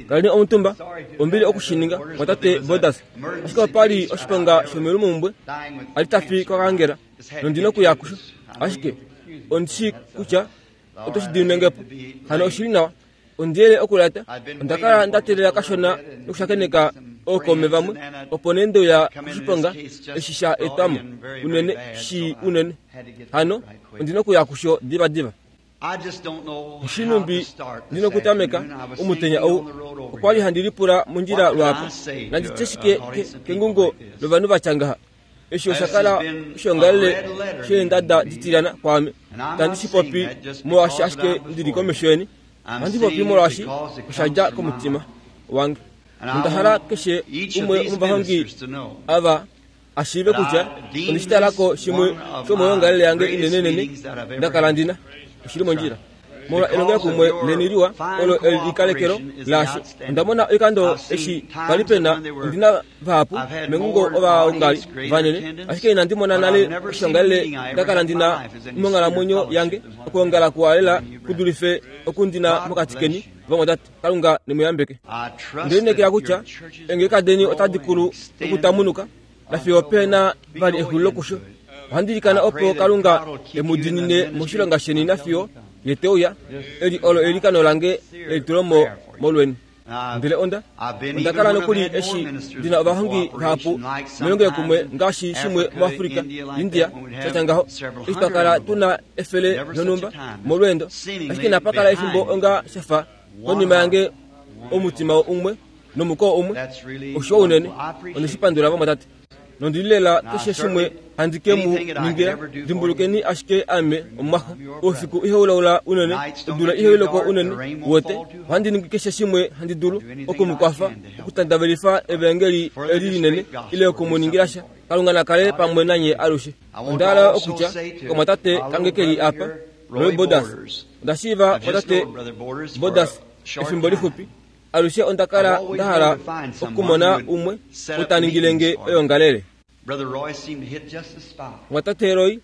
Kaleni omutumba, ombili oku shi ninga, mwatate Borders. Ashike opa li oshiponga shomeulumomhumbwe, a li ta fi kokaangela, nondi nokuya kusho. Ashike ondi shii kutya oto shi dimine nge po. Hano oshi li nawa. Ondi yele okulata. Onda kala nda teelela kashona nokushakeneka ookaume vamwe, opo nee nde uya koshiponga eshi sha etwa mo unene, shii unene. Hano ondi nokuya kusho divadiva. Oshinumbi ndi nokutameka omutenya ou. Okwa li handi lipula mondjila lwaapo, Nandi tye shike kengungo lovanhu va tya ngaha? Eshi osha kala oshoongalele sheendada ditilyana kwaame. Itandi shi popi molwaashi ashike ndi li komesho yeni. Ohandi popi molwaashi osha dja komutima wange. Nonda hala keshe umwe womovahongi ava a shiive kutya onde shi tala ko shimwe shomoyoongalele yange inenenene nda kala ndi na. Oshi li mondjila. Molwa elongelokumwe leni liwa olo elikalekelo laasho, onda mona oikando eshi pa li pe na ondi na vahapu mengungo ovaongali vanene, ashike inandi mona nale oshoongalele nda kala ndi na monghalamwenyo yange, okwoongala kuwa lela ku dulife oku ndi na mokati keni vamwatate. Kalunga ne mu yambeke. Onde lineekela kutya eengeleka deni otadi kulu nokutamunuka nafiyo pe na vali exulilo kusho. Ohandi ilikana opo Kalunga e mu diinine moshilonga sheni nafiyo Ye te uya. Eli olo eilikano lange lelitulomo molweni. Ndele onda, onda kala nokuli eshi ndi na ovahongi vahapu melongelokumwe ngaashi shimwe muAfrika, India, sha tya ngaho, eshi twa kala tu na efele lonhumba molweendo, ashike inapa kala efimbo onga sha fa konima yange omutima umwe nomukoo umwe. Oshiwa unene. Onde shi pandula vamwatate. Nondi li lela keshe shimwe handi ke mu ningila. Dimbulukeni ashike ame omumwaxo. Oufiku ihau laula unene, odula ihai loko unene, wote. Ohandi ningi keshe shimwe handi dulu oku mu kwafa okutandavelifa evaengeli eli linene ile oku mu ningila sha. Kalunga na kale pamwe nanye alushe. Onda hala okutya komwatate kange ke li apa, Roy Borders. Onda shiiva mwatate Borders efimbo lixupi. Alushe onda kala nda hala okumona umwe ou ta ningile nge oyoongalele. Mwatate Roy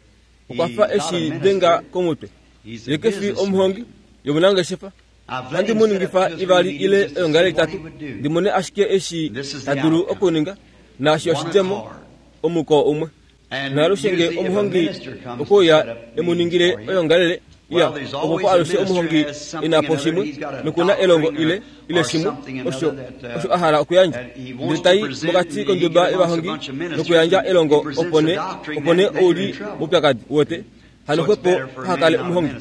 okwa fa eshi denga komutwe. Ye ke fi omuhongi, ye omunangeshefa. Ohandi mu ningifa ivali ile oyoongalele itatu ndi mone ashike eshi ta dulu okuninga, naashi oshidjemo, omuko umwe. Naalushe nge omuhongi okwe uya e mu ningile oyoongalele, ya, opo po alushe omuhongi e na po shimwe, noku na elongo ile, ile shimwe osho, osho a hala okuyandja. Ndele ta i mokati konduba yovahongi nokuyandja elongo, opo nee, opo nee ou li moupyakadi, uwete. Hano xwepo paha kale omuhongi.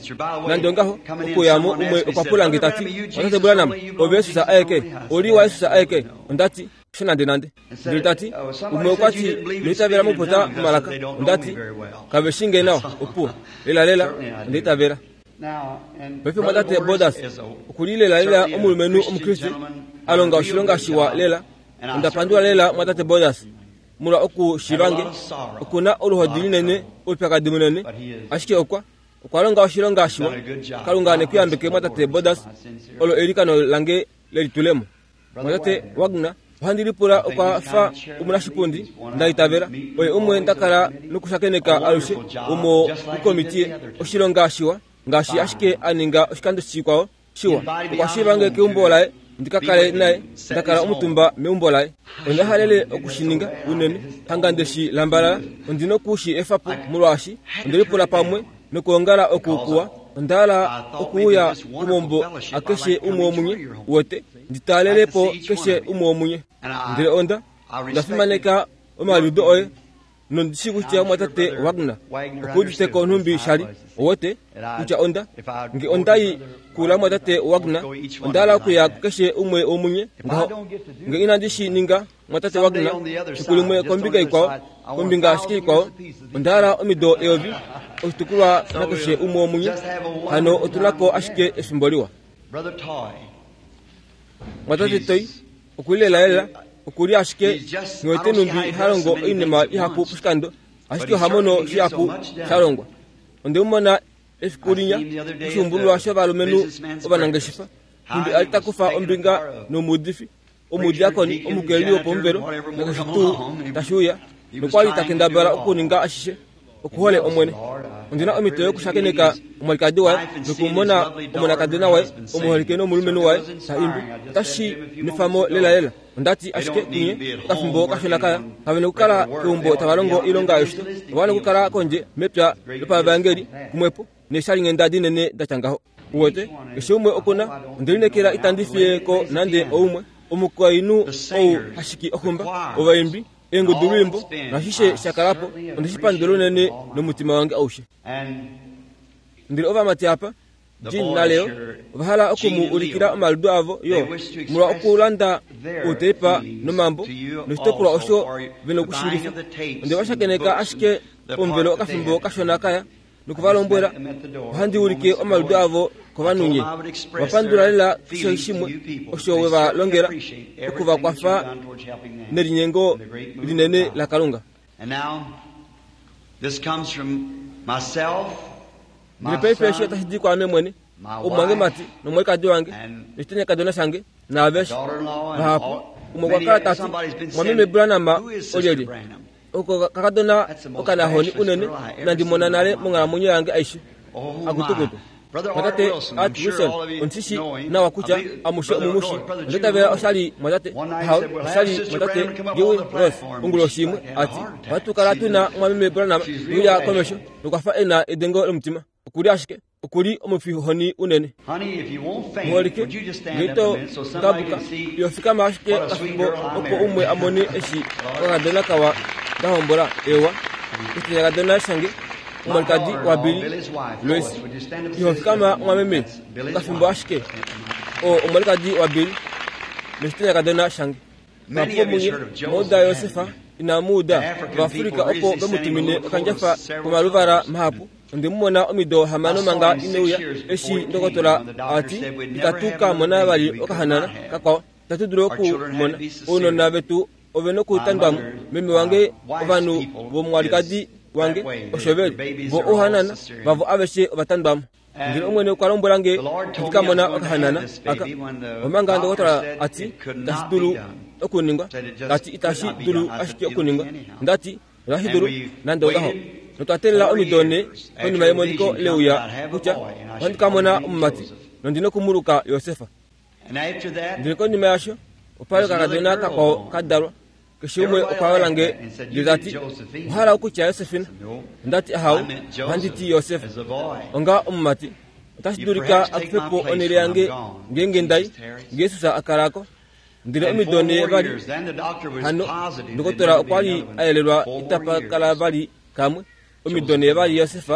Nande ongaho, okuya mo umwe okwa pula nge ta ti, Otate Branham, ove Jesus aeke? Ou li waJesus aeke? Onda ti, Hasho nandenande. Ndele ta ti, Umwe okwa ti, Ino itavela mokupopya momalaka. Onda ti, Kave shii nge nawa. Opuwo. Lelalela, onda itavela. Paife mwatate Borders oku li lelalela omulumenhu Omukriste a longa oshilonga shiwa lela. Onda pandula lela mwatate Borders molwa oku shiiva nge. Oku na oluhodi linene, oupyakadi munene, ashike okwa, okwa longa oshilonga shiwa. Kalunga ne ku yambeke mwatate Borders, olo eilikano lange lelitulemo. Mwatate Wagner, ohandi lipula okwa fa omunashipundi, nda itavela. Oye umwe nda kala nokushakeneka alushe womokomitiye. Oshilonga shiwa, ngaashi ashike a ninga oshikando shikwao shiwa. Okwa shiiva nge keumbo laye ndi ka kale naye, nda kala omutumba meumbo laye. Onda halele oku shi ninga unene, hanga nde shi lambalala. Ondi noku shi efa po, molwaashi onde lipula pamwe nokwoongala oku kuwa. Onda hala okuuya komaumbo akeshe umwe womunye, uwete, ndi taalele po keshe umwe womunye. Ndele onda, onda fimaneka omaliudo oye, nondi shii kutya omwatate Wagner okuudite ko nhumbi sha li, uwete, kutya onda, nge onda i kula mwatate Wagner, onda hala okuya kukeshe umwe womunye ngaho. Nge inandi shi ninga, Mwatate Wagner, fiku limwe kombinga ikwao, kombinga ashike ikwao, onda hala omido eyovi, oshitukulwa nakeshe umwe womunye. Hano otu na ko ashike efimbo liwa. Mwatate Toy oku li lelalela, oku li ashike nghi wete nhumbi ha longo oinima ihapu poshikando, ashike oha mono shihapu sha longwa. Onde mu mona efiku linya koshuumbululwa shovalumenhu ovanangeshefa, nhumbi a li ta kufa ombinga nomuudifi. omudiakoni, omukeleli wopomuvelo, nakeshe tuu tashi uya, nokwa li ta kendabala okuninga ashishe. Oku hole Omwene. Ondi na omhito yokushakeneka omwalikadi waye nokumona omonakadona waye omuholike nomulumenhu waye ta imbi. Otashi nwefa mo lelalela. Onda ti ashike kunye, okafimbo kashona kaya, kave nokukala keumbo tava longo oilonga yoshito. Ova wana okukala kondje mepya lopavangeli kumwepo neeshalinghenda dinene da tya ngaho. Uwete, keshe umwe oku na. Onde lineekela itandi fiye ko nande oumwe. Omukainhu ou ha shiki oxumba, ovaimbi, eengudulwiimbo, naashishe sha kala po, onde shi pandula unene nomutima wange aushe. Ndele ovamati apa, Gene naLeo, ova hala oku mu ulikila omaludo avo yo, molwa okulanda outeipa nomambo, noshitopolwa osho ve nokushingifa. Onde va shakeneka ashike pomuvelo okafimbo kashona kaya, noku va lombwela, Ohandi ulike omaludo avo kovanhu nye. Ova pandula lela keshe shimwe osho we va longela oku va kwafa nelinyengo linene laKalunga. Ndele paife eshi otashi di kwaame mwene, omumwangemati nomwalikadi wange, noshitanyakadona shange, naaveshe. Vahapu, umwe okwa kala ta ti, Mwameme Branham olyelye? Oko kakadona okanahoni unene inandi mona nale monghalamwenyo yange aishe. Akutukutu. Mwatate Art Wilson, ondi shi nawa kutya amushe omu mu shi. Onda itavela osha li mwatate Hall, osha li mwatate Dewey Rose, onguloshi imwe, a ti, Ohatu kala tu na Mwameme Branham te uya komesho, nokwa fa e na edengo lomutima. Oku li ashike. Oku li omufihoni unene. Muholike, nge ito ngabuka, iho fikama ashike okafimbo opo umwe a mone eshi okakadona kawa nda hombola. Eewa, oshityakadona shange, omwalikadi waBilly Lois. Iho fikama mwameme, okafimbo ashike. Oo omwalikadi waBilly noshityakadona shange. Vahapu vomunye omwa uda Josef, inamu uda Ovaafrika opo ve mu tumine okandjafa komaluvala mahapu. Onde mu mona omido hamano manga ine uya, eshi ndokotola a ti, Itatu ka mona vali okahanana kakwao. Itatu dulu oku mona. Ounona vetu ove nokutandwa mo. Meme wange, ovanhu vomwalikadi wange, osho ve li. Vo ouhanana vavo aveshe ova tandwa mo. Ndele Omwene okwa lombwela nge ndi ka mona okahanana aka, omanga ndokotola a ti itashi dulu okuningwa, ta ti itashi dulu ashike okuningwa. Onda ti, Otashi dulu, nande ongaho. Notwa teelela omido nhe konima yemoniko leuya kutya ohandi ka mona omumati, nondi noku mu luka Josef. Ndele konima yasho, opa li okakadona kakwao ka dalwa. Keshe umwe okwa yola nge ndele ta ti, Owa hala okutya Josefina? Onda ti, Ahau, ohandi ti Josef. Onga omumati. Otashi dulika a kufe po onhele yange ngeenge nda i, nge Jesus a kala ko. Ndele omido nhe vali hano, ndokotola okwa li a yelelwa itapa kala vali kamwe. Omido nhe vali Josef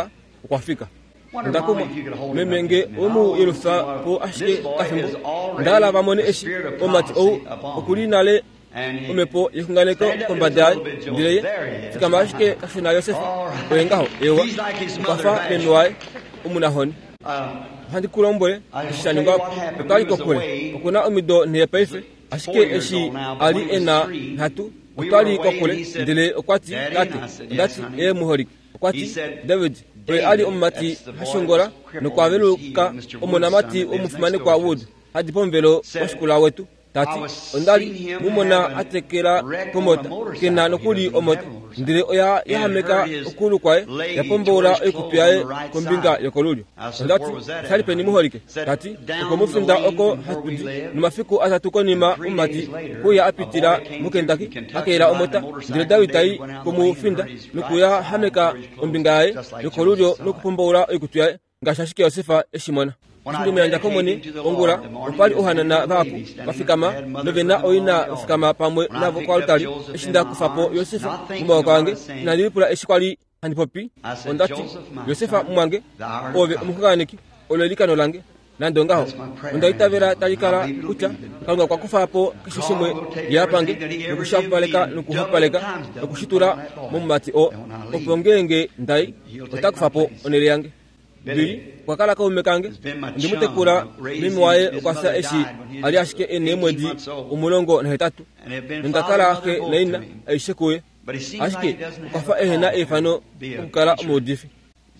okwa fika. Onda kumwa, meme nge owe mu yelufa po ashike kafimbo. Onda hala va mone eshi omumati ou oku li nale omhepo yexunganeko kombada yaye. Ndele ye, fikama ashike kashona Josef, oye ngaho, ewa, okwa fa meme waye omunahoni. Ohandi ku lombwele eshi sha ningwa po. Otwa li kokule. Oku na omido nhe paife, ashike eshi a li e na nhatu, otwa li kokule. Ndele okwa ti, Tate, onda ti, Ee, muholike. Okwa ti, David oye a li omumati ha shongola nokwa veluka omonamati womufimanekwa Wood, ha di pomuvelo washikula wetu. Ta ti, Onda li mu mona a tekela komota, ke na nokuli omota, ndele oya yahameka okuulu kwaye, ya pomboula oikutu yaye kombinga yokolulyo. Onda ti, Osha li peni muholike? Ta ti, Okomufinda oko hatu di. Nomafiku atatu konima omumati okwe uya a pitila muKentucky, a keela omota, ndele Dawid ta i komufinda nokuyahameka ombinga yaye yokolulyo nokupomboula oikutu yaye, ngaashi ashike Josef e shi mona. Eshi nde mu yandja kOmwene ongula, opa li ouhanana vahapu va fikama nove na oina va fikama pamwe navo koaltari. Eshi nda kufa po Josef momaoko ange, inandi lipula eshi kwa li handi popi. Onda ti, Josef mumwange, oove omuxunganeki, olo eilikano lange. Nande ongaho, onda itavela tali kala kutya Kalunga okwa kufa po keshe shimwe ye a pange nokushapaleka nokuhapaleka nokushitula momumati oo, opo ngeenge nda i, ota kufa po onhele yange. Billy okwa kala kaume kange. Onde mu tekula. Meme waye okwa fya eshi a li ashike e neemwedi 18, nonda kala xe naina aishe kuye. Ashike okwa fa ehe na eifano okukala omuudifi.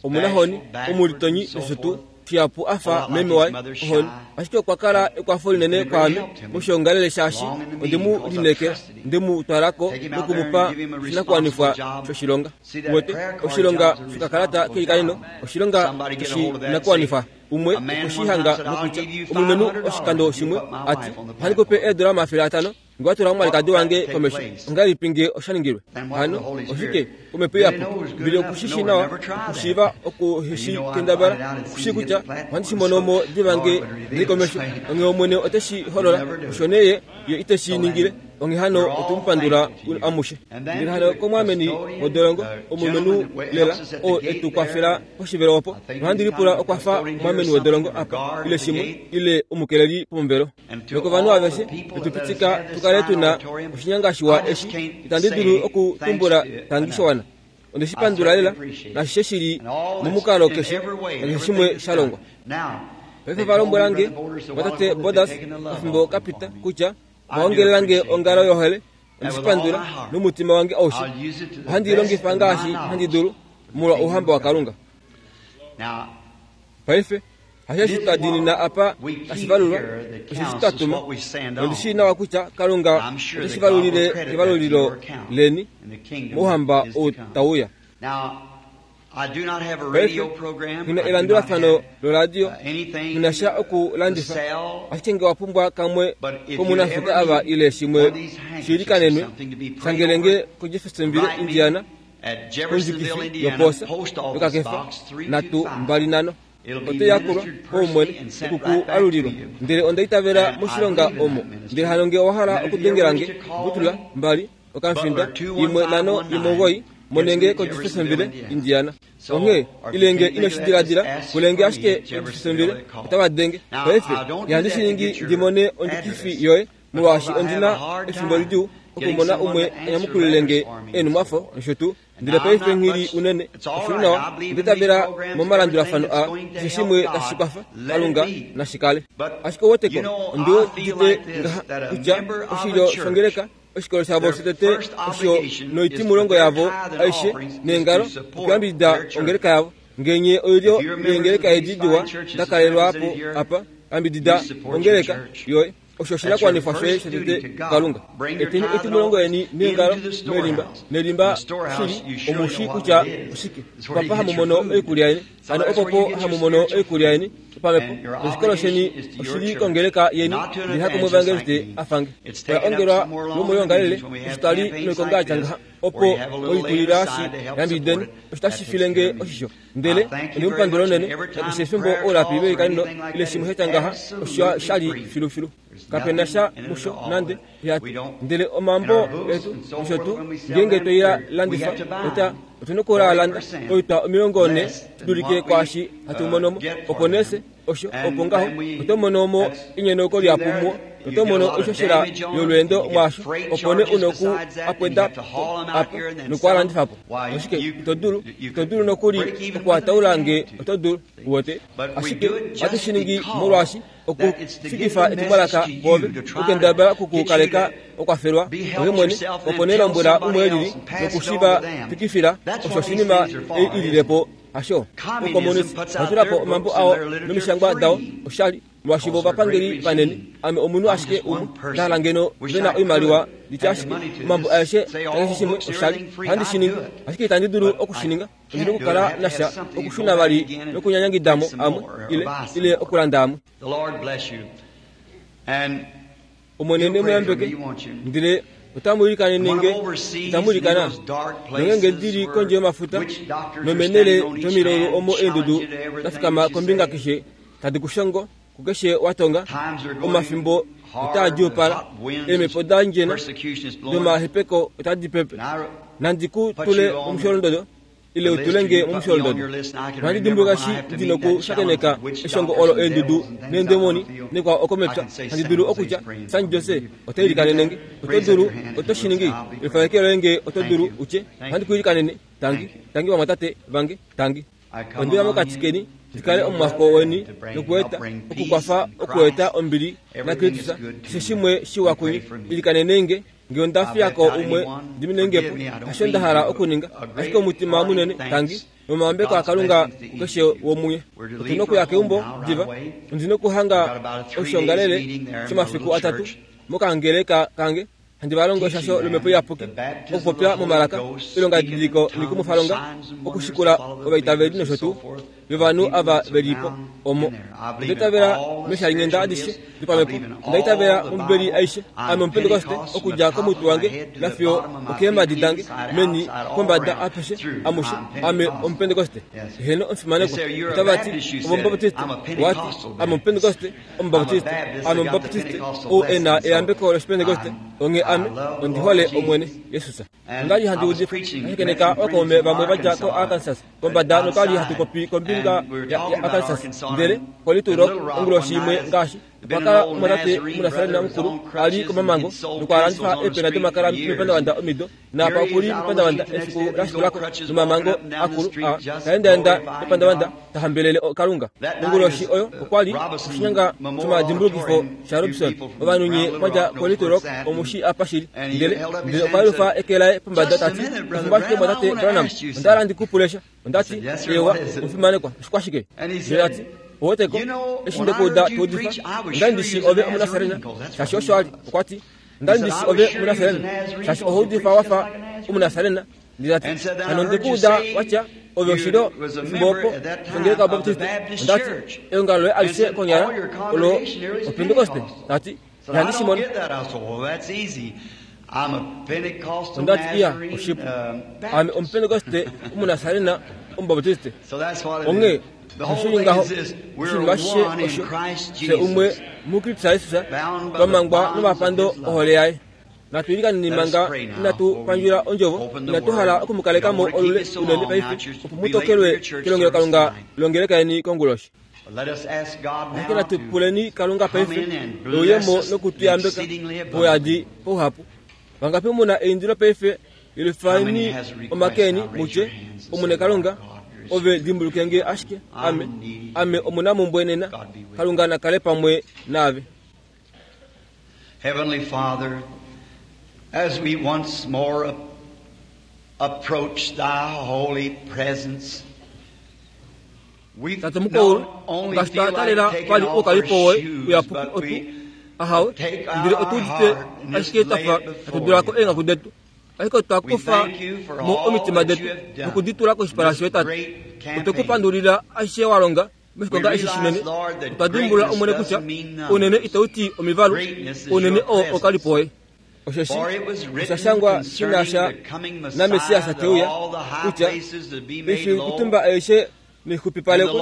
Omunahoni, omulitonyi nosho tuu. Shihapu a fa meme waye, ohoni. Ashike okwa kala ekwafo linene kwaame moshiongalele shaashi onde mu lineekela, nde mu twala ko noku mu pa oshinakuwanifwa shoshilonga. Uwete, oshilonga shokakalata keilikaneno oshilonga shoshinakuwanifwa. Umwe okwe shi hanga nokutya, omulumenhu oshikando shimwe a ti, Ohandi ku pe eedola 500 Nge wa tula omwalikadi wange komesho, ongahelipi nge osha ningilwe? Hano oshike? Omhepo Iyapuki. Mbili oku shi shii nawa, okushiiva oku shi kendabala, oku shii kutya ohandi shi mono mo diva nge ndi li komesho. Onghee Omwene ote shi holola. Osho nee Ye, Ye ite shi ningile. Onghee hano otu mu pandula amushe. Ndele hano komwaameni wodolongo, omulumenhu lela, oo e tu kwafela poshivelo opo, nohandi lipula okwa fa omwaameni wodolongo apa, ile shimwe, ile omukeleli pomuvelo. Nokovanhu aveshe etu pitika tu kale tu na oshinyanga shiwa eshi, itandi dulu okutumbula tangi showana. Onde shi pandula lela, nashishe shi li momukalo keshe, nakeshe shimwe sha longwa. Paife va lombwela nge, vatate Borders, pefimbo ka pita, kutya va ongelela nge ongalo yohole. Onde shi pandula nomutima wange aushe. Ohandi i longifa ngaashi handi dulu molwa Ouhamba waKalunga. Paife, hasheshi twa diinina apa tashi valulwa, osheshi twa tuma, nondi shii nawa kutya Kalunga ote shi valulile kevalulilo leni mOuhamba ou tau uya. Paife, nghi na elandulafano loradio, nghi na sha okulandifa, ashike nge wa pumbwa kamwe komunafika ava ile shimwe shi likanenwe, shangele nge koJeffersonville, Indiana, kondjukifi yopoosa yokakefa 325. Oto yakulwa paumwene oku ku alulilwa. Ndele onda itavela moshilonga omo. Ndele hano nge owa hala okudengela nge, mbutula, mbali, okamufinda, 1 5 1 9, mone nge koJeffersonville, Indiana. Onghee, ile nge ino shi diladila, pule nge ashike koJeffersonville, otava denge. Paife, ihandi shi ningi ndi mone ondjukifi yoye, molwaashi ondi na efimbo lidjuu okumona umwe a nyamukulile nge eenhumwafo nosho tuu. Ndele paife nghi li unene. Oshi li nawa, onda itavela momalandulafano aa, keshe shimwe tashi kwafa, Kalunga nashi kale. Ashike ouweteko, ondi udite ngaha, kutya oshilyo shongeleka, oshikolo shavo shotete osho noitimulongo yavo aishe neengalo, okuyambidida ongeleka yavo. Nge nye oilyo yeengeleka edi diwa da kalelwa po apa, yambidida ongeleka yoye. Osho oshinakuwanifwa shoye shotete kuKalunga. Eteni oitimulongo yeni meengalo, melimba, nelimba shili, omu shii kutya oshike. Opapa hamu mono oikulya yeni, hano opopo hamu mono oikulya yeni yopamhepo, noshikolo sheni oshi li kongeleka yeni, ndele hakomuevangeliste a fa nge. Oya ongelwa lwomoyoongalele, osho twa li noikonga ya tya ngaha, opo oikulila shi yambidideni, osho tashi file nge oshisho. Ndele ondi mu pandula unene, nakeshe efimbo oulapi veilikaneno ile shimwe sha tya ngaha, osho sha li filufilu. Kape na sha musho nande, ya ti. Ndele omambo etu nosho tuu, ngeenge twe i landifa, ota, otu na okukala landa oitwa 40 shi dulike kwaashi hatu mono mo. Opo nee fye, osho, opo ngaho, oto mono mo enyenauko lihapu muo, noto mono oishoshela yolweendo mwaasho, opo nee u na oku a pweda po apa noku a landifa po. Ashike ito dulu, ito dulu nokuli oku a taula nge oto dulu, uwete. Ashike ohatu shi ningi molwaashi okufikifa etumwalaka kwoove, okukendabala oku ku kaleka wa kwafelwa ove mwene, opo nee lombwela umwe e lili noku shi va fikifila osho oshinima ei i lile po. Hasho, oukomonisi owa tula po omambo ao nomishangwa dao oshali, molwaashi vo ovapangeli vanene. Ame omunhu ashike umwe, nda hala ngeno ve na oimaliwa ndi tye ashike, omambo aeshe nakeshe shimwe oshali. Ohandi shi ningi, ashike itandi dulu oku shi ninga. Ondi nokukala nasha okushuna vali nokunyanyangida mo amwe, ile, ile okulanda amwe. Omwene ne mu yambeke, ndele otamu ilikanene nge, itamu ilikana? Nongeenge ndi li kondje yomafuta nomeenhele domilaulu omo eendudu da fikama kombinga keshe tadi ku shongo kukeshe wa tonga, omafimbo otaa djuupala, eemhepo da ndjena domahepeko otadi pepe. Nandi ku tule momusholondodo ile u tule nge momusholondodo. Ohandi dimbuluka eshi ndi nokushakeneka eshongo olo eendudu neendemoni nekwao oko mepya, handi dulu okutya, San Jose ota ilikanene nge. Oto dulu, oto shi ningi? Lifa eke loye nge oto dulu, u tye, Ohandi ku ilikanene. Tangi. Tangi vamwatate vange. Tangi. Onde uya mokati keni ndi kale omumwaxo weni nokueta, okukwafa okueta ombili naKristus, keshe shimwe shiwa kunye. Ilikanenei nge. Nge onda fiya ko umwe, diminei nge po. Hasho nda hala okuninga, ashike omutima munene, tangi. Nomayambeko aKalunga kukeshe womuye. Otu na okuya keumbo diva. Ondi na okuhanga oshiongalele shomafiku atatu mokangeleka kange. Handi va longo eshasho lOmhepo Iyapuki, okupopya momalaka, oilongadidiliko noikumwifalonga, okushikula ovaitaveli nosho tuu yovanhu ava ve li po omo. Onda itavela meeshalinghenda adishe dopamhepo. Onda itavela mOmbibeli aishe. Ame Omupentekoste, okudja komutwe wange nafiyo okeemhadi dange, meni, pombada, apeshe, amushe. Ame Omupentekoste. Heeno, omufimanekwa. Otava ti, Ove Omubaptiste. Owa ti, Ame Omupentekoste. Omubaptiste, ame Omubaptiste ou e na eyambeko lOshipentekoste, onghee ame ondi hole Omwene Jesus. Onda li handi udifa, nda shakeneka ookaume vamwe va dja koArkansas kombada notwa li hatu popi kombinga yaArkansas. Ndele koLittle Rock onguloshi imwe ngaashi, okwa kala omumwatate Omunasarena mukulu a li komamango nokwa landifa eepena domakala mepandavanda omido. Naapa oku li mepandavanda efiku la shikula ko, nomamango akulu a ta endaenda mepandavanda ta hambelele Kalunga. Onguloshi oyo okwa li oshinyanga shomadimbulukifo shaRobson. Ovanhu nye mwa dja koLittle Rock omu shii apa shi li. Ndele, ndele okwa yelufa eke laye pombada ta ti, Efimbo ashike Mumwatate Branham, onda hala ndi ku pule sha. Onda ti, Eewa, omufimanekwa, oshikwashike? Ndele ta ti, Oweteko, eshi nde ku uda to udifa, onda li ndi shii ove Omunasarena, shaashi osho a li. Okwa ti, Onda li ndi shi ove Omunasarena, shaashi oho udifa wa fa Omunasarena. Ndele ta ti, Hano onde ku uda wa tya, ove oshilyo efimbo opo shongeleka yObaptiste. Onda ti, Eongalo loye alishe konyala olo Opentekoste. Ta ti, Ihandi shi mono. Onda ti, Iya, oshipu. Ame Omupentekoste Omunasarena Omubaptiste. Onghee osho shi ngaho, oshinima ashishe osho, fye umwe muKristus Jesus, twa mangwa nomapando ohole yaye. Natu ilikaneni manga inatu pandjula ondjovo. Inatu hala oku mu kaleka mo olule unene paife, opo mu tokelwe kelongelokalunga longeleka yeni konguloshi. Ashike natu puleni Kalunga paife e uye mo noku tu yambeka pauyadi pauhapu. Vangapi mu na eindilo paife? Yelufani omake eni mu tye, Omwene Kalunga, Ove dimbuluke nge ashike, ame, ame omunamumbwe nena. Kalunga na kale pamwe naave. Heavenly Father, as we once more approach Thy holy presence, Tate mukwaulu, ngaashi twa taalela vali oukalipo woye uyapuki otu, ahawe, ndele otu udite ashike twa fa hatu dula ko eenghaku detu. Ashike otwa kufa mo omitima detu noku di tula koshipala shoye, Tate. Otwe ku pandulila ashishe wa longa moshikonga eshi shinene. Otwa dimbulula, Omwene, kutya ounene itau ti omivalu, ounene oo oukalipo woye. Osheshi osha shangwa shi na sha naMessias te uya, kutya, Oifikutumba aishe naixupipalekwe,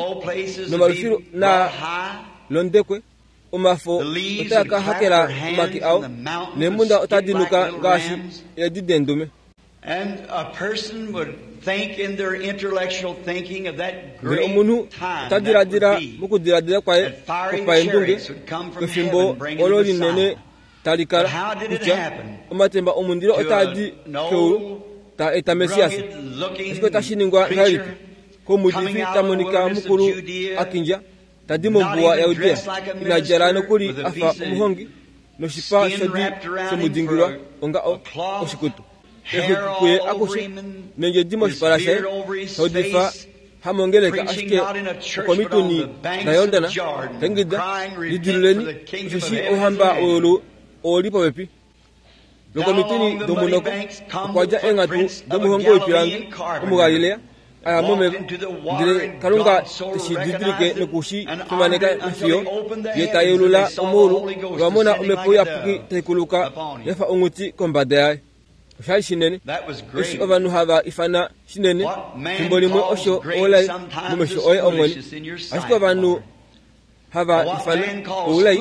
nomalufilu naa londekwe, omafo otaa ka hakela omake ao, neemhunda otadi nuka ngaashi eedi deendume. Ndele omunhu ota diladila mokudiladila kwaye kwopaendunge pefimbo olo linene tali kala, kutya omatemba omundilo otaa di keulu taa eta Messias. Ashike otashi ningwa ngahelipi komuudifi ta monika mukulu a kindja, ta di mombuwa yaJudea, ina djala nokuli a fa omuhongi, noshipa shodi she mu dingilwa onga o, oshikutu, exwiki kuye akushe, nendjedi moshipala shaye, ta udifa Hamongeleka ashike okomituni daJordan, ta ingida, Lidiluleni, osheshi ouhamba weulu ou li popepi. Lokomituni domunoko okwa dja eenghatu domuhongi woipilangi Omugalilea, a ya momeva, ndele Kalunga te shi didilike noku shi fimaneka nafiyo Ye ta yeulula omaulu, nova mona Omhepo Iyapuki tai kuluka ya fa onghuti kombada yaye. Osha li shinene eshi ovanhu hava ifana shinene, fimbo limwe osho oulai momesho oye Omwene. Ashike ovanhu hava ifana oulai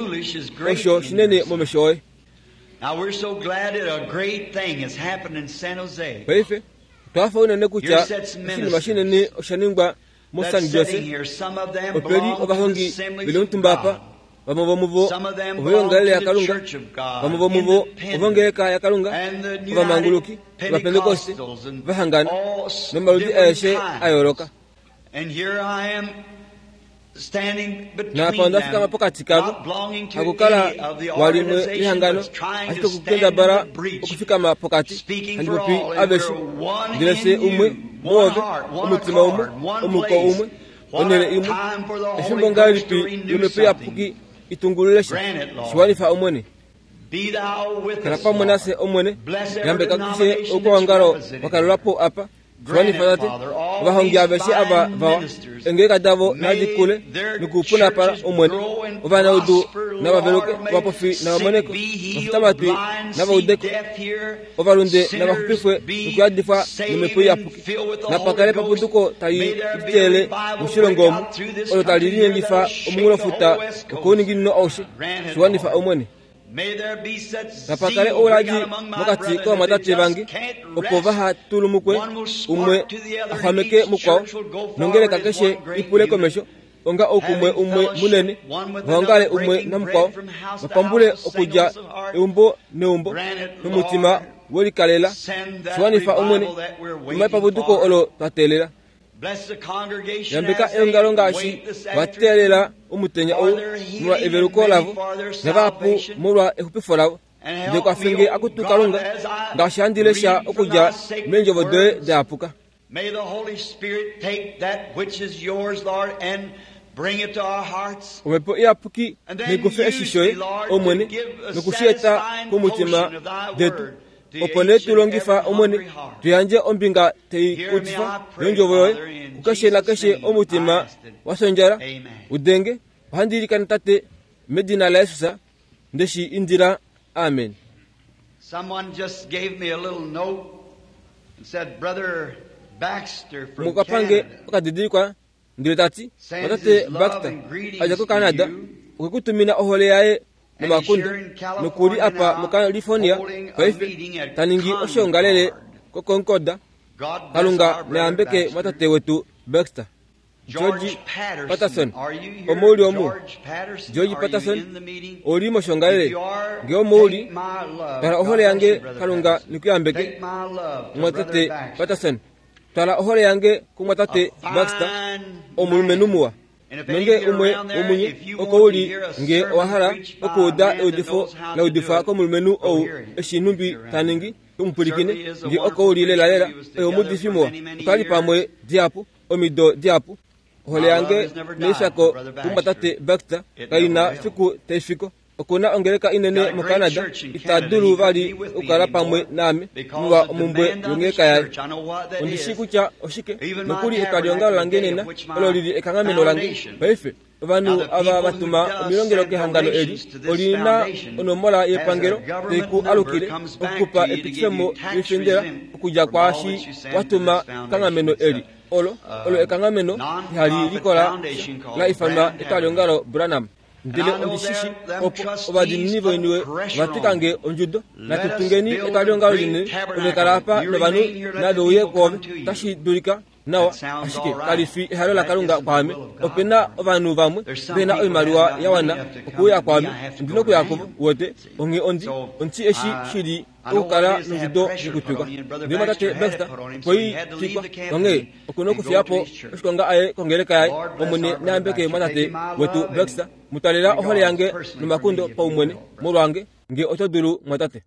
osho shinene momesho oye. Paife, otwa hafa unene kutya oshinima shinene osha ningwa moSan Jose. Ope li ovahongi ve li omutumba apa, vamwe vomuvo ovoiongalele yaKalunga, vamwe vomuvo ovongeleka yaKalunga, ovamanguluki, Ovapentekoste, va hangana, nomaludi aeshe a yooloka. Naapa onda fikama pokati kavo, hakukala walimwe lehangano, ashike okukendabala okufikama pokati, handi popi aveshe, ndele fye umwe. Muove, omutima umwe, omuko umwe, onhele imwe. Efimbo ngahelipi lOmhepo Iyapuki itungulule sha? Shiwanifa, Omwene. Kala pamwe nafye, Omwene. Yambeka keshe oukwaongalo wa kalelwa po apa. Shiwanifa, Tate. Ovahongi aveshe ava vawa, eengeleka davo nadi kule nokupunapala, Omwene. Ovanaudu nava veluke, ovapofi nava moneko, ovafitamatwi nava udeko, ovalunde nava xupifwe nokuyadifwa nOmhepo Iyapuki. Napa kale paputuko tali liteele moshilongo omu, olo tali linyengifa omunghulofuta wokouninginino aushe. Shiwanifa, Omwene. Napa kale ouladi mokati kovamwatate vange, opo vaha tulumukwe, umwe a xwameke mukwao, nongeleka keshe i pule komesho onga oukumwe umwe munene, va ongale umwe namukwao, va pambule okudja eumbo neumbo nomutima we likalela. Shiwanifa, Omwene, tuma epapuduko olo twa teelela. Yambeka eongalo ngaashi va teelela omutenya ou molwa eveluko lavo, navahapu molwa exupifo lavo. Ndele kwafe nge akutu Kalunga, ngaashi handi lesha okudja meendjovo doye da yapuka. Omhepo Iyapuki nai kufe eshi shoye, Omwene, noku shi eta komutima detu. Opo nee tu longifa, Omwene, tu yandje ombinga tai kutifa yondjovo yoye kukeshe nakeshe omutima wa fyondjala u denge. Ohandi ilikana, Tate, medina laJesus, nde shi indila. Amen. Umwe okwa pa nge okadidilikwa ndele ta ti, Mwatate Baxter, a dja koCanada, okwe ku tumina ohole yaye nomakundo, noku li apa moCalifornia paife, ta ningi oshoongalele koConcord. Kalunga na yambeke mwatate wetu Baxter. George Patterson, omo u li omu? George Patterson, ou li moshongalele? Nge omo u li, twala ohole yange, Kalunga neku yambeke, mumwatate Patterson. Twala ohole yange kumwatate Baxter, omulumenhu muwa. Nonge umwe womunye oko u li, nge owa hala okuuda eudifo la udifwa komulumenhu ou eshi nhumbi ta ningi, mu pwilikine. Nge oko u li lelalela, oye omuudifi muwa. Otwa li pamwe dihapu. Omido dihapu, ohole yange neishako kumwatate Baxter kai na fiku tai fiko. Oku na ongeleka inene moCanada, ita dulu vali okukala pamwe naame molwa omumbwe yongeleka yaye. Ondi shii kutya oshike, nokuli etwaliongalo lange nena olo li li ekanghameno lange paife. Ovanhu ava va tuma omilongelo kehangano eli oli na onomola yepangelo tai ku alukile okukupa epitifemo loifendela okudja kwaashi wa tuma kekanghameno eli. Olo olo ekanghameno ihali likola sha la ifanwa Etwaliongalo Branham. Ndele ondi shi shi opo ovadiinini voiniwe va twika nge ondjudo. Natu tungeni etwaliongalo linene, ove kala apa novanhu nave uye kwoove. Otashi dulika nawa, ashike kali fi ehalo laKalunga kwaame. Ope na ovanhu vamwe ve na oimaliwa ya wana okuuya kwaame. Ondi na okuya kuvo, uwete. Onghee ondi, ondi eshi shi li okukala nondjudo yokutwikwa. Ndele Mumwatate Baxter okwe i twikwa, onghee oku na okufiya po oshikonga aye kongeleka yaye. Omwene na yambeke Mumwatate wetu Baxter. Mu talela ohole yange nomakundo paumwene molwange, nge oto dulu, mumwatate.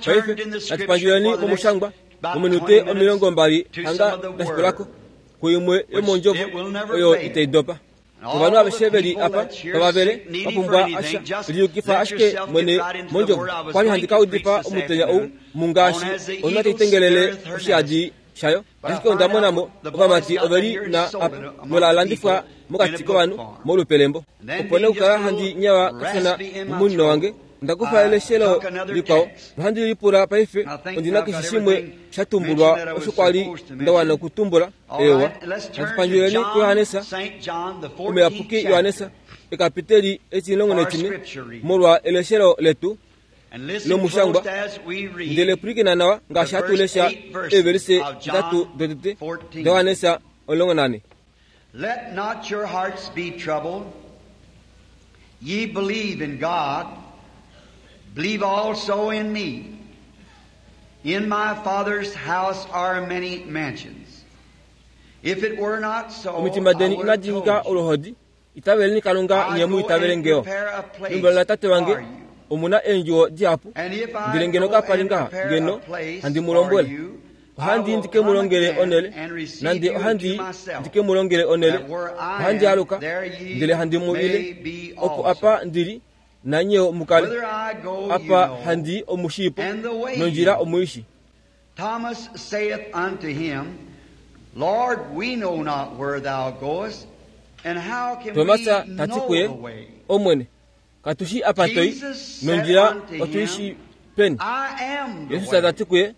Paife natu pandjuleni momushangwa mominute 20 hanga da shikula ko, kuimwe yomoondjovo oyo itai dopa. Ovanhu aveshe ve li apa tava vele va pumbwa asha, liyukifa ashike mwene mondjovo. Okwa li handi ka udifa omutenya ou mungaashi onhwa tai tengelele oshihadi shayo, ashike onda mona mo ovamati ove li na apa nola landifwa mokati kovanhu molupe lembo. Opo nee okukala handi nyewa kashona momunino wange, onda kufa eleshelo likwao nohandi lipula paife ondi na keshe shimwe sha tumbulwa osho kwa li nda wana okutumbula. Eewa, natu pandjuleni kuJohannes, Omuyapuki Johannes, ekapiteli etimulongo molwa eleshelo letu lomushangwa. Ndele pwilikina nawa ngaashi hatu lesha eevelise nhatu dotete daJohannes 14. Let not your hearts be troubled. Ye believe in God, believe also in me. In my Father's house are many mansions. If it were not so, Omitima I deni would have inadi nyika told you. oluhodi. Itaveleni Kalunga I nye mu go itavele and nge yo. prepare a place Meumbo laTate wange for you. omu na eendjuwo dihapu, And if I ndele ngeno go kapa li and ngaha, prepare ngeno a place handi mu for lombwele. you, Ohandi i ndi ke mu longele onhele, nande ohandi i ndi ke mu longele onhele, ohandi aluka, ndele handi mu ile, opo apa ndi li, nanye yo mu kale. Apa handi i omu shii po, nondjila omu i shii. Thomas saith unto him, Lord, we know not where thou goest, and how can we Tomas ta ti know kuye, the way? Omwene, katu shii apa to i, nondjila otu i shii peni? I am the Jesus ta way, ti kuye,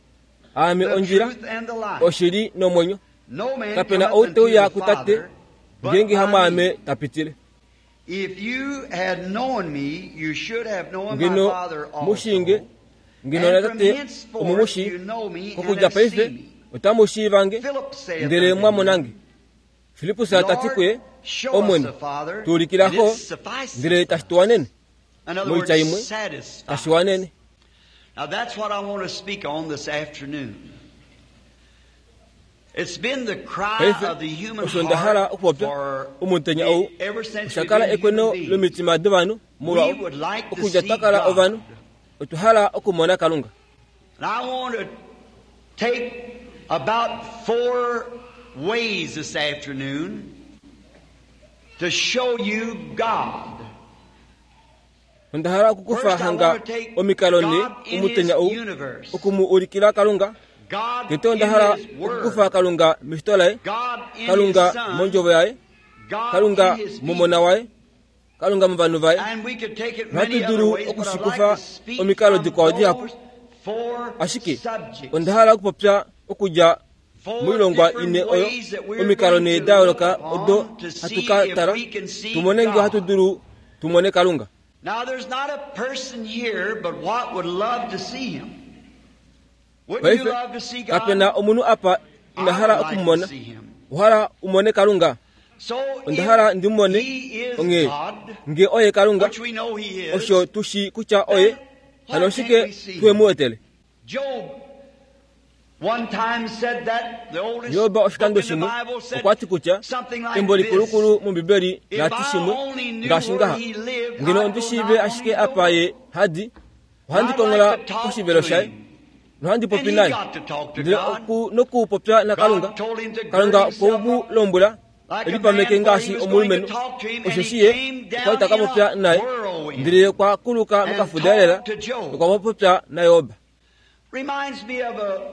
Aame the ondjila, truth, and the life. oshili nomwenyo. No man Kape na cometh ou te unto uya the kuTate Father but ngeenge by hamwaame me. ta pitile. If you had known me, you should have known my Ngeno Father mu shii nge, also. ngeno And from naTate omu mu henceforth shii, you know me and kokudja have paife seen me. otamu shiiva nge, Philip saith ndele unto mwa mona him, nge. Filippus ta ti kuye, Lord, show us Omwene, the Father, tu ulikila and Xo, it sufficeth ndele tashi tu wanene. In other Moitya words, imwe, satisfies. tashi wanene. Now that's what I want to speak on this afternoon. It's been the cry Paife, of the human osho nda hala heart okupopya for omutenya ou ever since osha we've kala been ekweno human beings. lomitima dovanhu molwa We would like to okudja see twa kala God. ovanhu otwa hala okumona Kalunga. And I want to take about four ways this afternoon to show you God. Onda hala okukufa First, I hanga want to take omikalo ne God in His omutenya ou universe, oku mu ulikila Kalunga. God Tete onda in hala His okukufa Word, Kalunga meshito laye, God in His Kalunga Son, mondjovo yaye, God Kalunga in His momona people. waye, Kalunga movanhu vaye. And we could take it Ohatu many other dulu ways, but I'd like okushikufa to speak omikalo from dikwao dihapu. those four Ashike subjects, onda hala okupopya okudja four moilongwa different ine oyo ways that we're omikalo going ne to da look yooloka odo upon to hatu see ka if tala we can see tumone ngee ohatu God. dulu tumone Kalunga. Now, there's not a person here but what would love to see Him. Wouldn't you Paife love to see kape God? na omunhu apa ina I hala would like to okumumona. see Him. Ohala umone Kalunga. So Onda hala if ndi mumone He is onghee God, ngee oye Kalunga which we know He is, osho tu shii kutya oye then hano why oshike can't we see tuhe Him? mu wetele. Job one time said that the oldest Job book oshikando in the shimwe Bible said okwa ti kutya something like embo this. likulukulu mOmbibeli If lati I shimwe only knew ngaashi where ngaha he lived, ngeno I'd ondi go shiive knock on ashike his apa door. ye hadi ohandi I'd kongola like to talk poshivelo to shaye him. nohandi And popi he naye got to talk to ndele God. nokupopya naKalunga God told him to gird Kalunga okwe himself mu up lombwela like a elipameke man, for ngaashi he was going to omulumenhu talk to him, and osheshi he ye came okwa li down ta ka in popya a naye whirlwind ndele okwa kuluka and mokafudaelela talked to Job. okwa popya naJob. Reminds me of a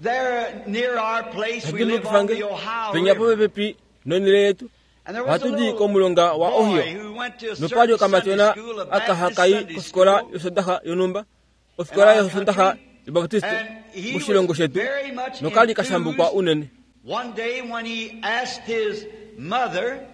there near our place we live Hadimbulukifa on nge the Ohio penya River. popepi nonhele yetu And there was a ohatu di little komulonga wa boy Ohio who went to a nopali certain Sunday okamatyona school, a aka Baptist hakai Sunday kofikola school yosondaxa yonhumba in ofikola our yosondaxa country, yobaptiste and he moshilongo was shetu very much nokali kashambukwa enthused. unene. One day when he asked his mother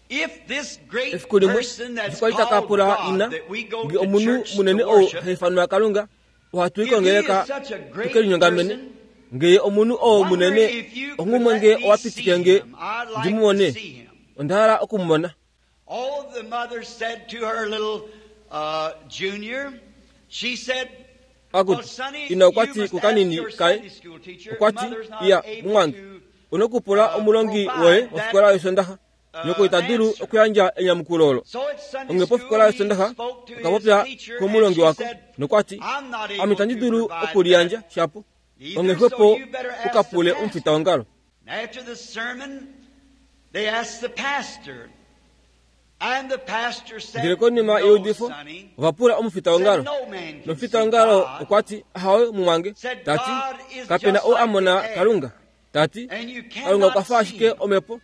if this great Efiku limwe person that's eshi kwali taka called pula God ina that we go nge to omunhu church to munene ou worship, ha ifanwa Kalunga ohatu if he is ikongeleka such a great tuke linyongamene person, ngee omunhu oo wonder munene if you could onghumwe let ngee me owa see pitike nge him. I'd ndi like mu to mone see him. onda hala okumumona. Oh, the mother said to her little junior, she said, Well, Akuti Sonny, ina you okwa ti must ask kukanini your kaye Sunday school teacher. okwa ti Mother's not iya able mumwange to onokupula omulongi woye wofikola yosondaxa nyoko ita dulu answer. okuyandja enyamukulo olo. So at Sunday Onghee school, pofikola he yosondaxa spoke to his okapopya teacher, and komulongi she wako said, nokwati I'm not ame able itandi to dulu provide okuliyandja that shapo either, onghee so xwepo you better ask the ukapule pastor. omufitaongalo. After the sermon, they asked the pastor, and the pastor Ndele said, konima No, yeudifo sonny. ovapula Said, omufitaongalo no man can see nomufitaongalo God, okwa ti ahawe mumwange Said, tati God is kape na just ou like a mona the air, Kalunga tati and you Kalunga okwa cannot fa see ashike him. omhepo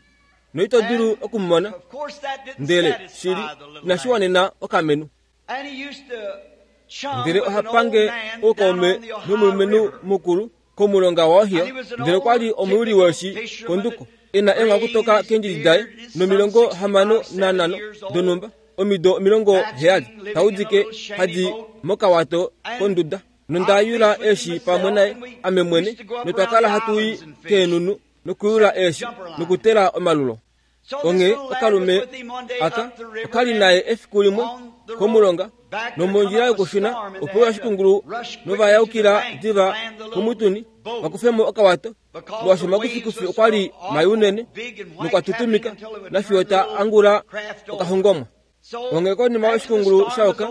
noito dulu And okumumona of course that didn't ndele satisfy shili the little inashi man. wanena okamenu. And he used to chum Ndele with oha an old pange man down oukaume on the Ohio nomulumenhu River. mukulu komulonga waOhio And he was an ndele okwa li old omuyuli typical weeshi fisherman konduko that e na eenghaku toka raised his keendjili daye beard, his some nomilongo 65, 65 70 years old, donhumba omido 70 bachelor, living in a taudike little shanty hadi boat. mokawato And konduda nonda I yula fished with him eeshi pamwe myself, naye and we ame mwene used to go up notwa around kala the hatu i islands and fish, keenhunu nokuyula set eeshi jumper line. nokutela omalulo. So this Onghee little lad was okalume with him one day aka up the river, okali and naye efiku limwe on the road komulonga back there come nomondjila up a yokushuna storm, and they opewa had to oshikungulu rush quickly to the novayaukila bank to diva land the little komutuni boat vakufemo okawato because molwaashi the waves omakufikufi were okwa so li mai awful unene big and white nokwa capping tutumika until it would turn nafiyo the ta little angula craft over. okahongomwa. Onghee konima oshikungulu sha oka,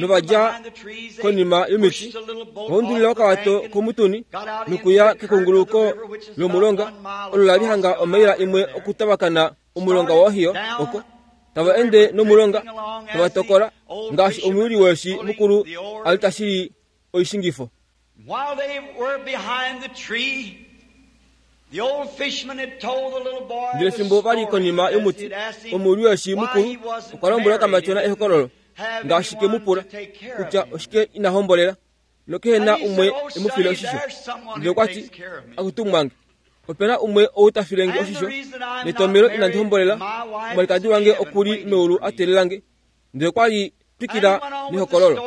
nova dja konima yomiti, va undulila okawato komutuni nokuya kekunguluko lomulonga, olo la li hanga omaila imwe okutavakana omulonga waOhio oko. Tava ende nomulonga, tava tokola, ngaashi omuyuli weeshi mukulu a li ta shili oishingifo. Ndele fimbo va li konima yomuti, omuyuli-weeshi mukulu okwa lombwela okamatyona ehokololo, ngaashi ke mu pula kutya oshike ina hombolela nokehe na umwe e mu file oshisho. Ndele okwa ti, Akutu mwange, ope na umwe ou ta file nge oshisho, netomhelo inandi hombolela, omwalikadi wange oku li meulu a teelela nge. Ndele okwa li twikila nehokololo.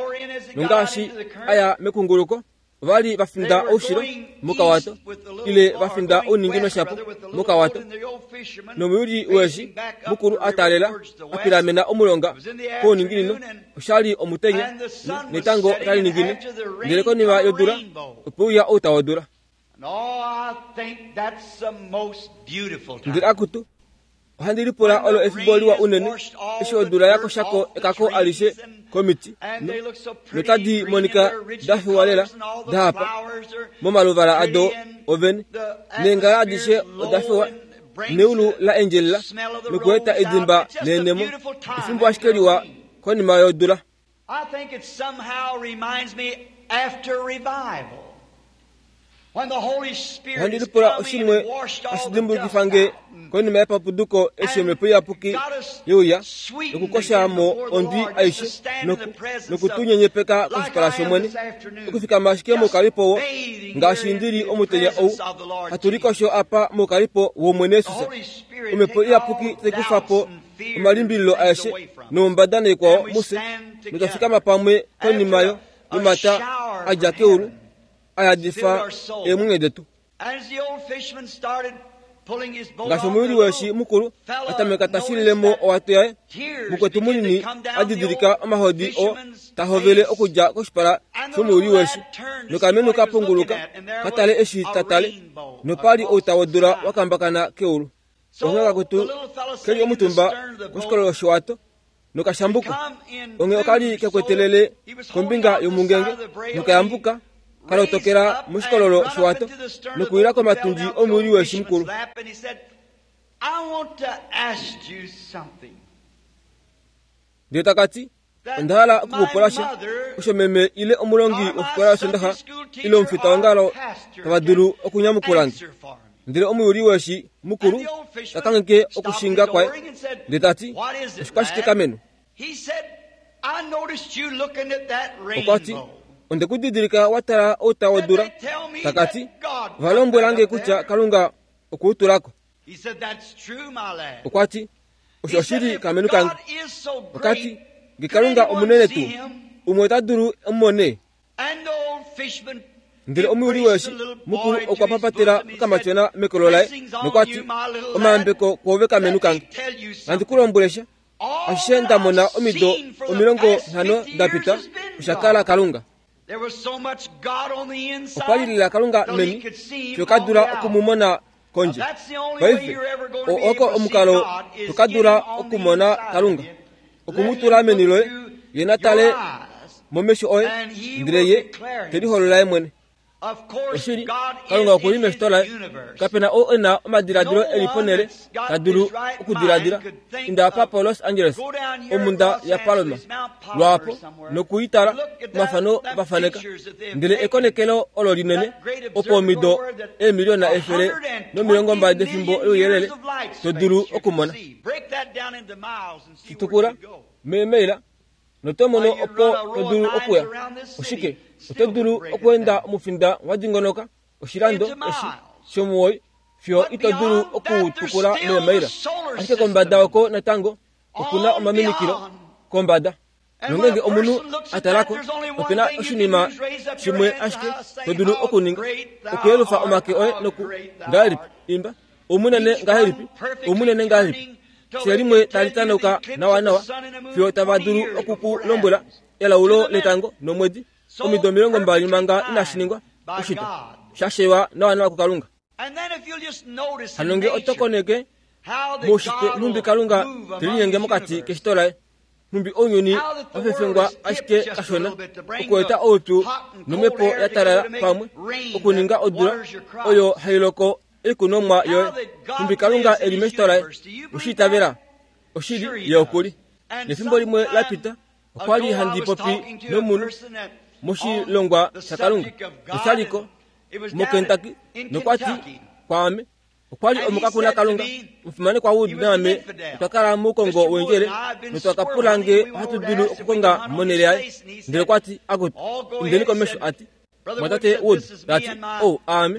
Nongaashi a ya mekunguluko, ova li va finda oushilo mokawato, ile va finda ouninginino shapo mokawato. Nomuyuli weeshi mukulu a taalela a pilamena omulonga kouninginino, osha li omutenya, netango otali ningine. Ndele konima yodula, ope uya outa wodula. Ndele akutu, ohandi lipula olo efimbo liwa unene eshi odula ya koshako ekako alishe komiti notadi monika da fiwa lela da hapa momaluvala ado ovene neengala adishe oda fiwa neulu la endjelela nokueta edimba leenemo efimbo ashike liwa konima yodula. I think it somehow reminds me after revival. When the Holy Spirit Ohandi has lipula come in oshimwe and washed all hashi the dimbukifa dust nge out konima yepapuduko eshi omhepo iyapuki ye uya nokukosha mo ondwi aishe noku tu nyenyepeka koshipala shOmwene, okufikama ashike moukalipo wo, ngaashi ndi li omutenya ou, hatu likosho apa moukalipo wOmwene Jesus. Omhepo iyapuki tai kufa po omalimbililo aeshe noumbada naikwao mufye, notwa fikama pamwe konima yo yomata a dja keulu a yadifa eemwenyo detu. Ngaashi omuyuli weeshi mukulu a tameka ta shilile mo owato yaye, mukwetu munini a didilika omahodi oo ta hovele okudja koshipala shomuyuli weeshi, nokamenu ka punguluka ka tale eshi ta tale, nopa li outa wodula wa kambakana keulu. Onghee kakutu ke li omutumba koshikololo showato nokashambuka. Onghee oka li ke kwetelele kombinga yomungenge nokayambuka ka lotokela moshikololo showato nokuwila komatundji omuyuli weeshi mukulu. Ndele taka ti, Onda hala oku ku pula sha osho meme ile omulongi wofikola yOsondaxa ile omufitaongalo tava dulu okunyamukula nge. Ndele omuyuli weeshi mukulu ta kangheke okushinga kwaye ndele ta ti, Oshikwashike kameno? Okwa ti, Onde ku didilika wa tala outa wodula. Taka ti, Ova lombwela nge kutya Kalunga okwe u tula ko. Okwa ti, Osho oshili kamenu kange. Oka ti, Nge Kalunga omunene tuu, umwe ota dulu e mu mone? Ndele omuyuli weeshi mukulu okwa papatela okamatyona mekolo laye nokwa ti, Omayambeko kwoove kamenu kange. Nandi ku lombwele sha, ashishe nda mona omido 50 da pita osha kala Kalunga. Okwa li lela Kalunga meni, fiyo ka dula oku mu mona kondje. Paife, oo oko omukalo to ka dula okumona Kalunga, oku mu tula meni loye, Ye na tale momesho oye, ndele Ye te liholola Ye mwene. Oshili, Kalunga oku li meshito laye. Kape na ou e na omadiladilo e li ponhele ta dulu okudiladila. Inda apa poLos Angeles, omhunda yaPalomar, lwaapo, noku i tala, omafano va faneka. Ndele ekonekelo olo linene, opo omido eemiliona 120 defimbo louyelele to dulu okumona. Shi tukula meemaila noto mono opo to dulu okuya. Oshike? Oto dulu okweenda omufinda wa dingonoka oshilando eshi shomuwoi fiyo ito dulu oku u tukula meemaila. Ashike kombada oko natango oku na omaminikilo kombada. Nongeenge omunhu a tala ko, ope na oshinima shimwe ashike to dulu okuninga, okuyelufa omake oye noku, ngahelipi, imba, Oumunene ngahelipi, oumunene ngahelipi! Fiyo limwe tali tanauka nawanawa, fiyo tava dulu oku ku lombwela elaulo letango nomwedi, omido 20 manga inashi ningwa, oshitwa, sha sheywa nawanawa kuKalunga. Hano nge oto koneke moushitwe nhumbi Kalunga te linyenge mokati keshito laye. Nhumbi ounyuni wa fefengwa ashike kashona okueta oupyu nomhepo ya talala pamwe okuninga odula oyo hai loko oikunomwa yoye. Nhumbi Kalunga e li meshito laye. Oshi itavela? Oshili, Ye oku li. Nefimbo limwe la pita, okwa li handi popi nomunhu moshilongwa shaKalunga, nosha li ko moKentucky, nokwa ti kwaame, Okwa li omukakuna Kalunga, omufimanekwa Wood naame otwa kala moukongo weendjele notwa ka pula nge ohatu dulu okukonga monhele yaye. Ndele okwa ti, Akutu, indeni komesho, a ti, Mwatate Wood, ta ti, ou, aame,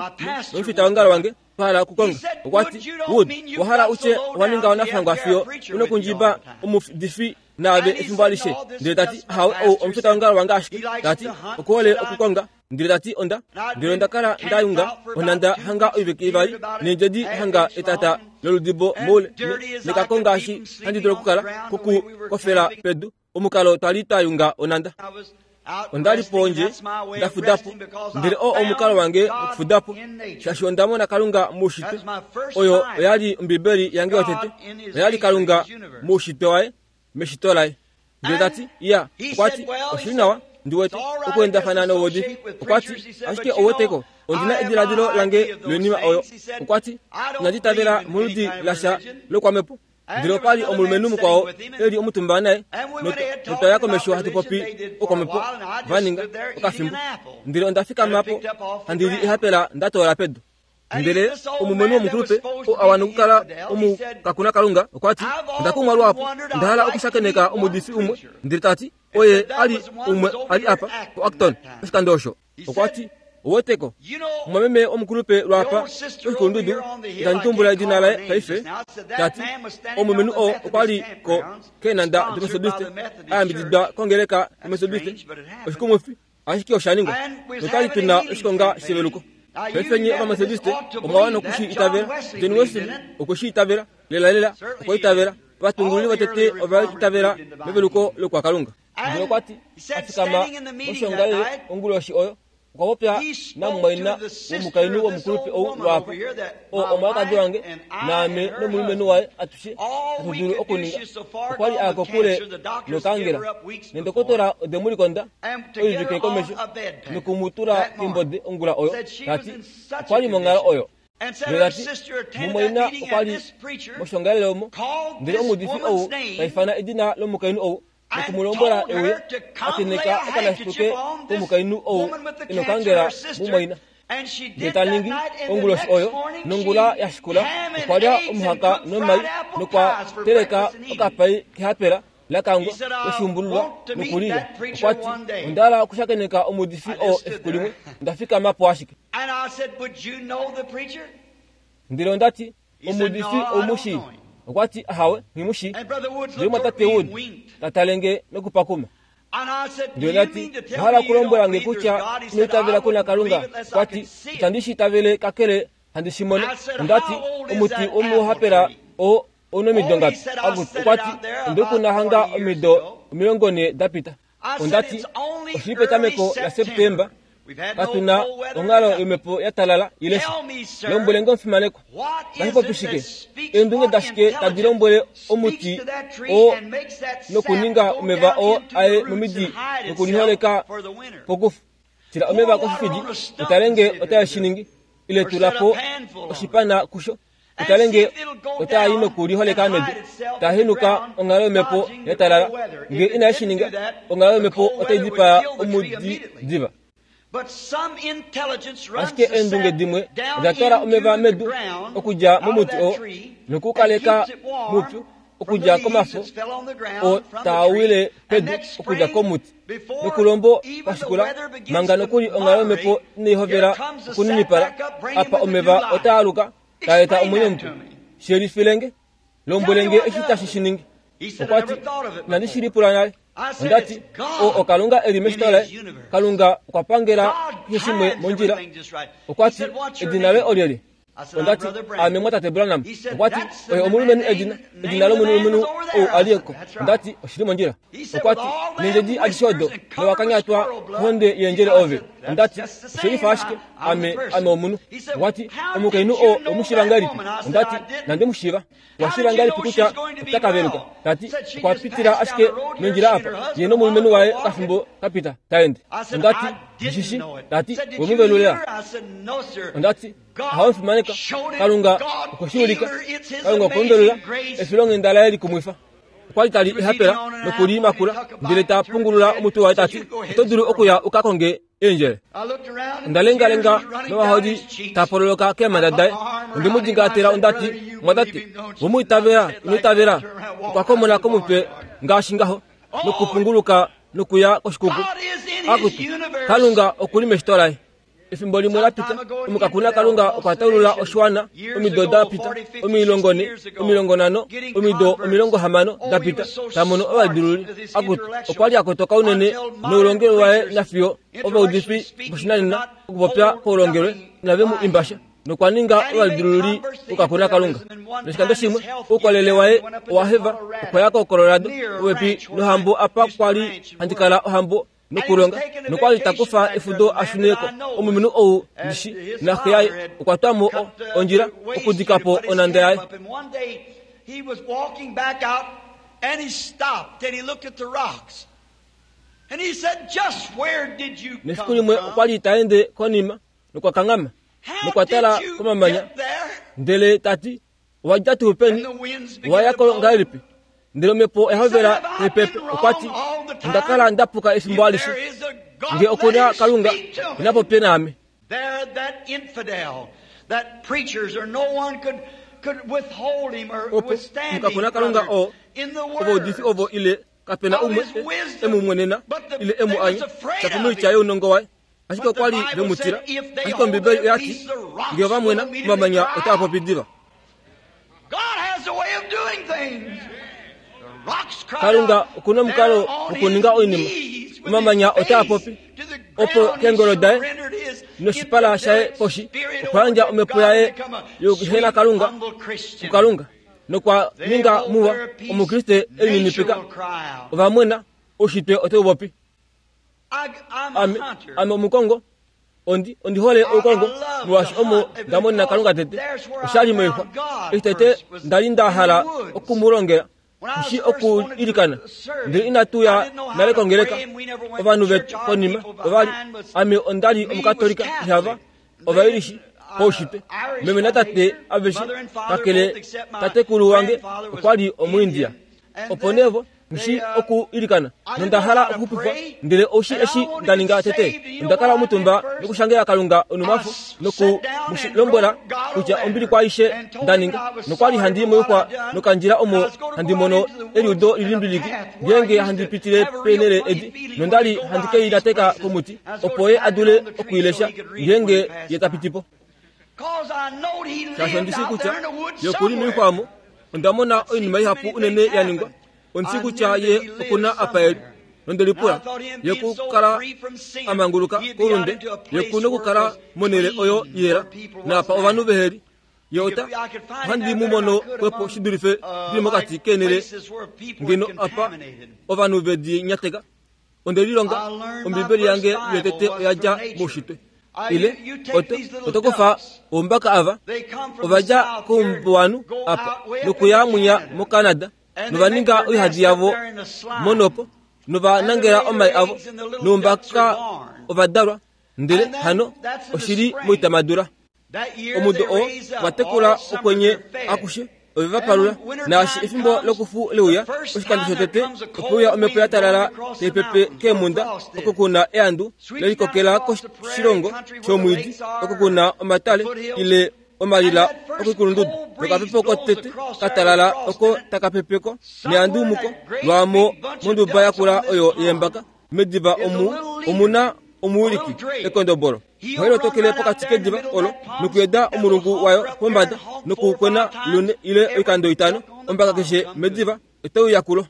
nomufitaongalo wange, twa hala okukonga. Okwa ti, Wood, owa hala u tye owa ninga wanafangwa fiyo u nokundjiba omuudifi naave efimbo alishe? Ndele ta ti, Ahawe, ou omufitaongalo wange ashike. Ta ti, Okuhole okukonga. Ndele ta ti, Onda, ndele onda kala nda yunga onhanda hanga oivike ivali, neendjedi hanga etata loludibo moule, nekako ngaashi handi dulu okukala koku kofela pedu, omukalo twa li twa yunga onhanda. Onda li pondje nda fuda po, ndele oo omukalo wange wokufuda po, shaashi onda mona Kalunga moushitwe. Oyo oya li Ombibeli yange yotete, oya li Kalunga moushitwe waye, meshito laye. Ndele ta ti, Iya, okwa ti, oshi li nawa, ndi wete, okuendafana nouudifi. Okwa ti, Ashike ou weteko, ondi na ediladilo lange loinima oyo. Okwa ti, Inandi itavela moludi lasha lokwamhepo. Ndele opa li omulumenhu mukwao e li omutumba naye, notwa ya komesho hatu popi okwamhepo, va ninga, okafimbo. Ndele onda fikama po, handi li ehapela nda toola pedu. Ndele omulumenhu womukulupe oo a wana okukala omukakuna Kalunga okwa ti, Onda kumwa luhapu, onda hala okushakeneka omuudifi umwe. Ndele ta ti, Oye a li umwe a li apa poActon oshikando osho. Okwa ti, Ouweteko, omumwameme womukulupe lwaapa koshikulundudu, itandi tumbula edina laye paife, ta ti, omulumenhu oo okwa li ko keenhanda doMethodiste, a yambididwa kongeleka yoMethodiste. Oshikumwifi, Ashike osha ningwa, notwa li tu na oshikonga sheveluko. Paife nye Ovamethodiste omwa wana oku shi itavela. John Wesley okwe shi itavela, lelalela okwa itavela. Ovatungululi votete ova itavela meveluko lokwaKalunga. Ndele okwa ti, a fikama moshiongalele onguloshi oyo, okwa popya namumwaina womukainhu womukulupe ou lwaapo, oo omwalikadi wange, naame nomulumenhu waye atushe hatu dulu okuninga. Okwa li a ya kokule nokaangela, nendokotola ode mu likonda oivike komesho noku mu tula keimbode ongula oyo, ta ti okwa li monghalo oyo. Ndele ta ti mumwaina okwa li moshiongalele omo, ndele omuudifi ou ta ifana edina lomukainhu ou noku mu lombwela e uye a tenheka okanashituke komukainhu ou e nokaangela mumwaina. Ndele ta ningi onguloshi oyo nongula ya shikula okwa lya omuhaka nomai nokwa teleka okapai kehapela la kangwa loshuumbululwa noku li lya. Okwa ti, Onda hala okushakeneka omuudifi oo efiku limwe. Onda fikama po ashike. Ndele onda ti, Omuudifi ou mu shii? Okwa ti, Ahawe, nghi mu shii. Ndele omumwatate Wood ta tale nge nokupakuma. Ndele onda ti, Owa hala okulombwela nge kutya ino itavela ku na Kalunga? Okwa ti, Itandi shi itavele kakele handi shi mono. Onda ti, Omuti womuhapela oo ou na omido ngapi? Okwa ti, Onde u kuna hanga omido 40 da pita. Onda ti, Oshi li petameko laSeptemba, katu na onghalo yomhepo ya talala ile sha. Lombwele nge omufimanekwa, otashi popi shike? Eendunge dashike tadi lombwele omuti oo nokuninga omeva oo aye momidi nokuliholeka pokufu? Tila omeva koshifidi, utale nge otae shi ningi, ile tula po oshipana kusho. Utale nge otaa i nokuliholeka medu, taa henuka onghalo yomhepo ya talala. Nge inae shi ninga, onghalo yomhepo otai dipaa omudi diva. Ashike eendunge dimwe oda twala omeva medu okudja momuti oo noku u kaleka mupyu okudja komafo oo taa wile pedu okudja komuti. Nokulombo kwa shikula, manga nokuli onghalo yomhepo inai hovela okuninipala, apa omeva otaa aluka taa eta omwenyo mupe. Shelifile nge. Lombwele nge eshi tashi shi ningi. Okwa ti, Inandi shi lipula nale. Onda ti, O, oKalunga e li meshito laye. Kalunga okwa pangela keshe shimwe mondjila. Okwa ti, Edina loye olyelye? Onda ti, Aame mwatate Branham. Okwa ti, Oye omulumenhu edina, edina lomulumenhu ou a li ko. Onda ti, Oshi li mondjila. Okwa ti, Neendjedi adishe odo, nowa kanyatwa kohonde yeendjele ove. Onda ti, Oshe lifa ashike, ame, ame omunhu. Okwa ti, Omukainhu oo owe mu shiiva ngahelipi? Onda ti, Inandi mu shiiva. Owa shiiva ngahelipi kutya ota ka veluka? Ta ti, Okwa pitila ashike nondjila apa, ye nomulumenhu waye okafimbo ka pita, ta ende. Onda ti, Ndi shi shii. Ta ti, We mu velulila? Onda ti, Ahawe fimaneka. Kalunga okwe shi ulika. Kalunga okwe mu velula, efilonghenda laye likumwifa. Okwa li tali ehapela noku li makula, ndele ta pungulula omutwe waye ta ti, Oto dulu okuya u ka konge eendjele. Onda lengalenga novaholi ta pololoka keemhanda daye. Onde mu dingaatela onda ti, Mwatate, we mu itavela, ino itavela? Okwa komona komutwe ngaashi ngaho nokupunguluka nokuya koshikuku. Akutu, Kalunga oku li meshito laye. Efimbo limwe la pita, omukakuna Kalunga okwa taulula oshiwana omido da pita 40, 50, omido 60 da pita, ta mono ovadululi. Akutu, okwa li a kotoka unene noulongelwe waye nafiyo ovaudifi voshinanena okupopya koulongelwe inave mu imba sha. Nokwa ninga ovadululi vokakuna Kalunga. Noshikando shimwe, oukolele waye owa heva, okwa ya koColorado, popepi nohambo apa kwa li handi kala ohambo nokulonga nokwa li ta kufa efudo a shune ko. Omulumenhu ou ndishi naxe yaye okwa twa mo ondjila okudika po onhanda yaye. Nefiku limwe okwa li ta ende konima nokwa kanghama nokwa tala komamanya ndele ta ti, Owa dja tuu peni? Owa ya ko ngahelipi? Ndele omhepo oya hovela epepe. Okwa ti, Onda kala nda puka efimbo alishe. Nge oku na Kalunga, ina popye naame. Opo, mukakuna Kalunga oo, ovaudifi ovo ile kape na umwe e mu mwenena ile e mu anya, shapo moitya younongo waye. Ashike okwa li ve mu tila. Ashike Ombibeli oya ti, Nge ova mwena, omamanya otaa popi diva. Kalunga oku na omukalo wokuninga oinima. Omamanya otaa popi. Opo keengolo daye noshipala shaye poshi, okwa yandja omhepo yaye yokuhena Kalunga kuKalunga nokwa ninga muwa Omukriste e lininipika. Ova mwena, oushitwe otau popi. Ame, ame omukongo, ondi, ondi hole oukongo, molwaashi omo nda mona Kalunga tete. Osha li moixwa. Eshi tete nda li nda hala oku mu longela, shi oku ilikana, ndele inatu ya nale kongeleka. Ovanhu vetu konima ova li, ame onda li Omukatolika, ihava, Ovairishi poushitwe. Meme natate aveshe, kakele tatekulu wange okwa li Omuindia. Opo nee vo, Nghi oku ilikana, nonda hala okuxupifwa, ndele oushi eshi nda ninga tete? Onda kala omutumba nokushangela Kalunga onumwafo noku mu lombwela kutya ombili kwaaishe nda ninga, nokwa li handi moixwa nokandjila omo handi mono eliudo lilimbiliki ngeenge handi pitile peenhele edi, nonda li handi ke i nateka komuti opo ye a dule oku i lesha ngeenge ye ta piti po. Shaashi ondi shii kutya ye oku li moixwa omo, onda mona oinima ihapu unene ya ningwa. Ondi shii kutya ye oku na apa e li. Nonde lipula, ye ku kala a manguluka koulunde, ye ku nokukala monhele oyo yela, naapa ovanhu vehe li. Ye ota, ohandi mu mono xwepo shi dulife ndi li mokati keenhele ngeno apa ovanhu ve di nyateka. Onde lilonga Ombibeli yange yotete oya dja moushitwe. Ile oto, oto kufa oumbaka ava, ova dja koumbuwanhu apa nokuya mwinya moCanada, nova ninga oihadi yavo monopo, nova nangela omai avo, noumbaka ova dalwa, ndele hano oshi li moitamadula. Omudo oo va tekula okwenye akushe ove va palula. Naashi efimbo lokufu le uya, oshikando shotete ope uya omhepo ya talala tai pepe keemhunda oko ku na eandu le likokela koshilongo shomwiidi oko ku na omatale ile omalila okoikulundudu. Nokapepo kotete ka talala oko taka pepe ko neandu muko lwaamo monduba yakula oyo yeembaka. Mediva omu omu na omuwiliki, ekondobolo. Ohai lotokele pokati kediva olo nokuyeda omulungu wayo pombada nokukwena lune ile oikando itano. Ombaka keshe mediva otai uya kulo.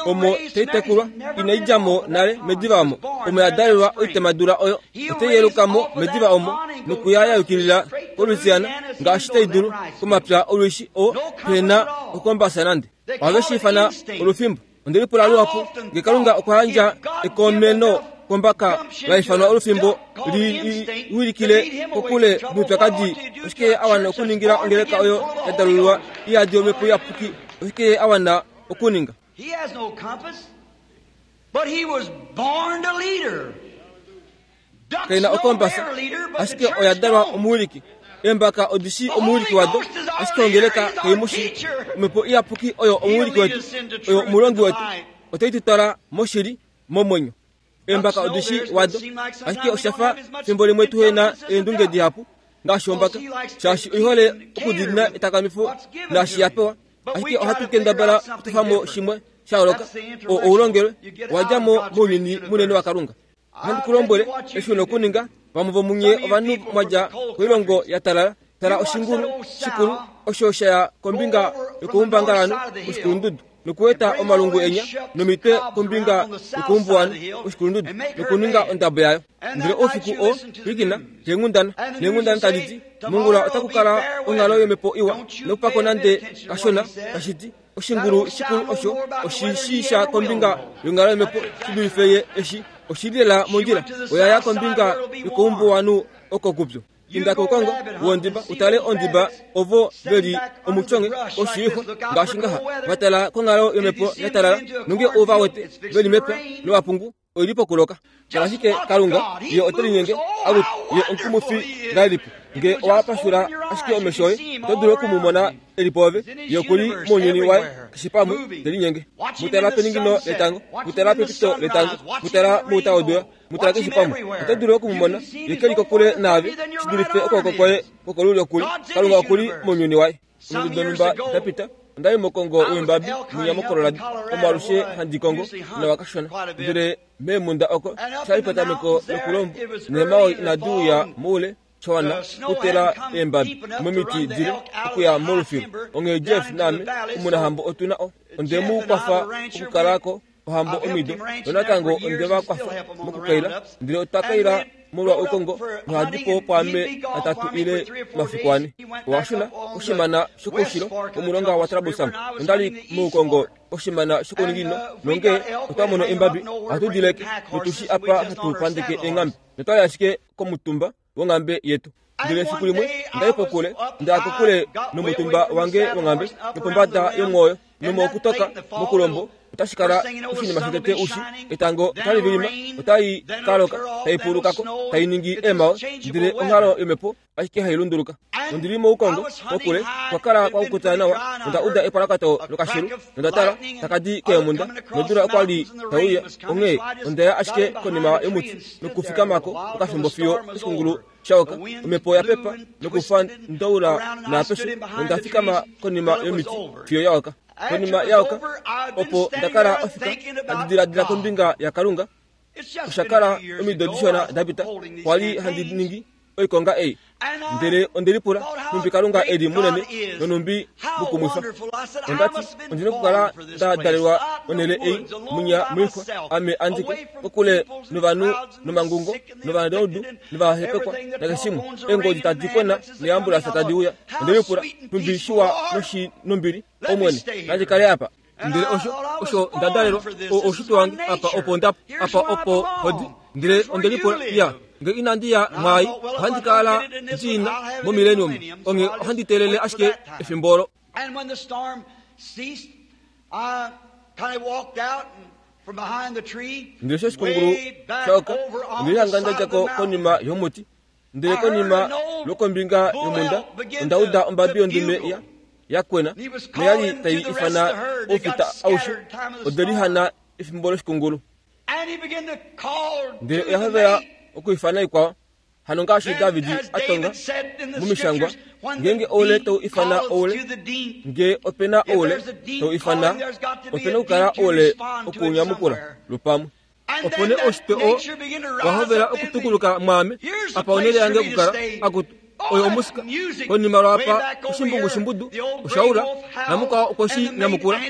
Omo tai tekulwa, inai dja mo nale mediva omo. Omo ya dalelwa oitemadula oyo, otai yeluka mo mediva omo nokuya ya yukilila koLouisiana ngaashi tai dulu, komapya olwishi oo pehe na okombasa nande. Ohave shi ifana olufimbo. Onde lipula luhapu nge Kalunga okwa yandja ekomeno. kombaka la ifanwa olufimbo li wilikile kokule noupyakadi, oshike ye a wana okuningila ongeleka oyo ya dalululwa i yadi omhepo iyapuki? Oshike ye a wana okuninga? He has no compass, but he was born a leader. Kai na okombasa, ashike oya dalwa omuwiliki. Eembaka odi shii omuwiliki wado, ashike ongeleka kai mu shii. Omhepo Iyapuki oyo omuwiliki wetu, oyo omulongi wetu. Otai tu twala moshili, momwenyo. Eembaka odi shii wado, ashike osha fa fimbo limwe tuhe na eendunge dihapu ngaashi ombaka, shaashi oi hole okudiinina etakamifo naashi ya pewa. Ashike ohatu kendabala okutofa mo shimwe sha yooloka, oo oulongelwe wa dja mo mounyuni munene waKalunga. Ohandi ku lombwele eshi u na okuninga, vamwe vomunye ovanhu mwa dja koilongo ya talala, tala oshingulu shikulu osho sha ya kombinga yokoumbangalanhu woshikulundudu, nokueta omalungu enya nomitwe kombinga yokoumbuwanhu woshikulundudu, nokuninga ondabo yayo. Ndele oufiku oo, pwilikina keenghundana, neenghundana tadi ti, Mongula otaku kala onghalo yomhepo iwa, nokupako nande kashona, tashi ti, Oshingulu shikulu osho oshi shii sha kombinga yonghalo yomhepo shi dulife ye eshi oshi li lela mondjila. Oya ya kombinga yokoumbuwanhu oko kupyu. Inda koukongo wondiba u tale ondiba ovo ve li omutyonge oshiixwa ngaashi ngaha va tala konghalo yomhepo ya talala nonge u va wete ve li mepya lovapungu oi li pokuloka. Tala ashike Kalunga, Ye ote linyenge, akutu, Ye omukumufi ngahelipi! Nge owa pashula ashike omesho oye, oto dulu oku mu mona e li pwoove. Ye oku li mounyuni waye, keshe pamwe, te linyenge. Mu tala peningino letango, mu tala pepito letango, mu tala mouta wodula, mu tala keshe pamwe. Oto dulu oku mu mona. Ye ke li kokule naave, shi dulife okwooko kwoye kwokolulyo ku li. Kalunga oku li mounyuni waye. Omido donhumba da pita, onda li mokongo weembabi mwinya moColorado, omo alushe handi kongo nawa kashona. Ndele meemhunda oko, sha li petameko lokulombo, neemhawe inadi uya moule sha wana okutela eembabi momiti dile okuya molufilu. Onghee Jeff naame, omunahambo otu na o. Onde mu kwafa okukala ko ohambo omido, nonatango onde va kwafa mokukaila, ndele otwa kaila molwa oukongo nohadi po pwaame atatu ile omafiku ane. Owa shuna koshimana shokoushilo womulonga waTrabusam. Onda li moukongo koshimana shokouninginino, nongee otwa mono embabi, ohatu di leke notu shi apa hatu pandeke eenghambe, notwa li ashike komutumba wonghambe yetu. Ndele efiku limwe onda li pokule, nda ya kokule nomutumba wange wonghambe, nopombada yomwooyo, nomokutoka mokulombo otashi kala oshinima shotete ushi etango otali vilima, otai ka loka, tai puluka ko, tai ningi eemhawe, ndele onghalo yomhepo ashike hai lunduluka. Ondi li moukongo kokule, kwa kala kwa kukuta nawa, nonda uda epwalakato lokashelu, nonda tala, taka di keemhunda, nodula okwa li tai uya, onghee onda ya ashike konima yomuti nokufikama ko okafimbo fiyo oshikungulu sha oka. Omhepo oya pepa nokufa ndaula naapeshe, nonda fikama konima yomiti fiyo ya oka. Konima ya oka, opo nda kala ofika handi diladila kombinga yaKalunga. Osha kala omido dishona da pita, kwa li handi ningi oikonga ei. Ndele onde lipula nhumbi Kalunga e li munene nonhumbi mukumwifa. Onda ti, Ondi nokukala nda dalelwa onhele ei, munya moixwa, ame andike, kokule novanhu nomangungo, novanaudu, novahepekwa, nakeshe shimwe. Eengodi tadi kwena neeambulansa tadi uya. Onde lipula nhumbi shiwa noshi nombili, Omwene, nandi kale apa. Ndele osho, osho nda dalelwa, o, oushitwe wange, apa opo nda, apa opo hodi. Ndele onde lipula, ya, nge inandi ya mwaai, ohandi kala ndi na momilenium, onghee ohandi teelele ashike efimbo olo. Ndele sho oshikungulu sha oka, onde lihanga nda dja ko konima yomuti. Ndele konima lwokombinga yomhunda, onda uda ombabi yondume ya, ya kwena, noya li tai ifana oufita aushe. Ode lihana efimbo loshikungulu. Ndele oya hovela okwiifana ikwao. Hano ngaashi David a tonga mOmishangwa, ngeenge oule tau ifana oule, nge ope na oule tau ifana, ope na okukala oule okuunyamukula lupamwe. Opo nee oushitwe oo wa hovela okutukuluka mwaame, apa onhele yange yokukala, akutu, oyo omusika. Konima lwaapa oshimbungu shimbudu osha ula, namukwao okwe shi nyamukula,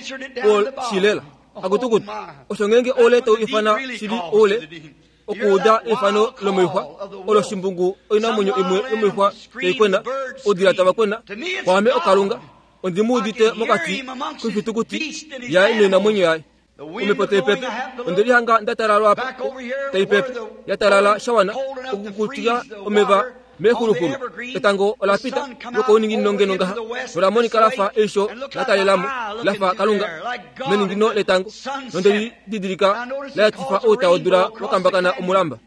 Paul shi lela. Akutu kutu, osho ngeenge oule tau ifana shili oule, okuuda eifano lomoixwa, olo shimbungu oinamwenyo imwe yomoixwa tai kwena, oudila tava kwena, kwaame oKalunga, ondi mu udite mokati koifitukuti yaye noinamwenyo yaye. Omhepo tai pepe, onde lihanga nda talalwa apa, tai pepe, ya talala sha wana okukukutika omeva meexuluxulu. Etango ola pita lwokouninginino ngeno ngaha, nola monika la fa eisho la talela mo, la fa Kalunga meningino letango, nonde li didilika la yatifa outa wodula wa kambakana omulamba.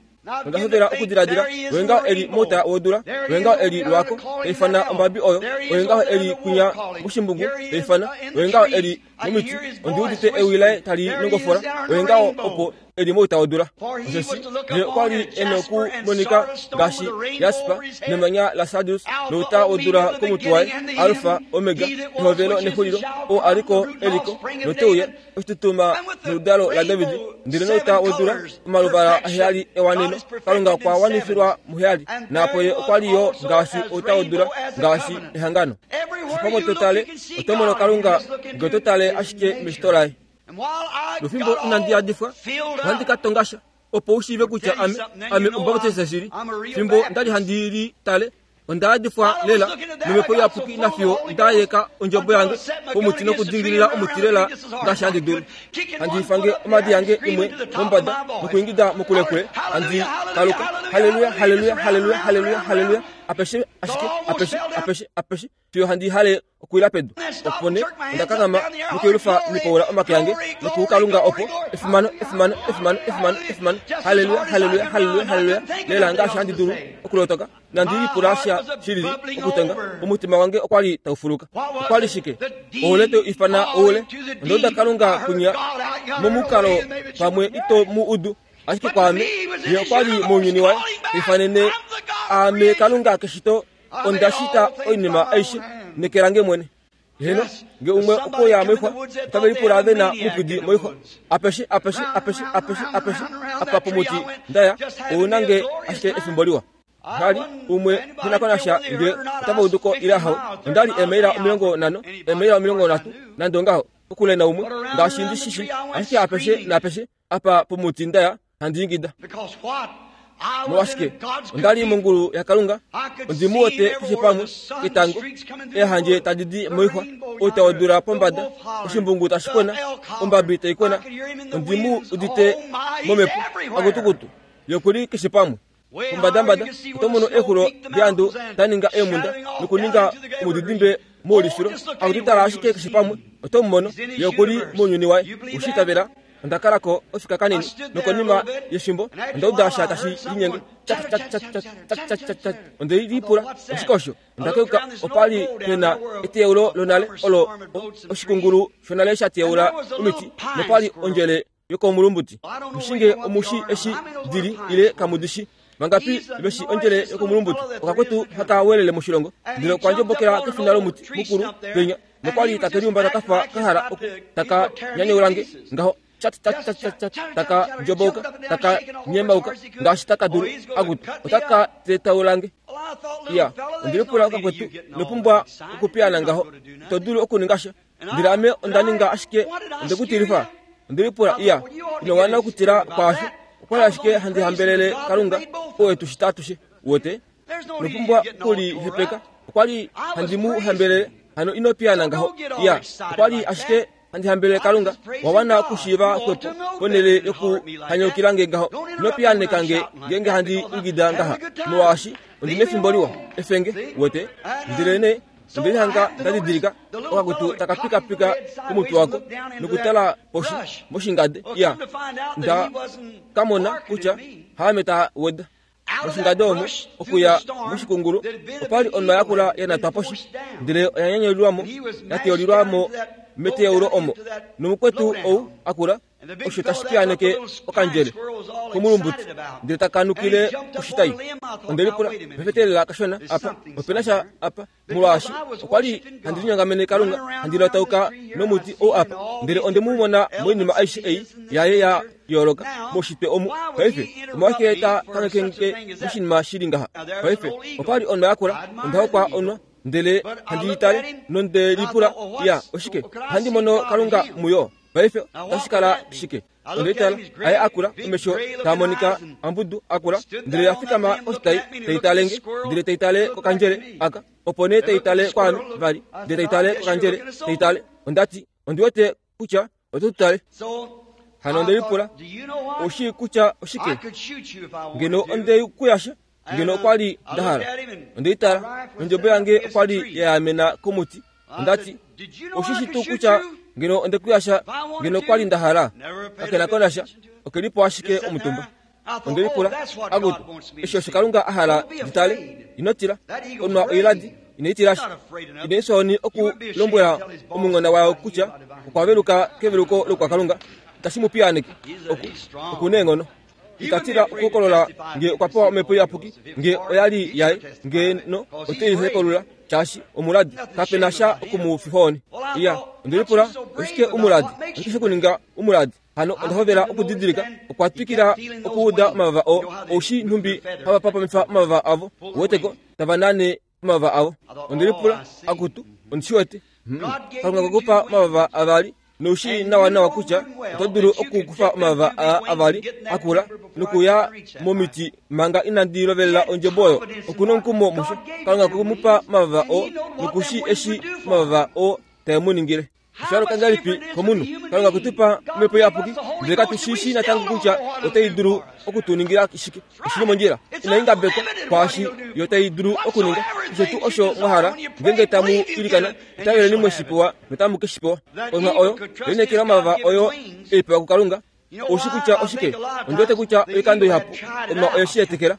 Onda hovela okudiladila, Oye ngaho e li mouta wodula, oye ngaho e li lwako, ta ifana ombabi oyo, oye ngaho e li kwinya moshimbungu, ta ifana, oye ngaho e li momiti, ondi udite ewi laye tali nongofola, oye ngaho opo e li mouta wodula. Osheshi ye okwa li e noku monika ngaashi jasper nemanya lasardius nouta wodula komutwe waye, Alfa, Omega, ehovelo nexulilo, oo a li ko, e li ko, note uya. oshitutuma noludalo laDavid, ndele nouta wodula omaluvala aheyali ewaneno. Kalunga okwa wanifilwa muheyali, naapo ye okwa li yo ngaashi outa wodula, ngaashi ehangano. Shipamwe to tale, oto mono Kalunga nge oto tale ashike meshito laye. Nofimbo inandi yadifwa, ohandi ka tonga sha, opo u shiive kutya ame, ame Omubaptiste shili. Fimbo nda li handi li tale, Onda yadifwa lela nomhepo iyapuki nafiyo nda yeka ondjobo yange pomuti nokudingilila omuti lela ngaashi handi dulu. Handi ifange omadi yange imwe mombada nokuingida mokulekule handi kaluka, Haleluya, haleluya, haleluya, haleluya, haleluya, apeshe ashike, apeshe, apeshe, apeshe, fiyo handi hale okuwila pedu. Opo nee onda kanghama nokuyelufa nokupaula omake ange nokukalunga opo, efimano, efimano, efimano, efimano, efimano, haleluya, haleluya, haleluya, haleluya, lela ngaashi handi dulu okulotoka. Nandi lipula sha shilili okutonga, omutima wange okwa li tau fuluka. Okwa li shike? Oule teu ifana oule. Onda uda Kalunga kunya momukalo pamwe ito mu udu, ashike kwaame, ye okwa li mounyuni waye, ta ifanene aame Kalunga keshito Onda shita oinima aishe neke lange mwene. Heeno, nge umwe okwe uya moixwa, otave lipula ve na omupwidi moixwa. Apeshe, apeshe, apeshe, apeshe, apeshe, apa pomuti nda ya, ou na nge ashike efimbo liwa. Vali, umwe ke na ko nasha nge otava udu ko ile ahowe. Onda li eemaila 50, eemaila 30, nande ongaho, kokule naumwe, ngaashi ndi shi shii, ashike apeshe naapeshe apa pomuti nda ya, handi ingida. Molwashike? Onda li mongulu yaKalunga, ondi mu wete keshe pamwe, ketango, eehandje tadi di moixwa, outa wodula pombada, oshimbungu tashi kwena, ombabi tai kwena, ondi mu udite momhepo, akutukutu, ye oku li keshe pamwe. Pombadambada oto mono eexulo deandu da ninga eemhunda nokuninga omudidimbe moulifilo. Akutu tala ashike keshe pamwe, oto mu mono, ye oku li mounyuni waye. Owe shi itavela? Onda kala ko ofika kanini, nokonima yefimbo onda uda sha tashi linyenge, Tjak, tjak, tjak, tjak, tjak, tjak, tjak, tjak. Onde lipula, Oshike osho? Onda keuka, opa li pe na eteyaulo lonale olo oshikungulu shonale sha teyaula omiti, nopa li ondjele yokomulumbuti. Mushinge omushi eshi dili ile kamu di shi. Vangapi ve shi ondjele yokomulumbuti? Okakwetu haka welele moshilongo, ndele okwa ndjombokela kefina lomuti mukulu penya, nokwa li take liumbata ka fa ka hala oku taka nyanyaula nge ngaho, chat chat chat chat chat, taka ndjobouka, taka nyemauka ngaashi taka dulu, akutu, otaka tetaula nge. Iya, onde lipula okakwetu, ino pumbwa okupiyaana ngaho, ito dulu okuninga sha. Ndele ame onda ninga ashike onde ku tilifa. Onde lipula, Iya, ino wana okutila kwaasho. Okwa li ashike handi hambelele Kalunga oo e tu shita atushe. Uwete? Ino pumbwa okulihepeka. Okwa li handi mu hambelele. Hano ino piyaana ngaho. Iya, okwa li ashike handi hambelele Kalunga. Wa wana okushiiva xwepo ponhele yokuhanyaukila nge ngaho. Ino piyaaneka nge ngeenge handi ingida ngaha, molwaashi ondi nefimbo liwa. Efenge, uwete? Ndelenee Onde lihanga nda didilika okakutu taka pikapika komutwe wako nokutala poshi moshingade. Ya, nda ka mona kutya haame ta weda. Moshingade omo, okuya moshikungulu, opa li onwa yakula ya natwa poshi, ndele oya nyanyulilwa mo, ya teyolilwa mo meteyaulo omo. Nomukwetu ou a kula osho tashi piyaaneke okandjele komulumbuti ndele taka nukile koshitai. Onde lipula, Mefetelela kashona apa, ope na sha apa, molwaashi okwa li handi linyongamene Kalunga, handi latauka nomuti ou apa, ndele onde mu mona moinima aishe ei yaye ya yooloka moushitwe omu. Paife, omolwashike ta kangheke moshinima shi li ngaha? Paife, opa li onwa yakula, onda hokwa onwa. Ndele handi li tale, nonde lipula, Ya, oshike? Ohandi mono Kalunga muyo. Paife otashi kala shike? Onde tala, aye a kula, omesho taa monika ambudu a kula, ndele ya fikama koshitai, tai tale nge, ndele tai tale kokandjele aka, opo nee tai tale kwaame vali, ndele tai tale kokandjele, tai tale. Onda ti, Ondi wete kutya oto tu tale. Hano onde lipula, Ou shii kutya oshike? Ngeno onde ku yasha, ngeno okwa li nda hala. Onde i tala, nondjebo yange okwa li ya yaamena komuti. Onda ti, Ou shi shii tuu kutya ngeno onde ku yasha, ngeno okwa li nda hala? Kake na ko nasha, oke li po ashike omutumba. Onde lipula, Akutu, eshi osho Kalunga a hala ndi tale? Ino tila. Onwa oiladi, inai tila sha. Inai fya ohoni okulombwela omunghona wayo kutya okwa veluka keveluko loukwakalunga. Itashi mu piyaaneke. Oku, oku neenghono. Ita tila okuhokolola nge okwa pewa Omhepo Iyapuki, nge oya li yaye, ngeno ote i hekolula, shaashi omuladi. Kape na sha oku mu fifa ohoni. Iya, onde lipula, Oshike umuladi? Oshike she ku ninga umuladi? Hano onda hovela okudidilika, okwa twikila okuuda omavava oo, oushi nhumbi hava papamifa omavava avo, uweteko, tava nane omavava avo. Onde lipula, Akutu, ondi shi wete. Hmm. Kalunga okwe ku pa omavava avali, nou shii nawanawa kutya oto dulu okukufa omavava aa avali akula nokuya momiti manga inandi lovelela ondjebo oyo. Oku nomukumo musho. Kalunga okwe mu pa omavava oo, noku shii eshi omavava oo tae mu ningile. Osha yooloka ngahelipi komunhu? Kalunga okwe tu pa omhepo iyapuki, ndele katu shi shii natango kutya otai dulu oku tu ningila shike. Oshi li mondjila, inai ngabekwa kwaashi yo tai dulu okuninga. Keshe tuu osho mwa hala, ngeenge tamu ilikana, itaveleni mwe shi pewa notamu ke shi pewa. Onhwa oyo, lineekela omavava oyo e i pewa kuKalunga. Ou shi kutya oshike? Ondi wete kutya oikando ihapu onhwa oye shi etekela.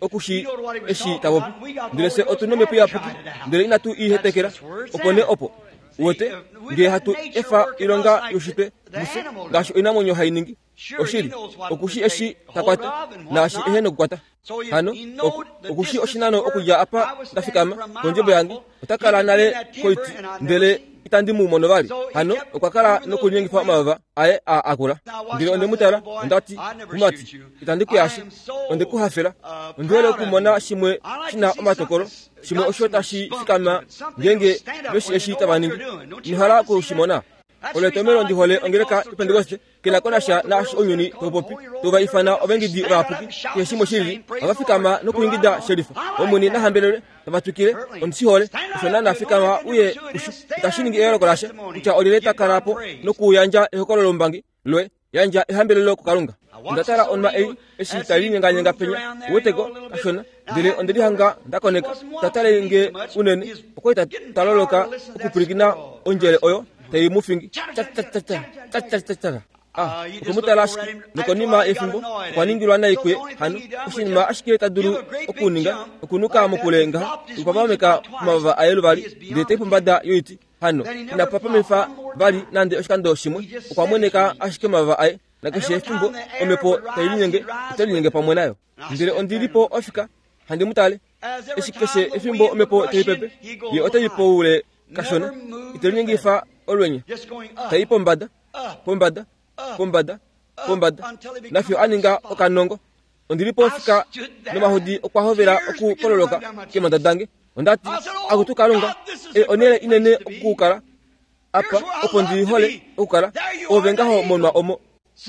Oku shi eshi ta popi. Ndele fye otu nomhepo iyapuki, ndele inatu i hetekela. Opo nee opo, uwete, nge hatu efa oilonga youshitwe mufye, ngaashi oinamwenyo hai ningi. Oshili, oku shi eshi ta kwata, naashi ehe nokukwata. Hano, oku, oku shi oshinano okudja apa nda fikama, kondjebo yange, ota kala nale koiti, ndele itandi mu mono vali. Hano, okwa kala nokulinyengifa omavava aye a akula. Ndele onde mu tala, onda ti, Mumati, itandi ku yashe. Onde ku hafela. Ondi hole okumona shimwe shi na omatokolo, shimwe osho tashi fikama ngeenge veshi eshi tava ningi. Ino hala oku shi mona? Olo etomhelo ndi hole ongeleka yoPentekoste, ke na ko nasha naashi ounyuni tau popi, tau va ifana ovaingidi vayapuki, keshe shimwe shi lili, ohava fikama nokuingida shelifa. Omwene na hambelelwe, tava twikile, Ondi shi hole. Osho naana fikama uye kusho. Itashi ningi eyooloko lasha kutya olyelye ta kala po nokuyandja ehokololombangi loye. Yandja ehambelelo kuKalunga. Onda tala onwa ei eshi tai linyenganyenga penya, uweteko, kashona, ndele onde lihanga nda koneka. Ta tale nge unene, okwa li ta loloka okupwilikina ondjele oyo tai mu fingi. Tja-tja-tja-tja, tja-tja-tja-tja. Ah, okwe mu tala ashike, nokonima yefimbo okwa ningilwa nai kuye. Hano oshinima ashike ta dulu okuninga okunuka mokule ngaha, nokupapameka omavava aye luvali, ndele tai pombada yoiti. Hano ina papamifa vali nande oshikando shimwe, okwa mweneka ashike omavava aye, nakeshe efimbo omhepo tai linyenge, ote linyenge pamwe nayo. Ndele ondi li po ofika handi mu tale, eshi keshe efimbo omhepo tai pepe, ye ote i poule kashona, ite linyengifa olwenya, tai pombada, pombada, pombada, pombada, nafyo a ninga okanongo. Ondi li po ofika nomahodi okwa hovela okukololoka keemhanda dange. Onda ti, Akutu Kalunga, ei onhele inene okukala apa opo ndi hole okukala. Oove ngaho monwa omo.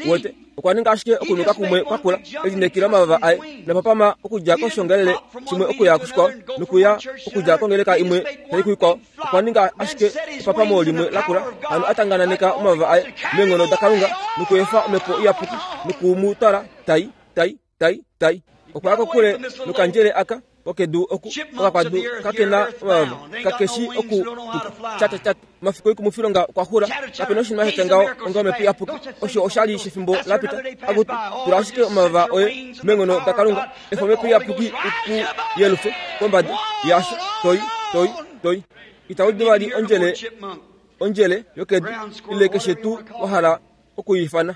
Wete, okwa ninga ashike okunuka kumwe kwa kula, e linekela omavava aye, nopapama okudja koshiongalele shimwe okuya kushikwao, nokuya okudja kongeleka imwe tai kuikwao. Okwa ninga ashike epapamo limwe lakula, hano a tangananeka omavava aye meenghono daKalunga nokuefa Omhepo Iyapuki noku mu twala tai, tai, tai, tai. Okwa ya kokule nokandjele aka kokedu oku, okakwadu kake na omavava, kake shi oku tuka. Tya, tya, tya, omafiku oikumwifilonga okwa xula. Kape na oshinima sha tya ngaho onga Omhepo Iyapuki. Osho osha li shefimbo la pita. Akutu, tula ashike omavava oye meenghono daKalunga. Efa Omhepo Iyapuki i ku yelufe pombada yaasho toi, toi, toi. Ita udu vali ondjele, ondjele yokedu, ile keshe tuu wa hala oku i ifana.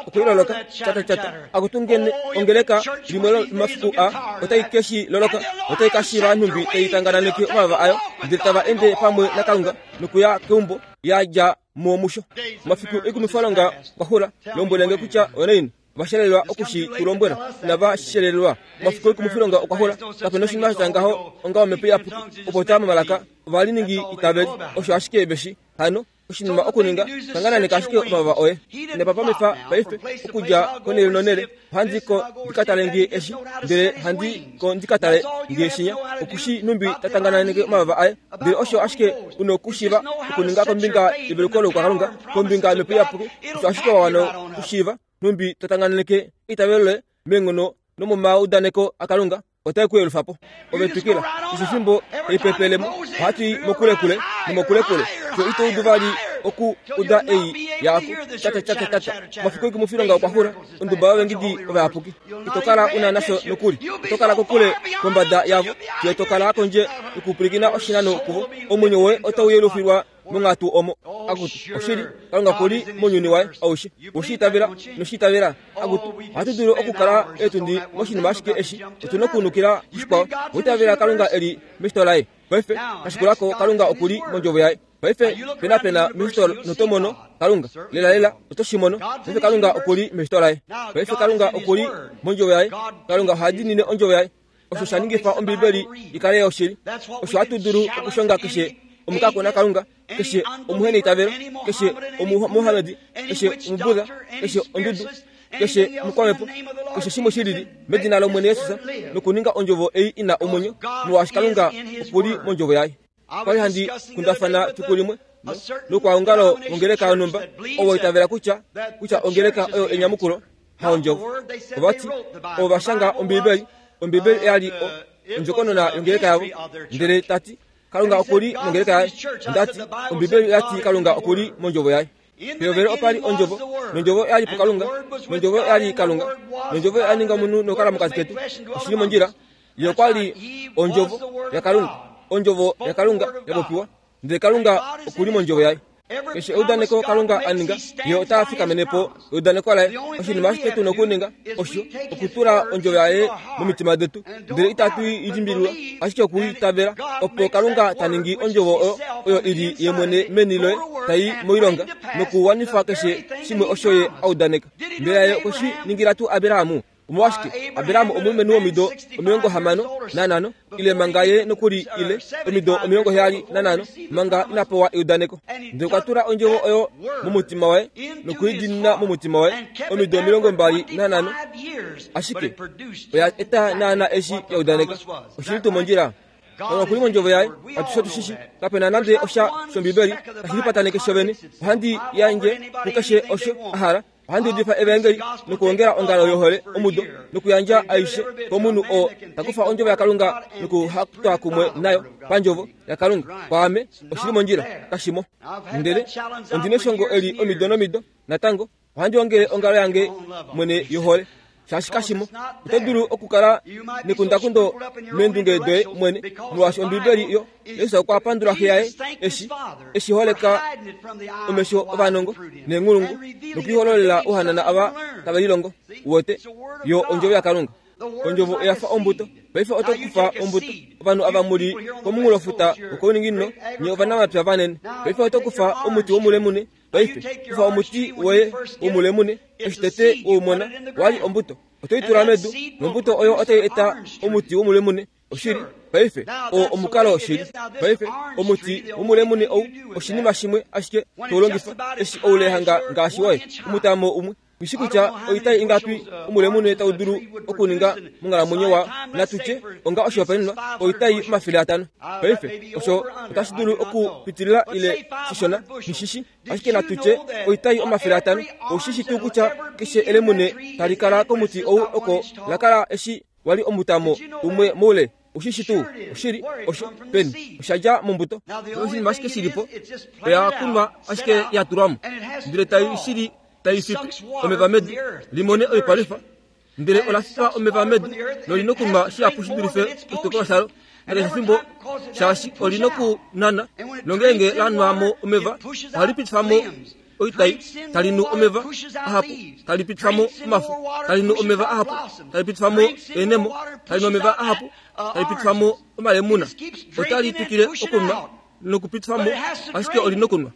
Okwe loloka chata chata. Akutu ngene ongeleka limwe lomafiku a otai ke shi loloka, otai ka shiiva nhumbi tai tangananeke omavava ayo, ndele tava ende pamwe naKalunga nokuya keumbo ya dja mo musho. Omafiku oikumifwalonga okwa xula. Lombwele nge kutya onaini va shelelwa oku shi tu lombwela. Inava shelelwa. Omafiku oikumifilonga okwa xula. Kape noshinima sha tya ngaho onga omhepo iyapuki, opo taa momalaka ovaliningi itaveli. Osho ashike ve shi. Hano. Oshinima okuninga, tangananeka ashike omavava oye. Nepapamifa paife, okudja konhele nonhele, ohandi ko ndi ka tale nge eshi, ndele handi ko ndi ka tale nge shinya. Oku shi numbi ta tangananeke omavava aye. Ndele osho ashike u nokushiiva okuninga kombinga yeveluko loukwakalunga, kombinga yOmhepo Iyapuki, osho ashike wa wana okushiiva numbi to tangananeke eitavelo loye meenghono nomomaudaneko aKalunga. otai ku yelufa po. Ove twikila, keshe efimbo tai pepele mo, ohatu i mokulekule nomokulekule, fiyo ito udu vali oku uda ei yaaku, Tate, tate, tate. Omafiku oikumwifilonga okwa xula, onduba yovengidi ovayapuki. Ito kala u na nasho nokuli. Oto kala kokule kombada yavo, fiyo to kala kondje yokupwilikina oshinano kuvo. Omwenyo woye otau yelufilwa monghatu omo. Akutu, oshili, Kalunga oku li mounyuni waye aushe. Owe shi itavela? Ino shi itavela? Akutu, ohatu dulu okukala eetundi moshinima ashike eshi. Otu nokunukila kushikwao. Owa itavela Kalunga e li meshito laye? Paife, kashikulako, Kalunga oku li mondjovo yaye. Paife, penapena meshito noto mono Kalunga. Lelalela, oto shi mono. Paife Kalunga oku li meshito laye. Paife Kalunga oku li mondjovo yaye. Kalunga oha diinine ondjovo yaye. Osho sha ningifa Ombibeli i kale yoshili. Osho hatu dulu okushonga keshe omukakona Kalunga, keshe omuheneitavelo, keshe Omumohamedi, keshe Omubuddha, keshe ondudu, keshe omukwamhepo, keshe shimwe shi lili, medina lOmwene Jesus, nokuninga Ondjovo ei i na omwenyo, molwaashi Kalunga oku li mOndjovo Yaye. Kwali handi kundafana fiku limwe nokwaongalo wongeleka yonhumba ovo itavela kutya kutya ongeleka oyo enyamukulo haondjovo. Ovati ovo va shanga Ombibeli, Ombibeli oya li ondjokonona yongeleka yavo, ndele ta ti Kalunga oku li mongeleka yaye. Onda ti Ombibeli oya ti Kalunga oku li mondjovo yaye. Pehovelo opa li Ondjovo, nOndjovo oya li puKalunga, nOndjovo oya li Kalunga, nOndjovo oya ninga omunhu nokukala mokati ketu. Oshi li mondjila. Ye okwa li Ondjovo yaKalunga. Ondjovo yaKalunga ya popiwa, ndele Kalunga oku li mOndjovo Yaye. Keshe eudaneko Kalunga a ninga, Ye ota fikamene po eudaneko Laye. Oshinima ashike tu nokuninga osho okutula Ondjovo Yaye momitima detu, ndele itatu i limbililwa, ashike oku i itavela, opo Kalunga ta ningi Ondjovo oyo, oyo i li Ye mwene meni loye, tai moilonga nokuwanifa keshe shimwe osho Ye a udaneka. Mbela Ye okwe shi ningila tuu Abraham? Omolwashike, Abraham omulumenhu womido 65, ile manga ye nokuli ile omido 75 manga ina pewa eudaneko. Ndele okwa tula ondjovo oyo momutima waye noku i diinina momutima waye omido 25, ashike oya eta naana eshi ya udaneka. Oshi li tuu mondjila? Kalunga okuli mondjovo yaye, atushe otu shishi. Kape na nande osha shOmbibeli tashi lipataneke shovene. Ohandi yandje kukeshe osho a hala. Ohandi udifa evaengeli nokuongela ongalo yohole omudo nokuyandja aishe komunhu oo ta kufa ondjovo yaKalunga nokuhatwa kumwe nayo pandjovo yaKalunga. Kwaame oshi li mondjila, kashimo. Ndele ondi neshongo eli omido nomido natango. Ohandi ongele ongalo yange mwene yohole shaashi kashimo. Oto dulu okukala nekundakundo meendunge doye mwene, molwaashi Ombibeli yo Jesus okwa pandula Xe yaye eshi e shi holeka omesho ovanongo neenghulungu nokuihololela ouhanana ava tave lilongo. Uwete, yo ondjovo yaKalunga. Ondjovo oya fa ombuto. Paife oto kufa ombuto. Ovanhu ava mu li komunghulofuta wokouninginino, nye ovanamapya vanene. Paife oto kufa omuti womulemune. Paife kufa omuti woye womulemune. Eshi tete we u mona, wa li ombuto. Oto i tula medu, nombuto oyo otai eta omuti womulemune. Oshili, paife, oo omukalo woshili. Paife, omuti womulemune ou oshinima shimwe ashike to longifa eshi oule hanga ngaashi woye, omutamo umwe. Nghishi kutya oitai ingapi omulemune tau dulu okuninga monghalamwenyo wa, natu tye, onga oshihopaenenwa, oitai 500. Paife, osho otashi dulu okupitilila ile shishona, nghishishi. Ashike natu tye oitai 500. Ou shi shi tuu kutya keshe elemune tali kala komuti ou oko la kala eshi wa li omutamo umwe moule? Ou shi shi tuu? Oshili, osho, peni? Osha dja mombuto. Oshinima ashike shi li po, oya kunwa ashike ya tulwa mo, ndele tai shili tai fipi omeva medu li mone oipalwifa, ndele ola fipa omeva medu noli nokunwa shihapu shi dulife oshitukulwa shalo nakeshe efimbo, shaashi oli nokunana, nongeenge la nwa mo omeva, ohali pitifa mo oitai, tali nu omeva ahapu, tali pitifa mo omafo, tali nu omeva ahapu, tali pitifa mo eenemo, tali nu omeva ahapu, tali pitifa mo omalemuna. Otali twikile okunwa nokupitifa mo, ashike oli nokunwa.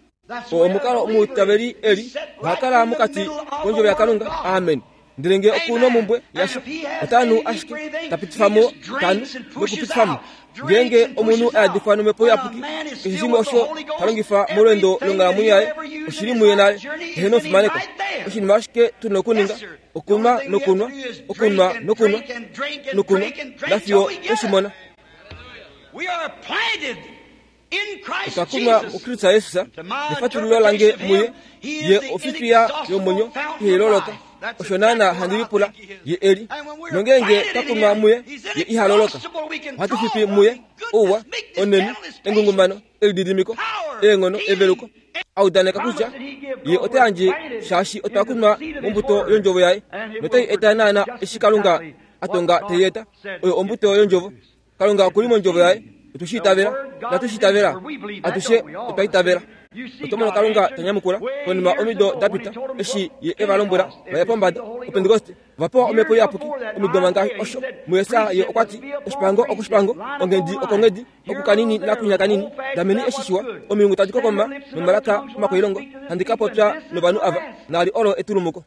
Oo omukalo omwiitaveli e li, oha kala mokati kondjovo yaKalunga. Amen. Ndele nge oku nomumbwe yasha, ota nu ashike, ta pitifa mo, ta nu, nokupitifa mo. Ngeenge omunhu a yadifwa nomhepo iyapuki, keshe shimwe osho ta longifa molweendo longhalamwenyo yaye oshi li muye nale. Eheno fimaneko. Oshinima ashike tu na okuninga okunwa nokunwa, okunwa nokunwa, nokunwa, nafiyo twe shi mona. Otwa kunwa muKristus Jesus, nefatululo lange muye, ye ofifiya yomwenyo ihai loloka. Osho naana handi lipula ye e li. Nongeenge twa kunwa muye, ye iha loloka. Ohatu fifi muye ouwa, onheni, engungumano, elididimiko, eenghono, eveluko. A udaneka kutya ye ota yandje shaashi otwa kunwa mombuto yondjovo yaye, notai eta naana eshi Kalunga a tonga tai eta, oyo ombuto yondjovo. Kalunga oku li mondjovo yaye. Otwe shi itavela. Inatu shi itavela? Atushe otwa itavela. Oto mono Kalunga ta nyamukula konima omido da pita eshi ye e va lombwela va ye pombada Opentekoste. Ova pewa Omhepo Iyapuki omido manga osho. MuJesaja ye okwa ti, Oshipango okoshipango, onghedi okonghedi, oku kanini nakunya kanini, dameni eshi shiwa, omilungu tadi kokoma nomalaka omakwailongo, handi ka popya novanhu ava, naali olo etulumuko.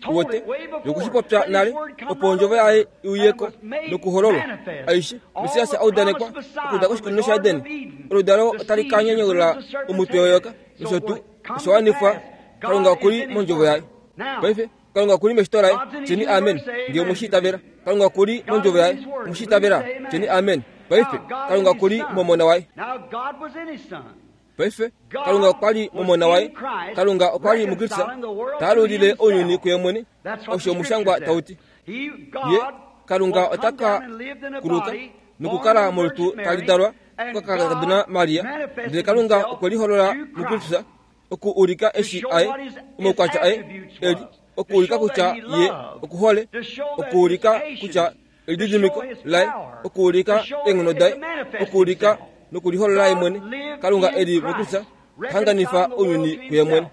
Uwete, ye okwe shi popya nale, opo ondjovo yaye i uye ko nokuhololwa. Aishe, Messias a udanekwa okuda koshikunino shaEden, oludalo otali ka nyanyaula omutwe weyoka, nosho tuu, osha wanifwa. Kalunga oku li mondjovo yaye. Paife, Kalunga oku li meshito laye. Tyeni amen, nge omwe shi itavela. Kalunga oku li mondjovo yaye. Omwe shi itavela? Tyeni amen. Paife, Kalunga oku li mOmona waye. Paife, Kalunga okwa li mOmona waye. Kalunga okwa li muKristus, ta alulile ounyuni kuye mwene, osho omushangwa tau ti. Ye, Kalunga ota ka kuluka nokukala molutu tali dalwa kokakadona Maria. Ndele Kalunga okwe liholola muKristus oku ulika eshi aye, omaukwatya aye e li, oku ulika kutya ye okuhole, oku ulika kutya elididimiko laye, okuulika eenghono daye, okuulika nokuliholola ye mwene, Kalunga e li muKristus, ta hanganifa ounyuni kuye mwene.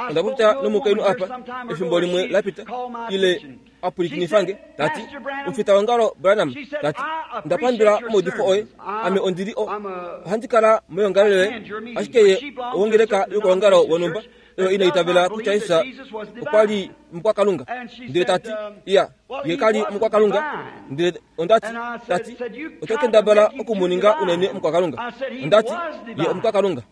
Onda popya nomukainhu apa efimbo limwe la pita, ile a pwilikinifa nge, ta ti, Omufitaongalo Branham, ta ti, Onda pandula omaudifo oye. Ame ondi li o, ohandi kala moyongalele yoye, ashike ye owongeleka yokoongalo wonhumba. oyo ina itavela kutya Jesus okwa li omukwakalunga. Ndele ta ti, Iya, ye ka li omukwakalunga. Ndele onda ti, ta ti, Oto kendabala oku mu ninga unene omukwakalunga. Onda ti, Ye omukwakalunga.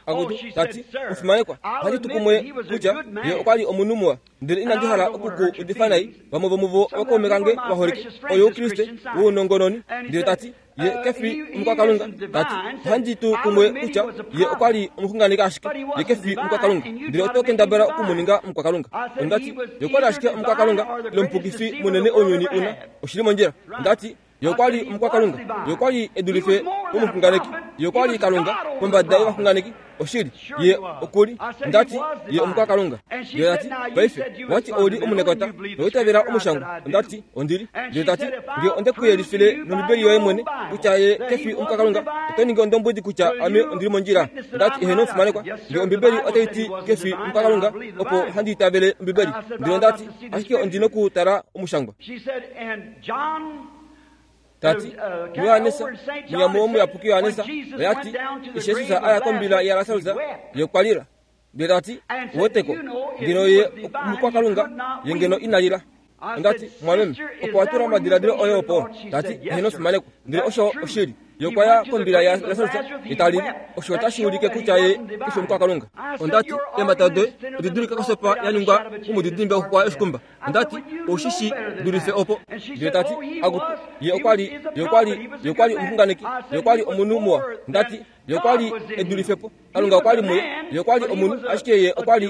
Akutu, ta ti, Omufimanekwa, ohandi tu kumwe kutya ye okwa li omunhu muwa. Ndele inandi hala oku ku udifa nai, vamwe vomuvo ovakaume kange vaholike, oyoukriste wounongononi. Ndele ta ti, Ye ke fi omukwakalunga. Ta ti, Ohandi tu kumwe kutya ye okwa li omuxunganeki ashike. Ye ke fi omukwakalunga. Ndele oto kendabala oku mu ninga omukwakalunga. Onda ti, Ye okwa li ashike omukwakalunga, ile omupukifi munene ounyuni u na. Oshi li mondjila. Onda ti, Ye okwa li omukwakalunga. Ye okwa li e dulife pomuxunganeki. Ye okwa li Kalunga kombada yovaxunganeki. Oshili, ye oku li. Onda ti, Ye omukwakalunga. Ye ta ti, Paife, owa ti ou li omunekota, nowa itavela Omushangwa. Onda ti, Ondi li. Ndele ta ti, Nge onde ku yelifile nOmbibeli yoye mwene kutya ye ke fi omukwakalunga, oto ningi ondombwedi kutya ame ondi li mondjila. Onda ti, Eheno, fimanekwa. Nge Ombibeli otai ti ke fi omukwakalunga, opo handi itavele Ombibeli. Ndele onda ti, Ashike ondi nokutala Omushangwa. Ta ti, muJohannes, munyamo womuyapuki Johannes, oya ti, eshi Jesus a ya kombila yaLasarus, ye okwa lila. Ndele ta ti, Uweteko, ngeno ye omukwakalunga, ye ngeno ina lila. Onda ti, Mwameme, opo wa tula omadiladilo oye opo? Ta ti, Eheno fimanekwa. Ndele osho oshili. Ye okwa ya kombila yaLasarus, ye ta lili. Osho otashi ulike kutya ye ke fi omukwakalunga. Onda ti, Eemhata doye odi dulika kosopa ya ningwa momudidimbe woxuxwa yoshikumba. Onda ti, Ou shi shi dulife opo. Ndele ta ti, Akutu, ye okwa li, ye okwa li, ye okwa li omuxunganeki, ye okwa li omunhu muwa. Nda ti, Ye okwa li e dulife po. Kalunga okwa li muye. Ye okwa li omunhu, ashike ye okwa li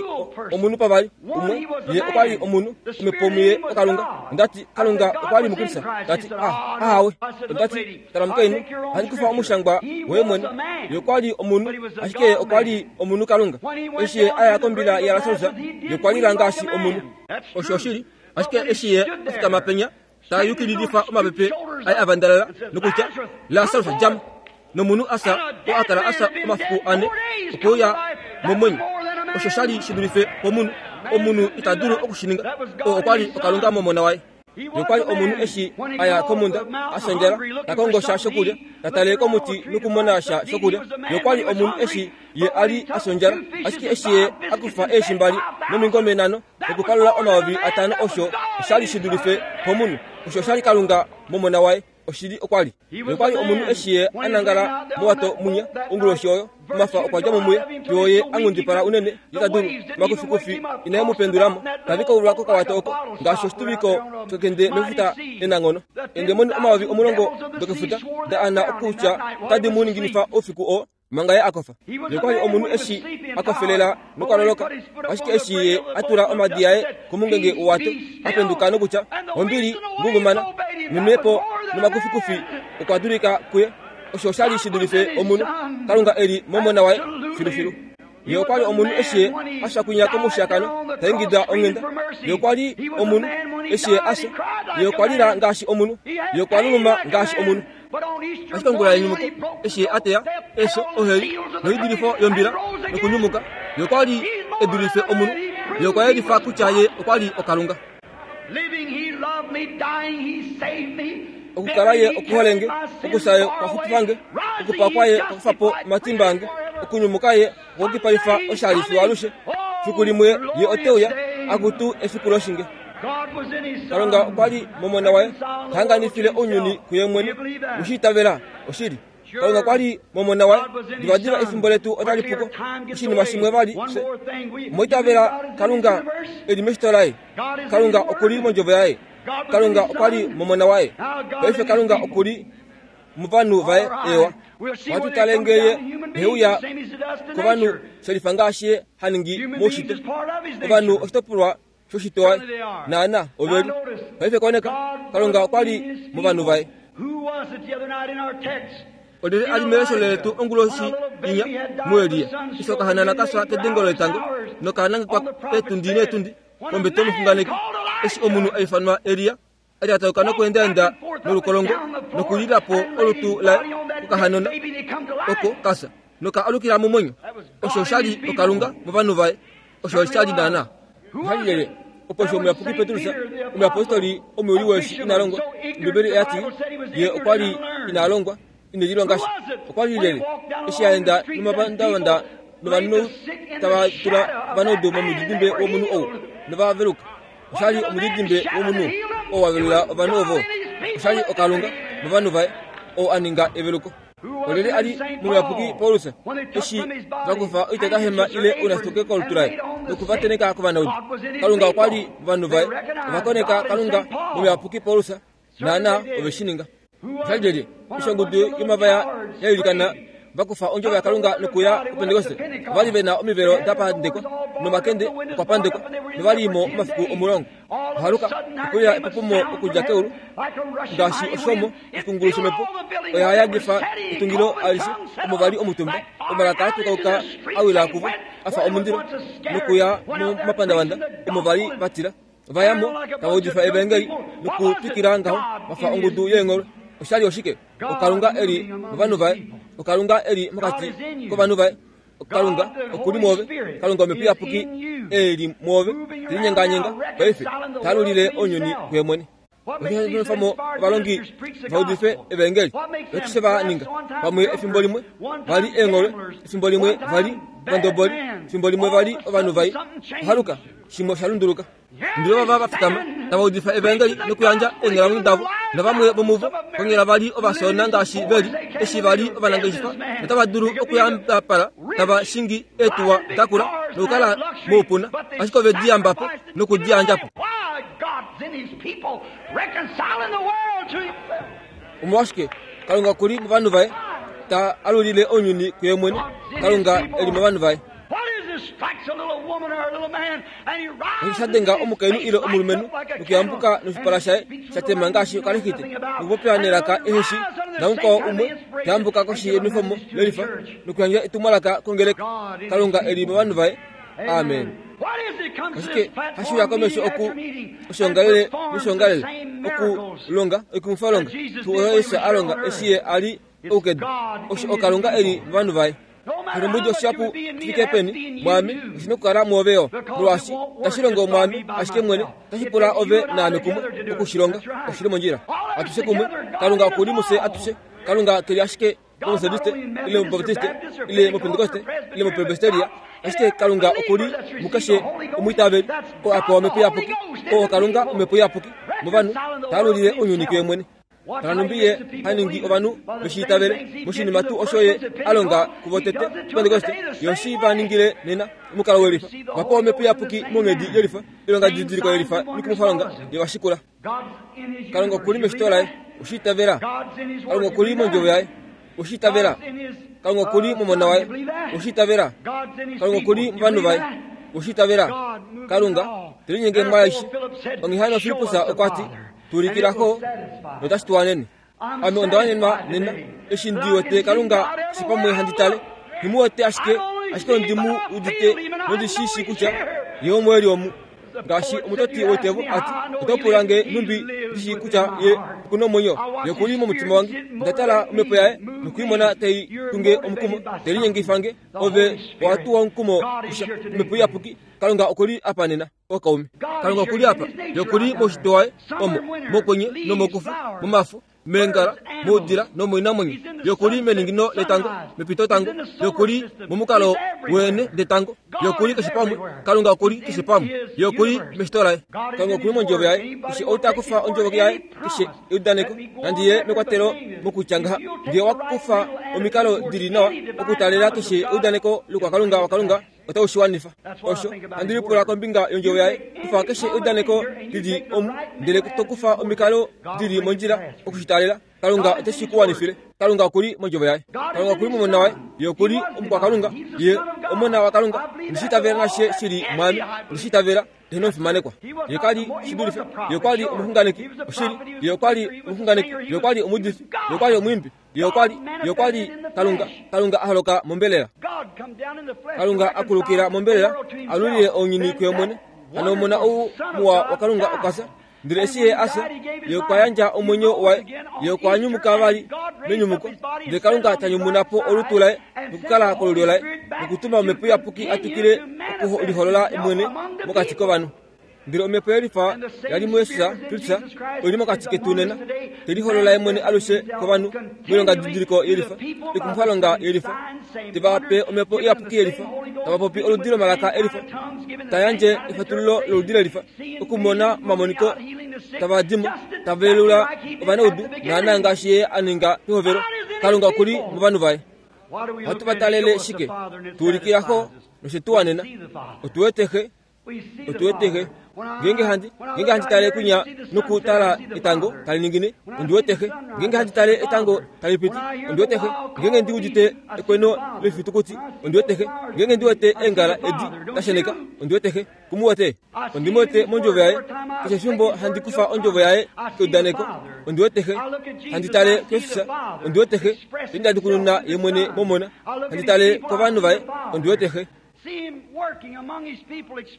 omunhu pavali. Umwe, ye okwa li omunhu, omhepo muye oKalunga. Onda ti, Kalunga okwa li muKristus. Ta ti, Ah, ahawe. Onda ti, Tala omukainhu, ohandi kufa omushangwa woye mwene. Ye okwa li omunhu, ashike ye okwa li omunhu Kalunga. Eshi ye a ya kombila yaLasarus, ye okwa lila ngaashi omunhu. Osho oshili, ashike eshi ye a fikama penya, ta yukililifa omapepe aye a vandalala nokutya, Lasarus, dja mo! Nomunhu a fya oo a kala a fya omafiku ane okwe uya momwenyo. Osho sha li shi dulife pomunhu. Omunhu ita dulu oku shi ninga. Oo okwa li oKalunga mOmona waye. Ye okwa li omunhu eshi a ya komhunda a fya ondjala, ta kongo sha shokulya, ta tale komuti nokumona sha shokulya. Ye okwa li omunhu eshi ye a li a fya ondjala, ashike eshi ye a kufa eeshi mbali nomingome nhano nokupalula 5000 osho osha li shi dulife pomunhu. Osho osha li Kalunga mOmona Waye. Oshili okwa li. Ye okwa li omunhu eshi ye a nangala mowato munya onguloshi oyo. Omafa okwa dja mo muye fiyo ye a nghundipala unene ye ta dulu. Omakufikufi inae mu pendula mo. Tave kaulwa kokawato oko ngaashi oshituviko shokende mefuta enanghono. Eendemoni 10,000 dokefuta da ana okutya otadi mu ninginifa oufiku oo. Manga ye a kofa, ye okwa li omunhu eshi a kofelela nokwa loloka. Ashike eshi ye a tula omadi aye komungenge wowato, a penduka nokutya, Ombili, ngungumana, nomhepo nomakufikufi okwa dulika kuye. Osho osha li shi dulife omunhu, Kalunga e li mOmona waye filufilu. Ye okwa li omunhu eshi ye a fya kwinya komushiyakano, ta ingida onghenda. Ye okwa li omunhu eshi ye a fya. Ye okwa lila ngaashi omunhu. Ye okwa luluma ngaashi omunhu. Ashike ongula yenyumuko, eshi ye a teya efyo, oheli noidulifo yombila nokunyumuka, ye okwa li e dulife omunhu. Ye okwa yelifa kutya ye okwa li oKalunga. Okukala ye okuhole nge, okufya ye okwa xupifa nge, okupakwa ye okwa kufa po omatimba ange, okunyumuka ye okwa kipaifa oshali fiyo alushe. Fiku limwe ye ote uya, akutu efiku loshinge. Kalunga okwa li mOmona waye, ta hanganifile ounyuni kuye mwene. Owe shi itavela? Oshili. Kalunga okwa li mOmona waye. Divadiva efimbo letu otali pu ko. Oshinima shimwe vali, fye omwa itavela Kalunga e li meshito laye. Kalunga oku li mOndjovo yaye. Kalunga okwa li mOmona waye. Paife Kalunga oku li movanhu vaye. Eewa. Ohatu tale ngee ye he uya kovanhu shelifa ngaashi ye ha ningi moushitwe. Ovanhu oshitopolwa shoshitwe waye. Naana, ove li. Paife koneka, Kalunga okwa li movanhu vaye. Olyelye a li melesho letu onguloshi inya muElia, eshi okahanana ka fya kedengo letango noka nangekwa eetundi neetundi pombete yomuxunganeki, eshi omunhu a ifanwa Elia a lyatauka nokweendaenda nolukolongo nokulila po olutu laye kokahanona oko ka fya noka alukila momwenyo. Osho osha li oKalunga movanhu vaye. Osho osha li naanaa. Oha li Opo eshi omuyapuki Petrus, omuyapostoli omuyuli weeshi ina longwa, Ombibeli oya ti, Ye okwa li ina longwa, ine lilonga sha. Okwa li lyelye eshi a enda nomapandavanda novanhu tava tula ovanaudu momudidimbe womunhu ou nova veluka? Osha li omudidimbe womunhu oo wa velula ovanhu ovo. Osha li oKalunga movanhu vaye oo a ninga eveluko. Olyelye a li momuyapuki Paulus eshi va kufa oitatahema ile ounasituke kolutu laye noku va tenheka kovanaudu? Kalunga okwa li movanhu vaye. Ova koneka Kalunga momuyapuki Paulus, naanaa ove shi ninga. Osha li lyelye eshi ongudu yomavaya ya ilikana va kufa ondjovo yaKalunga nokuya kuPentekoste? Ova li ve na omivelo da pandekwa nomakende okwa pandekwa, nova li mo omafiku 10. Ohaluka, okwe uya epopomo okudja keulu ngaashi oshomo oshikungulu shomhepo oya yadifa etungilo alishe omo va li omutumba. Omalaka a tukauka a wila kuvo a fa omundilo nokuya momapandavanda omo va li va tila. Ova ya mo tava udifa evaengeli nokutwikila ngaho va fa ongudu yeengholwe. Osha li oshike? OKalunga e li movanhu vaye. OKalunga e li mokati kovanhu vaye. Kalunga oku li mwoove. Kalunga Omhepo Iyapuki e li mwoove, te linyenganyenga paife, ta alulile ounyuni kuye mwene. Osha mo ovalongi va udife evaengeli. Osho va ninga. Pamwe efimbo limwe va li eengholwe, efimbo limwe va li ovandoboli, efimbo limwe va li ovanhu vai. Ohaluka, shimwe osha lunduluka. Ndele vava va fikama tava udifa evaengeli nokuyandja eenghalamwenyo davo, navamwe vomuvo konyala va li ovafyoona ngaashi ve li, eshi va li ovanangeshefa notava dulu okuyambapala tava shingi eetuwa da kula nokukala moupuna, ashike ove di yamba po noku di yandja po. Omolwashike? Kalunga oku li movanhu vaye, ta alulile ounyuni kuye mwene. Kalunga e li movanhu vaye. Osho sha denga omukainhu ile omulumenhu nokuyambuka noshipala shaye sha tema ngaashi okalexite nokupopya nelaka ehe shi namukwao umwe ta yambuka koshi yenwefomo lelifa nokuyandja etumwalaka kongeleka. Kalunga e li movanhu vaye. Amen. Ashike hashi uya komesho oku oshoongalele noshoongalele okulonga oikumwifalonga tuu oyo Jesus a longa eshi ye a li oukedu. Osho oKalunga e li movanhu vaye. Oshilumbudi oshihapu shifike peni mwaame oshi na okukala mwoove yo, molwaashi itashi longo mwaame ashike mwene, otashi pula ove naame kumwe oku shi longa. Oshi li mondjila. Atushe kumwe, Kalunga oku li mufye atushe. Kalunga ke li ashike mOmetodiste ile mObaptiste ile mOpentekoste ile mOpresbiteria, ashike Kalunga oku li mukeshe omwiitaveli oo a pewa Omhepo Iyapuki, oo Kalunga Omhepo Iyapuki movanhu ta alulile ounyuni kuye mwene. Tala nhumbi Ye ha ningi ovanhu ve shi itavele moshinima tuu osho Ye a longa kuvo tete Pentekoste, Ye oshi va ningile nena omukalo welifa. Va pewa Omhepo Iyapuki monghedi yelifa, oilongadidiliko yelifa noikumwifalonga ye va shikula. Kalunga oku li meshito laye, oshi itavela. Kalunga oku li mondjovo yaye, oshi itavela. Kalunga oku li momona waye, oshi itavela. Kalunga oku li movanhu vaye, oshi itavela. Kalunga te linyenge mwaaishe. Onghee hano Filippus okwa ti, Tu ulikila Xo, notashi tu wanene. Ame onda wanenwa nena, eshi ndi wete Kalunga keshe pamwe handi tale. Nghi mu wete ashike, ashike ondi mu udite nondi shi shii kutya Ye omo e li omu. Ngaashi omutoti woitevo a ti, Oto pula nge nhumbi ndi shii kutya Ye oku na omwenyo? Ye oku li momutima wange. Onda tala omhepo yaye noku i mona tai tu nge omukumo, te linyengifa nge. Ove owa tuwa omukumo kusha, Omhepo Iyapuki. Kalunga oku li apa nena. Ookaume, Kalunga oku li apa. Ye oku li moushitwe waye, omo, mokwenye nomokufu, momafo, meengala, moudila nomoinamwenyo. Ye oku li meningino letango, mepitotango. Ye oku li momukalo weene detango. Ye oku li keshe pamwe. Kalunga oku li keshe pamwe. Ye oku li meshito laye. Kalunga oku li mondjovo yaye. Keshe ou ta kufa ondjovo yaye, keshe eudaneko, nandi ye mekwatelo mokutya ngaha, nge owa kufa omikalo di li nawa okutalela keshe eudaneko loukwakalunga waKalunga, otau shi wanifa. Osho handi lipula kombinga yondjovo yaye, kufa keshe eudaneko li li omu, ndele to kufa omikalo di li mondjila oku shi taalela. Kalunga ote shi ku wanifile. Kalunga oku li mondjovo yaye. Kalunga oku li momona waye. Ye oku li omukwakalunga. Ye omona waKalunga. Ondi shi itavela nashe shi li mwaame. Ondi shi itavela. Ye nomufimanekwa. Ye ka li shi dulife. Ye okwa li omuxunganeki. Oshili. Ye okwa li omuxunganeki. Ye okwa li omuudifi. Ye okwa li omwiimbi. Ye okwa li, Ye okwa li Kalunga, Kalunga a holoka mombelela. Kalunga a kulukila mombelela, a lulile ounyuni kuye mwene. Hano omona ou muwa waKalunga okwa fya. Ndele eshi ye a fya, ye okwa yandja omwenyo waye. Ye okwa nyumuka vali menyumuko. Ndele Kalunga ta nyumuna po olutu laye nokukala kolulyo laye, nokutuma Omhepo Iyapuki a twikile okuliholola mwene mokati kovanhu. Ndele omhepo yelifa ya li muJesus Kristus oi li mokati ketu nena, te liholola ye mwene alushe kovanhu moilongadidiliko yelifa, oikumwifalonga yelifa, te va pe omhepo iyapuki yelifa, tava popi oludi lomalaka elifa, ta yandje efatululo loludi lelifa, okumona omamoniko tava di mo, tava velula ovanaudu, naanaa ngaashi ye a ninga pehovelo. Kalunga oku li movanhu vaye. Ohatu va talele shike? Tu ulikila Xo noshe tu wanena. Otu wete Xe. Otu wete Xe. Ngeenge handi, ngeenge handi tale kwinya nokutala etango tali ningine, ondi wete Xe. Ngeenge handi tale etango tali piti, ondi wete Xe. Ngeenge ndi udite ekweno loifitukuti, ondi wete Xe. Ngeenge ndi wete eengala edi da sheneka, ondi wete Xe. Ku mu wete? Ondi mu wete mondjovo yaye. Keshe efimbo handi kufa ondjovo yaye keudaneko, ondi wete Xe. Handi tale kEfisa, ondi wete Xe. Te ye mwene momona. Handi tale kovanhu vaye, ondi wete Xe.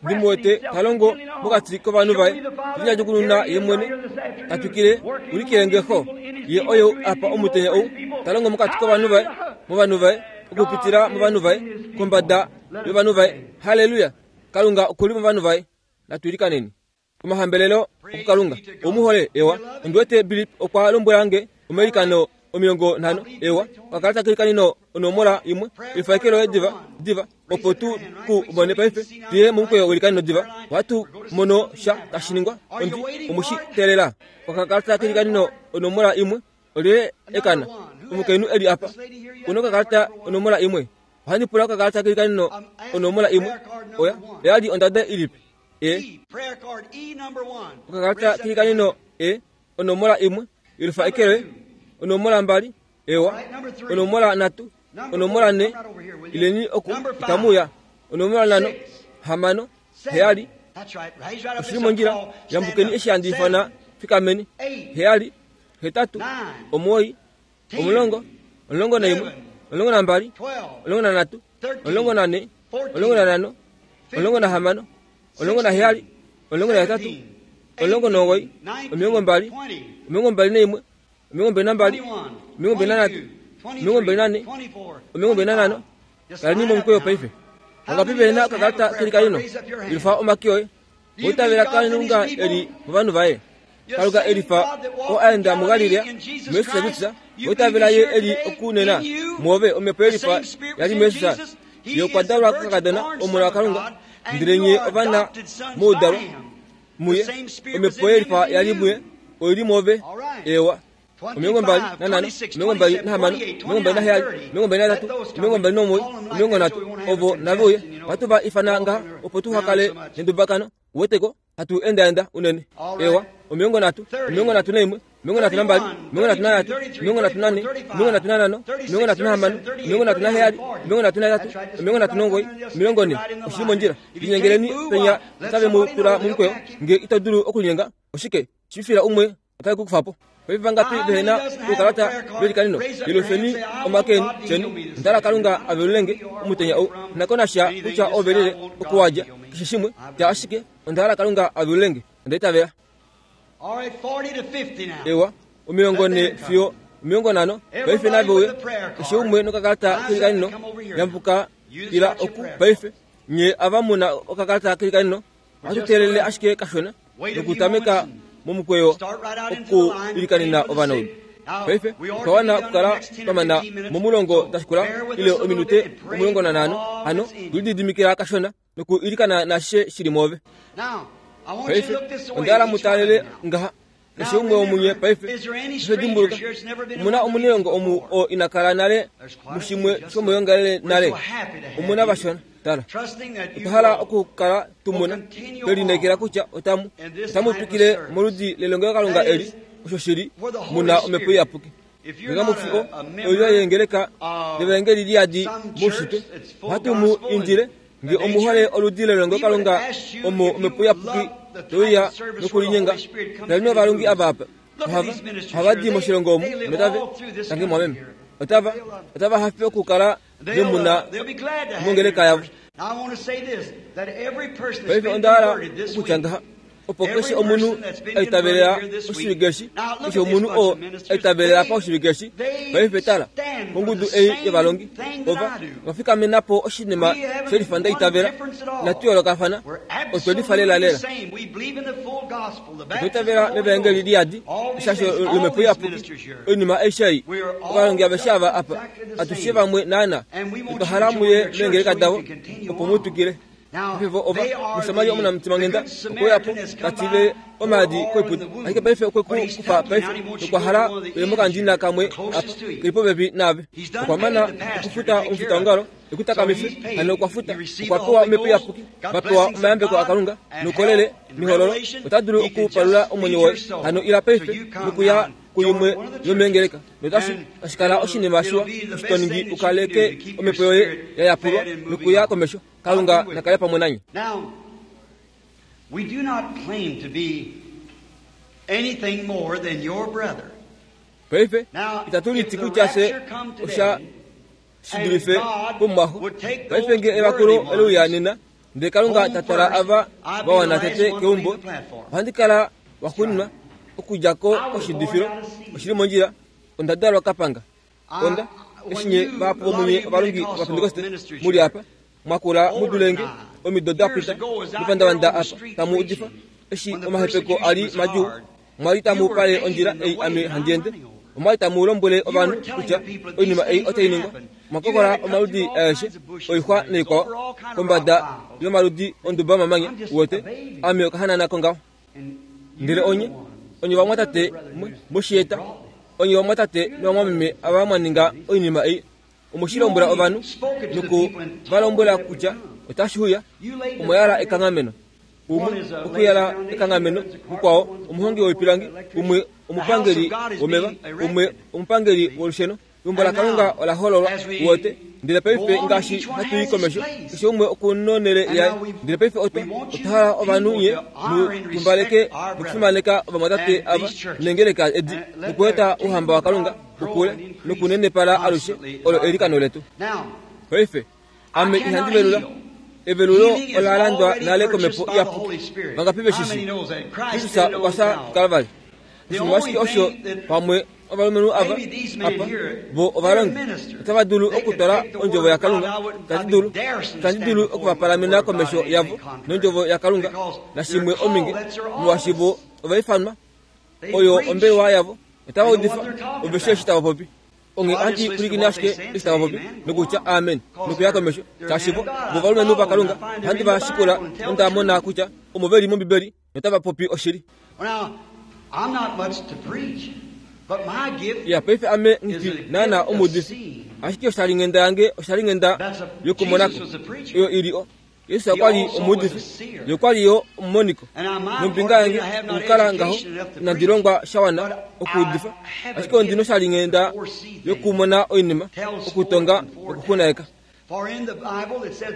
Ndi mu wete ta longo mokati kovanhu vaye, te ye mwene, ta twikile, ulikile nge Xo. Ye oye apa omutenya ou, ta longo mokati kovanhu vaye, movanhu vaye, okupitila movanhu vaye, kombada yovanhu vaye. Halleluya! Kalunga oku li movanhu vaye. Natu ilikaneni. Omahambelelo okuKalunga. Ou mu hole? Ewa. Ondi wete Billy okwa lombwela nge omailikano 50. Ewa. Okakalata keilikaneno onomola imwe. Efaeke loye diva, diva, opo tu ku mone paife. Tu ye momukweyo weilikaneno diva. Ohatu mono sha tashi ningwa. Ondi, omu shi teelela. Okakalata keilikaneno onomola imwe. Olyelye ekana? Omukainhu e li apa. Una okakalata onomola imwe. Ohandi pula okakalata keilikaneno onomola imwe. Oya, oya li ondada ilipi? E. Okakalata keilikaneno E, onomola imwe. Yelufa eke loye. Onomola mbali. Ewa. Onomola nhatu. Onomola nhe. Ileni oku, itamu uya. Onomola nhano, hamano, heyali. Oshi li mondjila. Yambukeni eshi handi ifana, fikameni. Heyali, hetatu, omuwoi, omulongo, 11, 12, 13, 14, 15, 16, 17, 18, 19, 20, 21, 22, 23, 24, 25, Kaleni momukweyo paife. Vangapi ve na okakalata keli kalino? Yelufa omake oye. Oitavela Kalunga e li movanhu vaye. Kalunga e lifa oo a enda muGalilea, muJesus Kristus. Oitavela ye e li okunena muove, Omhepo ye lifa ya li muJesus. Ye okwa dalwa kokakadona, Omona waKalunga, ndele nye ovana moudalwa muye. Omhepo ye lifa ya li muye oi li muove. Eewa. 25, 26, 27, 28, 26, 29, 30 ovo nave uye. Ohatu va ifana ngaha opo tuha kale nendubakano, uweteko, hatu endaenda unene. Ewa, 31, 31, 32, 33, 34, 35, 36, 37, 38, 39, 40. Oshi li mondjila. Linyengeleni penya otave mu tula momukweyo. Nge ito dulu okulinyenga, oshike, shifila umwe Otai ku kufa po. Paife vangapi vehe na oukalata velikanino? Yelufeni omake eni, tyeni, Onda hala Kalunga a velule nge omutenya ou. Nghi na ko nasha kutya ove lile, oku wa dja, keshe shimwe, tya ashike, Onda hala Kalunga a velule nge. Onda itavela. Ewa, 40 fiyo 50, paife nave uye, keshe umwe nokakalata kelikanino, yambuka ila oku, paife. Nye ava mu na okakalata kelikanino, Ohatu teelele ashike kashona nokutameka momukweyo okuilikanena ovanaudu. Paife otwa wana okukala twa mana momulongo da shikula ile ominute 15, hano tu lididimikila kashona nokuilikana naashishe shi li mwoove. Paife onda hala mu taalele ngaha, keshe umwe womunye paife. Paife dimbuluka, omu na omunailongo omu oo ina kala nale mushimwe shomoyoongalele nale. Omu na vashona. Tala, otwa hala okukala tu mona, twe lineekela kutya otamu, otamu twikile moludi lelongelokalunga eli, osho shi li, mu na Omhepo Iyapuki. Nge kamu fi o, oilyo yeengeleka devaengeli li yadi moushitwe, ohatu mu indile, nge omu hole oludi lelongelokalunga omo Omhepo Iyapuki te uya nokulinyenga, taleni ovalongi ava apa. Ohava, ohava di moshilongo omu, notave, tangi mwameme, otava, otava hafe okukala ve mu na mongeleka yavo. Paife onda hala okutya ngaha, opo keshe omunhu a itavelela oshivike eshi, keshe omunhu oo a itavelela apa oshivike eshi, paife tala kongudu ei yovalongi, ova, ova fikamena po oshinima she lifa nda itavela, inatu yoolokafana, otwe lifa lelalela. Otwa itavela mevaengeli liyadi, eshasho lOmhepo Iyapuki, oinima aishe ei. Ovalongi aveshe ava apa, atushe vamwe naana, otwa hala muye meengeleka davo, opo mu twikile. Paife vo ova, Omusamaria omunamutimanghenda okwe uya po, ta tile omaadi koiputa. Ashike paife okwe ku kufa paife, nokwa hala uye mokandina kamwe apa, ke li popepi naave. Okwa mana okufuta omufitaongalo. E ku takamife, hano okwa futa, okwa pewa Omhepo Iyapuki, va pewa omayambeko aKalunga, noukolele, nehololo, ota dulu okupalula omwenyo woye. Hano ila paife nokuya kuimwe yomeengeleka, notashi tashi kala oshinima shiwa eshi to ningi u kaleke omhepo yoye ya yapulwa nokuya komesho. Kalunga na kale pamwe nanye. We do not claim to be anything more than your brother. Paife itatu liti kutya fye osha shi dulife pomumwaxo. Paife nge evakulo ole uya nena, ndele Kalunga ta twala ava va wana tete keumbo, ohandi kala waxuuninwa okudja ko koshidifilo. Oshi li mondjila. Onda dalwa kapanga. Onda, eshi nye vahapu vomunye ovalongi Ovapentekoste mu li apa, mwa kula mu dule nge, omido da pita, mepandavanda apa, tamu udifa, eshi omahepeko a li madjuu, Omwa li tamu pale ondjila ei ame handi ende. Omwa li tamu lombwele ovanhu kutya oinima ei otai ningwa. Omwa kokola omaludi aeshe oixwa naikwao kombada yomaludi onduba yomamanya, uwete, ame okahanana kongaho. Ndele onye, onye ovamwatate mwe shi eta, onye ovamwatate novamwameme ava mwa ninga oinima ei, omwe shi lombwela ovanhu noku va lombwela kutya otashi uya, omwa yala ekanghameno. Umwe okuyala ekanghameno, mukwao omuhongi woipilangi, umwe omupangeli womeva, umwe omupangeli wolusheno. Eumbo laKalunga ola hololwa, uwete. Ndele paife ngaashi hatu i komesho, keshe umwe oku nonhele yaye. Ndele paife otwa, otwa hala ovanhu nye mu tumbaleke nokufimaneka ovamwatate ava neengeleka edi, nokueta Ouhamba waKalunga ukule nokunenepala alushe. Olo eilikano letu. Paife, Ame ihandi velula. Evelulo ola landwa nale komhepo iyapuki. Vangapi ve shi shii? Kristus okwa fya kuKalvari. Oshinima ashike osho pamwe ovalumenhu ava apa vo ovalongi otava dulu okutwala ondjovo yaKalunga. Itandi dulu, itandi dulu okuvapalamena komesho yavo nondjovo yaKalunga nashimwe ominge, molwaashi vo ova ifanwa. Oyo ombelewa yavo. Otava udifa, ove shii eshi tava popi. Onghee ohandi pwilikine ashike eshi tava popi, nokutya amen, nokuya komesho. Shaashi vo, vo ovalumenhu vaKalunga, ohandi va shikula nonda mona kutya omo ve li mOmbibeli notava popi oshili. Ya, paife ame nghi naana omuudifi, ashike oshalinghenda yange oshalinghenda yokumonako, oyo i li o. Jesus okwa li omuudifi, ye okwa li yo omumoniko. Nombinga yange okukala ngaho inandi longwa sha wana okuudifa, ashike ondi noshalinghenda yokumona oinima, okutonga nokuxunaeka.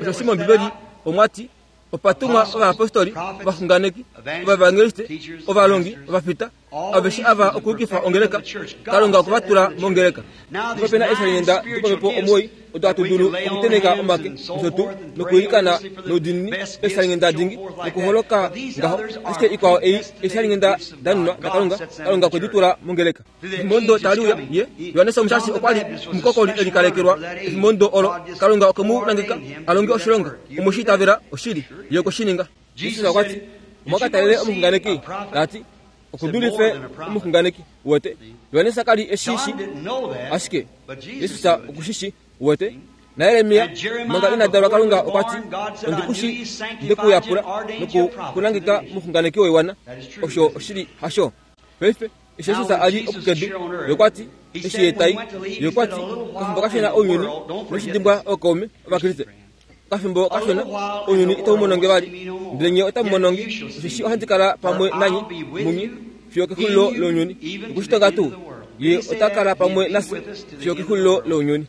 Osheshi mOmbibeli omwa ti, Opa tumwa ovayapostoli, ovaxunganeki, ovaevangeliste, ovalongi, ovafita, aveshe ava okuyukifa ongeleka. Kalunga okwe va tula mongeleka. Opa pe na eeshalinghenda dopamhepo omuwoi odo hatu dulu okutenheka omake nosho tuu nokwiilikana noudiinini, eeshalinghenda dingi nokuholoka ngaho. Ashike ikwao ei eeshalinghenda da nunwa daKalunga, Kalunga okwe di tula mongeleka. Efimbo ndo tali uya, ye, Johannes Omushashi okwa li omukokoli e likalekelwa. Efimbo ndo olo, Kalunga okwe mu nangeka a longe oshilonga. Omwe shi itavela? Oshili, ye okwe shi ninga. Jesus okwa ti, Omwa ka talele omuxunganeki? Ta ti, Oku dulife omuxunganeki. Uwete? Johannes ka li e shi shi, ashike Jesus oku shi shi. Uwete? NaJeremia, manga ina dalwa Kalunga okwa ti, Ondi ku shii, nde ku yapula noku ku nangeka omuxunganeki woiwana. Osho oshili, hasho? Paife, eshi Jesus a li oku kedu, Ye okwa ti, eshi Ye ta i, Ye okwa ti, Okafimbo kashona ounyuni noshi dimbwa ookaume Ovakriste. Okafimbo kashona ounyuni itau mono nge vali, ndele nye otamu mono nge, osheshi ohandi kala pamwe nanye, munye, fiyo okexulilo lounyuni. Okushitonga tuu, Ye ota kala pamwe nafye fiyo okexulilo lounyuni.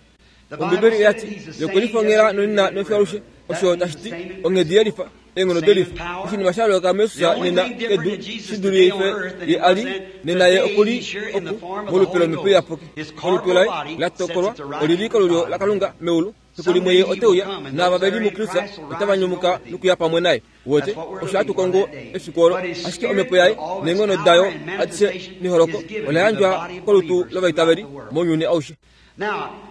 Ombibeli oya ti, Ye okwe lifongela nonena nofiyo alushe, osho tashi ti onghedi yelifa, eenghono delifa. Oshinima sha yooloka muJesus nena kedu shi dulife Ye a li nena. Ye oku li oku molupe lOmhepo Iyapuki. Olutu laye la tokolwa oli li kolulyo laKalunga meulu. Fiku limwe Ye ote uya, naava ve li muKristus otava nyumuka nokuya pamwe naye. Uwete, osho hatu kongo efiku olo. Ashike Omhepo yaye neenghono dayo adishe neholoko ola yandjwa kolutu lovaitaveli mounyuni aushe.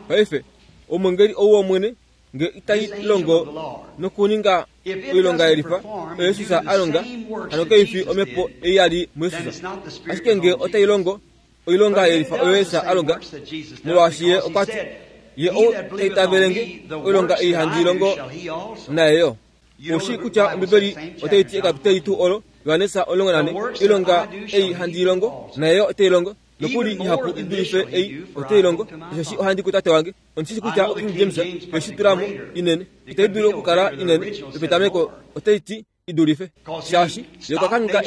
Paife, omwengeli ou wOmwene nge itai longo nokuninga oilonga yelifa oyo Jesus a longa, hano kai fi omhepo ei ya li muJesus. Ashike nge otai longo oilonga yelifa oyo Jesus a longa, molwaashi Ye okwa ti, Ye ou ta itavele nge, oilonga ei handi longo naye yo. Ou shii kutya Ombibeli otai ti ekapiteli tuu olo, Johannes 14, Oilonga ei handi i longo, naye yo ote i longo, nokuli ihapu i dulife ei ote i longo, osheshi ohandi kuTate wange. Ondi shi kutya oKing James oye shi tula mo inene. Itai dulu okukala inene yopetameko, otai ti i dulife. Shaashi, Ye okwa kangheka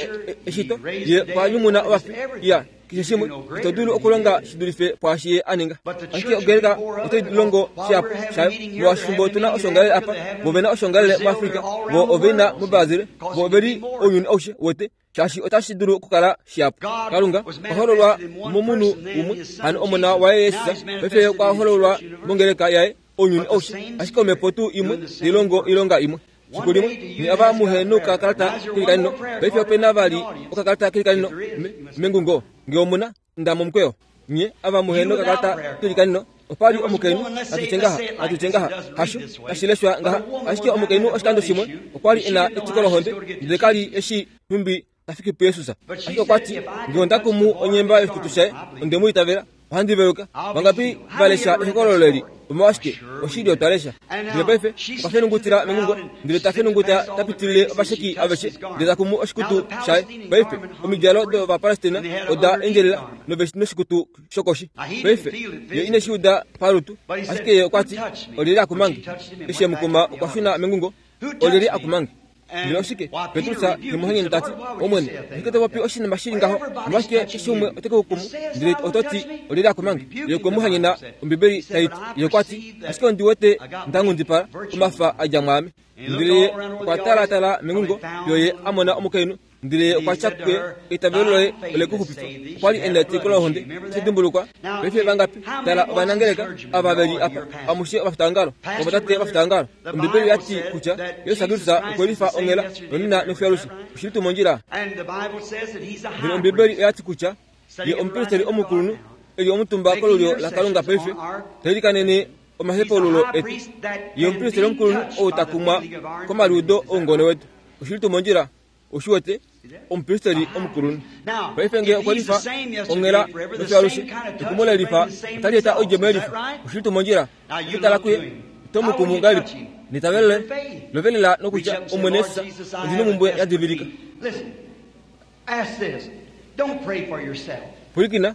eshito, Ye okwa nyumuna ovafi, iya, keshe shimwe. Ito dulu okulonga shi dulife pwaashi Ye a ninga. Ashike ongeleka otai longo shihapu shayo, molwaashi fimbo otu na oshoongalele apa, vo ove na oshoongalele muAfrica, vo ove na muBrazil, vo ove li ounyuni aushe, uwete. shaashi otashi dulu okukala shihapu. Kalunga okwa hololwa momunhu umwe, hano Omona waye Jesus, paife Ye okwa hololwa mongeleka yaye, ounyuni aushe, ashike Omhepo tuu imwe tai longo oilonga imwe. Fiku limwe, nye ava muhe nokakalata kelikanino, paife ope na vali okakalata kelikanino me, mengungo, nge omu na. Nda momukweyo, nye ava muhe nokakalata kelikanino, opa li omukainhu, natu tye ngaha, natu tye ngaha, hasho, tashi leshwa ngaha, ashike omukainhu oshikando shimwe okwa li e na etiko lohonde, ndele ka li e shii nhumbi ta fiki puJesus. Ashike okwa ti, Nge onda kumu onyemba yoshikutu shaye, onde mu itavela. Ohandi veluka. Vangapi va lesha ehokololo eli? Omolwashike, oshili otwa lesha. Ndele paife okwa fenungutila mengungo, ndele ta fenunguta ta pitilile ovasheki aveshe, ndele ta kumu oshikutu shaye. Paife, omidjalo dOvapalestina oda endjelela noshikutu shokoshi. Paife, ye ine shi uda palutu, ashike ye okwa ti, Olyelye a kuma nge? Eshi e mu kuma, okwa shuna mengungo. Olyelye a kuma nge? Ndele oshike? Petrus te mu hanyene ta ti, Omwene, oshike to popi oshinima shi li ngaho? Omolwashike keshe umwe ote ku kumu, ndele oto ti, Olyelye a kuma nge? Ye okwe mu hanyena, Ombibeli tai ti. Ye okwa ti, Ashike ondi wete nda nghundipala, omafa a dja mwaame. Ndele ye okwa talaatala mengungo, fiyo ye a mona omukainhu, Ndele ye okwa tya kuye, Eitavelo loye ole ku xupifa. Okwa li e na etiko lohonde. Oto dimbulukwa? Paife vangapi? Tala ovanangeleka ava ve li apa, amushe ovafitaongalo, ovatate ovafitaongalo. Ombibeli oya ti kutya Jesus Kristus okwe lifa onghela, nonena nofiyo alushe. Oshi li tuu mondjila? Ndele Ombibeli oya ti kutya. Ye omupristeri omukulunhu e li omutumba kolulyo laKalunga paife, ta ilikanene omahepaululo etu. Ye omupristeri omukulunhu ou ta kumwa komaliudo oungone wetu. Oshili tuu mondjila? Ou shi wete? Omupristeri omukulunhu. Paife nge okwe lifa onghela nofyo alushe, ekumo le lifa otali eta oidjemo yelifa. Oshili tuu mondjila? Okutala kuye, oto mu kumu ngahelipi? Neitavelo loye lovelela nokutya, Omwene Jesus, ondi nomhumbwe ya divilika. Pwilikina,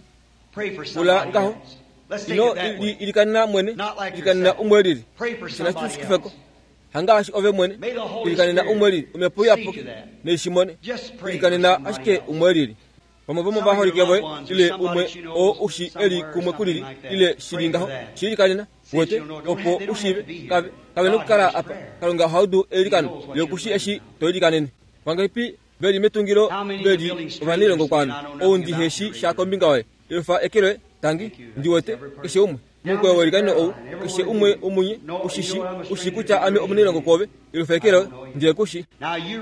pula ngaho. Ino li ilikanena mwene, ilikanena umwe lili. Osho nashi tu shi kufe ko. Hangaashi ove mwene, ilikanena umwe lili. Omhepo Iyapuki nei shi mone. Ilikanena ashike umwe lili. Vamwe vomovaholike voye ile umwe oo u shi e li kumwe kulili ile shi li ngaho, shi ilikanena, wete, opo u shiive. Kave, kave nokukala apa. Kalunga oha udu eilikano. Ye oku shii eshi to ilikanene. Vangapi ve li metungilo ve li ovanailongo kwaame, ou ndi he shi sha kombinga yoye? Efa eke loye, tangi, ndi wete, keshe umwe. Momukweyo weilikaneno ou, keshe umwe womunye u shi shi, u shii kutya ame omunailongo kwoove. Efa eke loye, ndi ku shi.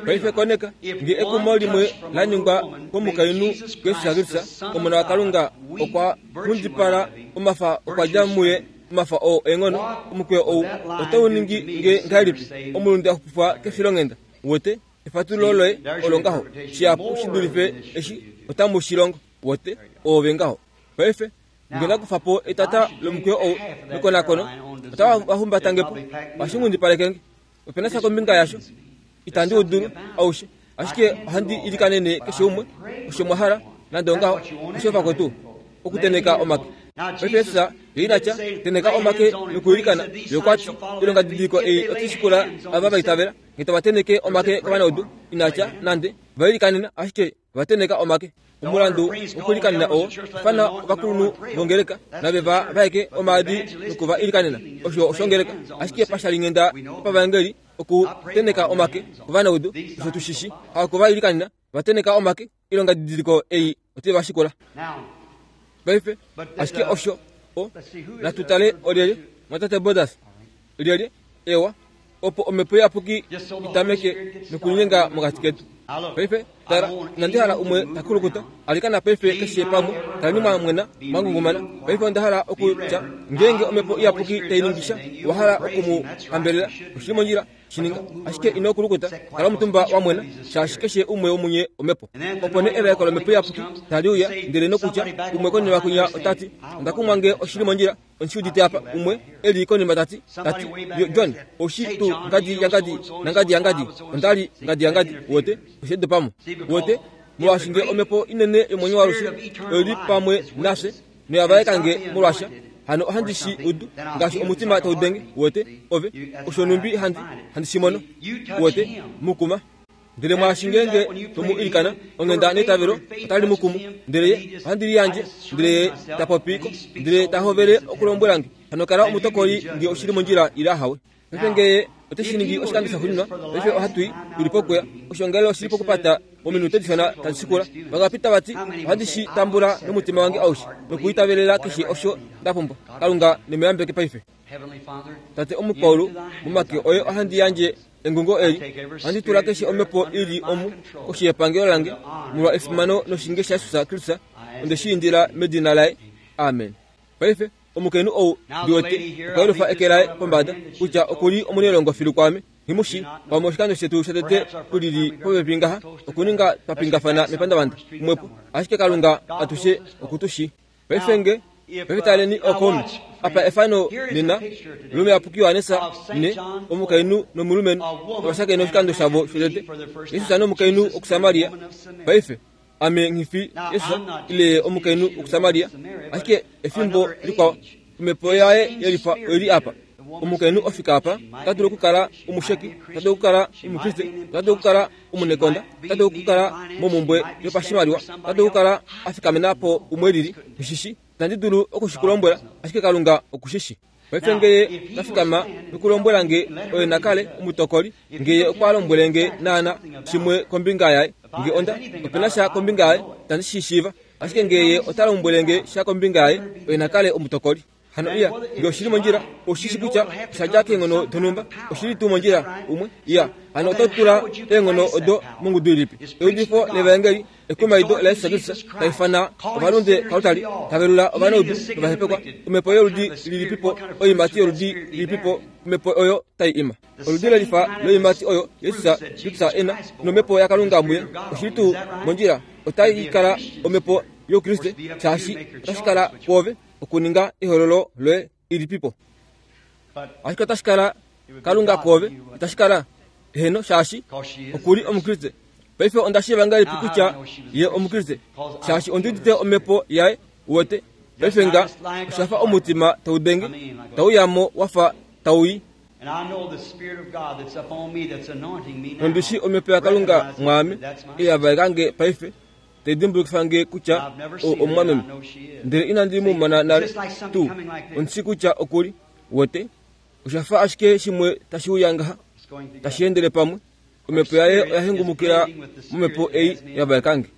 Paife koneka, nge ekumo limwe la ningwa komukainhu Jesus Kristus, Omona waKalunga, okwa nghundipala, omafa okwa dja muye, omafa oo eenghono, omukweyo ou otau ningi nge ngahelipi omulunde a xupifwa kefilonghenda? Uwete? Efatululo loye olo ngaho, shihapu shi dulife eshi otamu shi longo. Wote, oove ngaho. Paife, nge nda kufa po etata lomukweyo ou mekonakono, otava va humbata nge po, ohashi nghundipaleke nge. Ope na sha kombinga yasho. Itandi u dulu, aushe. Ashike ohandi ilikanene keshe umwe, osho mwa hala, nande ongaho, osho vakwetu, okutenheka omake. Paife Jesus ye ina tya, Tenheka omake nokuilikana. Ye okwa ti, Oilongadidiliko ei otai shikula ava va itavela. Nge tava tenheke omake kovanaudu, ina tya, nande, va ilikanena, ashike va tenheka omake. Omulandu wokuilikanena oo ifana ovakulunhu vongeleka nave va vaeke omaadi noku va ilikanena. Osho oshongeleka. Ashike pashalinghenda yopavaengeli okutenheka omake kovanaudu, osho tu shi shi, haku va ilikanena, va tenheka omake, oilongadidiliko ei otai va shikula. Paife, ashike osho o, natu tale olyelye, Mwatate Borders, lyelye, ewa, opo Omhepo Iyapuki i tameke nokulinyenga mokati ketu. Paife, tala, inandi hala umwe ta kulukuta, alikana paife keshe pamwe, kaleni mwa mwena, mwa ngungumana. Paife onda hala okutya, ngeenge Omhepo Iyapuki tai ningi sha, owa hala oku mu hambelela, oshi li mondjila, shi ninga. Ashike ino kulukuta, kala omutumba wa mwena, shaashi keshe umwe womunye omhepo. Opo nee evaeko lOmhepo Iyapuki tali uya, ndele nokutya, umwe konima kwinya ota ti, Onda kumwa nge oshi li mondjila, Ondi shi udite apa, umwe e li konima ta ti, ta ti, Yo, John, ou shi tuu ngadi yangadi nangadi yangadi? Onda li ngadi yangadi. Uwete? Oshe dopa mo. Uwete? Molwaashi nge Omhepo inene yomwenyo waalushe oi li pamwe nafye, noya vaeka nge molwasha, hano ohandi shi udu ngaashi omutima tau denge. Uwete? Ove, osho nhumbi handi, handi shi mono. Uwete? Mu kuma. Ndele mwaashi ngeenge to mu ilikana, onghenda neitavelo otali mu kumu. Ndele ye ohandi liyandje, ndele ye ta popi ko, ndele ta hovele okulombwela nge, Hano kala omutokoli nge oshi li mondjila ile ahawe. Paife nge ye ote shi ningi oshikando shaxuuninwa, paife ohatu i, tu li pokuya. Oshoongalele oshi li pokupata mominute dishona tadi shikula. Vangapi tava ti, Ohandi shi tambula nomutima wange aushe, nokuitavelela keshe osho nda pumbwa? Kalunga ne mu yambeke paife. Tate Omukwaulu, momake oye ohandi yandje engungo eli. Ohandi tula keshe omhepo i li omu koshi yepangelo lange, molwa efimano noshinge shaJesus Kristus. Onde shi indila medina laye. Amen. Paife, omukainhu ou, ndi wete, okwa yelufa eke laye pombada, kutya oku li omunailongo filu kwaame. Nghi mu shii. Pamwe oshikando shetu shotete tu lili popepi ngaha, okuninga twa pingafana mepandavanda, kumwepo. Ashike Kalunga atushe oku tu shii. Paife nge, paife taleni okomi. Apa efano nena lomuyapuki Johannes ne omukainhu nomulumenhu ova shakena oshikando shavo shotete. Jesus nomukainhu wokuSamaria. Paife, ame nghi fi Jesus ile omukainhu wokuSamaria, ashike efimbo likwao omhepo yaye yelifa oili apa. Omukainhu ofika apa, ota dulu okukala omusheki, ota dulu okukala Omukriste, ota dulu okukala omunekonda, ota dulu okukala momhumbwe yopashimaliwa, ota dulu okukala a fikamena po umwe lili. Nghi shi Itandi dulu oku shi ku lombwela, ashike Kalunga oku shi shi. Paife nge Ye ta fikama nokulombwela nge oye na kale omutokoli, nge Ye okwa lombwele nge naana shimwe kombinga yaye, nge onda, ope na sha kombinga yaye, itandi shi shiiva. Ashike nge Ye ota lombwele nge sha kombinga yaye, oye na kale omutokoli. Hano iya, nge oshi li mondjila, ou shi shi kutya osha dja keenghono donhumba, oshi li tuu mondjila umwe? Iya. Hano oto tula eenghono odo mongudu ilipi? Eudifo levaengeli, ekumaido laJesus Kristus, ta ifana ovalunde kalutali, ta velula ovanaudu novahepekwa, omhepo yoludi lilipipo, oiimati yoludi lilipipo omhepo oyo tai ima? Oludi lelifa loiimati oyo Jesus Kristus e na, nomhepo yaKalunga muye, oshi li tuu mondjila? Otai kala omhepo youkriste, shaashi otashi kala kwoove okuninga ehololo loye ilipipo. Ashike otashi kala Kalunga kwoove, itashi kala? Eheno, shaashi oku li Omukriste. Paife onda shiiva ngahelipi kutya ye Omukriste? Shaashi ondi udite omhepo yaye, uwete. Paife nga osha fa omutima tau denge, tau ya mo wa fa tau i. Nondi shii omhepo yaKalunga mwaame, ei ya vaeka nge paife, tai dimbulukifa nge kutya o omumwameme. Ndele inandi mu mona nale tuu. Ondi shii kutya oku li, uwete. Osha fa ashike shimwe tashi uya ngaha, tashi endele pamwe. Omhepo yaye oya hengumukila momhepo ei ya vaeka nge.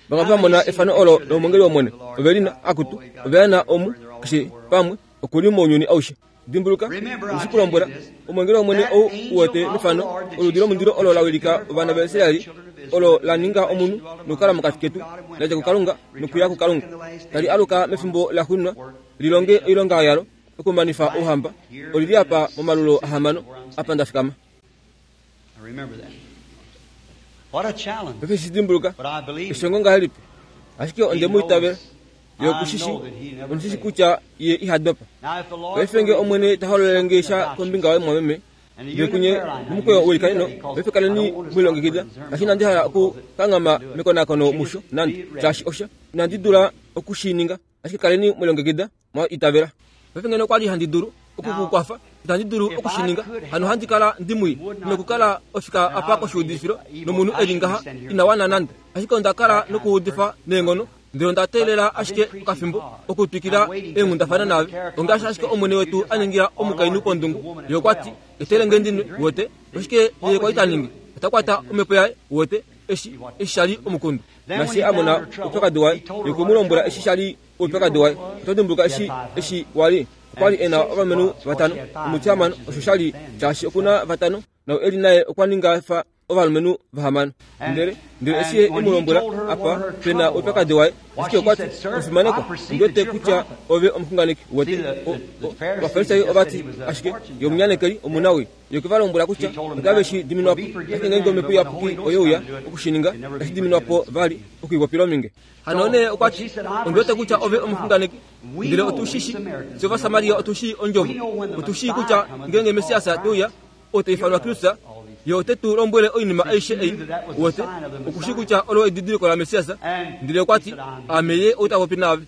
Vamwe va mona efano olo lomwengeli wOmwene, ove li na, akutu, ove ya na omu, keshe pamwe, oku li mounyuni aushe. Dimbuluka, ondi shi ku lombwela, omwengeli wOmwene ou u wete mefano, oludi lomundilo olo la wilika ovana vaIsrael, olo la ninga omunhu nokukala mokati ketu, la dja kuKalunga nokuya kuKalunga, tali aluka mefimbo laxuuninwa li longe oilonga yalo okumanifa Ouhamba, oli li apa momalulo ahamano, apa nda fikama. Paife shi dimbuluka, eshongo ngahelipi! Ashike onde mu itavela. Ye oku shi shii. Ondi shi shii kutya Ye iha dopa. Paife nge Omwene ta hololele nge sha kombinga yoye, mumwameme, ndele kunye momukweyo weilikaneno, paife kaleni mwe lilongekida. Shaashi inandi hala oku kanghama mekonakono musho, nande, shaashi osha, inandi dula oku shi ninga. Ashike kaleni mwe lilongekida, mwa itavela. Paife ngeno okwa li handi dulu oku ku kwafa, itandi dulu oku shi ninga. Hano ohandi kala ndi mwii nokukala ofika apa koshiudifilo nomunhu e li ngaha ina wana nande. Ashike onda kala nokuudifa neenghono, ndele onda teelela ashike okafimbo okutwikila eenghundafana naave. Ongaashi ashike Omwene wetu a ningila omukainhu pondungu, Ye okwa ti, Etele nge ndi nwe, uwete. Oshike Ye kwa li ta ningi? Ota kwata omhepo yaye, uwete, eshi, eshi sha li omukundu. Naashi a mona oupyakadi waye, Ye okwe mu lombwela eshi sha li oupyakadi waye. Oto dimbuluka eshi, eshi wa li? Okwa li e na ovalumenhu vatano, omutihamano, osho sha li, shaashi oku na vatano, nau e li naye okwa ninga fa ovalumenhu vahamano. Ndele, ndele eshi ye e mu lombwela apa pe na oupyakadi waye, ashike okwa ti, Omufimanekwa, ondi wete kutya ove omuxunganeki. Uwete? O, o, Ovafarisai ova ti, Ashike, ye omunyanekeli, omunawii. Ye okwe va lombwela kutya otave shi diminwa po, ashike ngeenge Omhepo Iyapuki oye uya oku shi ninga, itashi diminwa po vali, oku i popila ominge. Hano nee okwa ti, Ondi wete kutya ove omuxunganeki. Ndele otu shi shii, fye Ovasamaria otu shii Ondjovo. Otu shii kutya ngeenge Messias te uya, oo ta ifanwa Kristus, Ye ote tu lombwele oinima aishe ei. Uwete, oku shii kutya olo edidiliko laMessias. Ndele okwa ti, Aame Ye ou ta popi naave.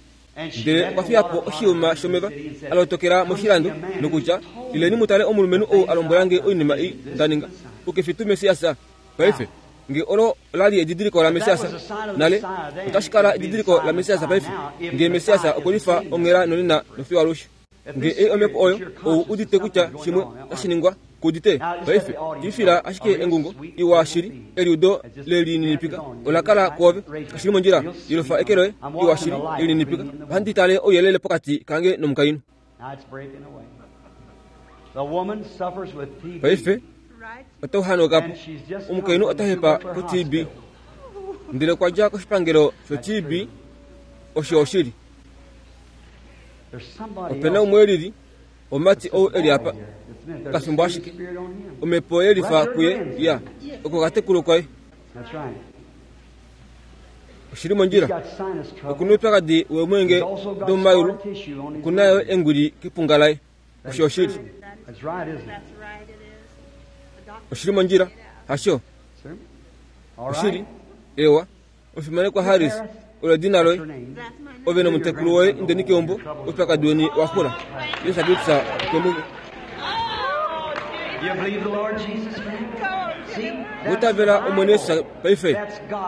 Ndele okwa fiya po oshiyuma shomeva, a lotokela moshilando, nokutya, Ileni mu tale omulumenhu ou a lombwela nge oinima ei nda ninga. Ou ke fi tuu Messias? Paife, nge olo ola li edidiliko laMessias nale, otashi kala edidiliko laMessias paife, nge Messias okwe lifa onghela nonena nofiyo alushe. Nge ei omhepo oyo, ou udite kutya shimwe otashi ningwa, ku udite? Paife, twifila ashike engungo iwa shili, eliudo lelininipika ola kala kwoove. Kashi li mondjila? Yelufa eke loye, iwa shili, lelininipika. Ohandi tale ouyelele pokati kange nomukainhu. Paife otau hanauka po. Omukainhu ota hepa ko-TB. Ndele okwa dja koshipangelo sho-TB. Osho oshili. Ope na umwe e lili, omumati ou e li apa, okafimbo ashike. Omhepo ye lifa kuye, ya, oko okatekulu koye. Oshi li mondjila. Oku na oupyakadi weemwenge domomayulu. Oku na yo engwili kepunga laye. Osho oshili. Oshi li mondjila, hasho? Oshili. Ewa. Omufimanekwa Harris, olo edina loye. Ove nomutekulu woye indeni keumbo, oupyakadi weni wa xula. Jesus Kristus okwe mu Witavela Omwene Jesus paife.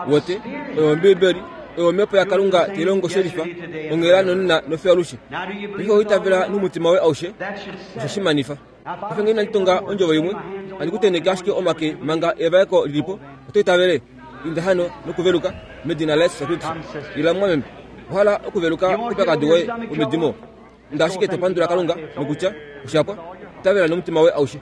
Wote, oyo Ombiibeli, oyo Omhepo yaKalunga tai longo shelifa, onghela nonena nofiyo alushe. Paife owitavela nomutima woye aushe, osho shi manifa. Paife ngee inandi tonga ondjovo imwe, handi ku tenheke ashike omake manga evaeko li li po. Oto itavele? Inda hano nokuveluka, medina laJesus Kristus. Ila, mumwameme. Owa hala okuveluka koupyakadi woye womedimo? Inda ashike to pandula Kalunga nokutya, Osha pwa. Itavela nomutima woye aushe.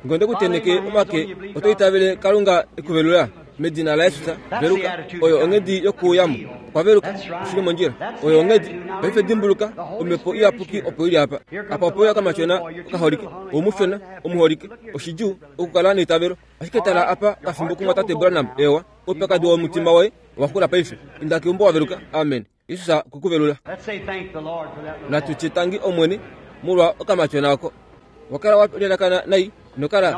Nge onde ku tenheke omake, oto itavele Kalunga e ku velula? Medina laJesus, veluka. Oyo onghedi yokuuya mo. Okwa veluka. Oshi li mondjila. Oyo onghedi. Paife dimbuluka, Omhepo Iyapuki opo i li apa. Apa ope uya okamatyona okaholike, oumushona, omuholike. Oshidjuu okukala neitavelo. Ashike tala apa kafimbo kumwatate Branham. Eewa. Oupyakadi womutima woye owa xula paife. Inda keumbo wa veluka. Amen. Jesus okwe ku velula. Natu tye tangi Omwene molwa okamatyona oko. Wa kala wa lelakana nai nokala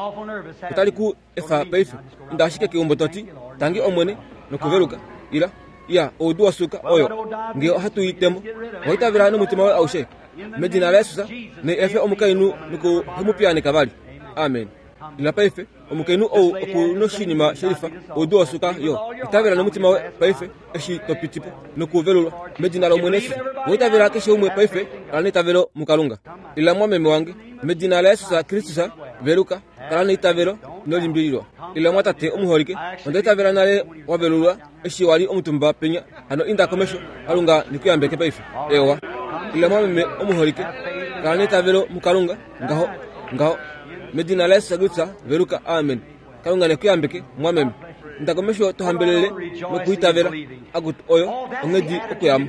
otali ku efa paife. Inda ashike keumbo to ti, Tangi Omwene nokuveluka. Ila. Iya, oudu wa suka oyo. Nge ohatu i temo. Owa itavela nomutima woye aushe. Medina laJesus, ne efe omukainhu noku mu piyaaneka vali. Amen. Ila paife. Omukainhu ou oku noshinima shelifa, oudu wosuka yo. Itavela nomutima woye paife, eshi to piti po, nokuvelulwa, medina lOmwene Jesus. Owa itavela keshe umwe paife, kala neitavelo muKalunga. Ila mwameme wange, medina laJesus Kristus, veluka, kala neitavelo, ino limbililwa. Ila mwatate omuholike, onda itavela nale wa velulwa eshi wa li omutumba penya, hano inda komesho, Kalunga ne ku yambeke paife. Ewa. Ila mwameme omuholike, kala neitavelo muKalunga. Ngaho, ngaho. Medina laJesus Kristus, veluka. Amen. Kalunga ne ku yambeke, mwameme. Inda komesho to hambelele nokuitavela. Akutu, oyo onghedi okuyamo.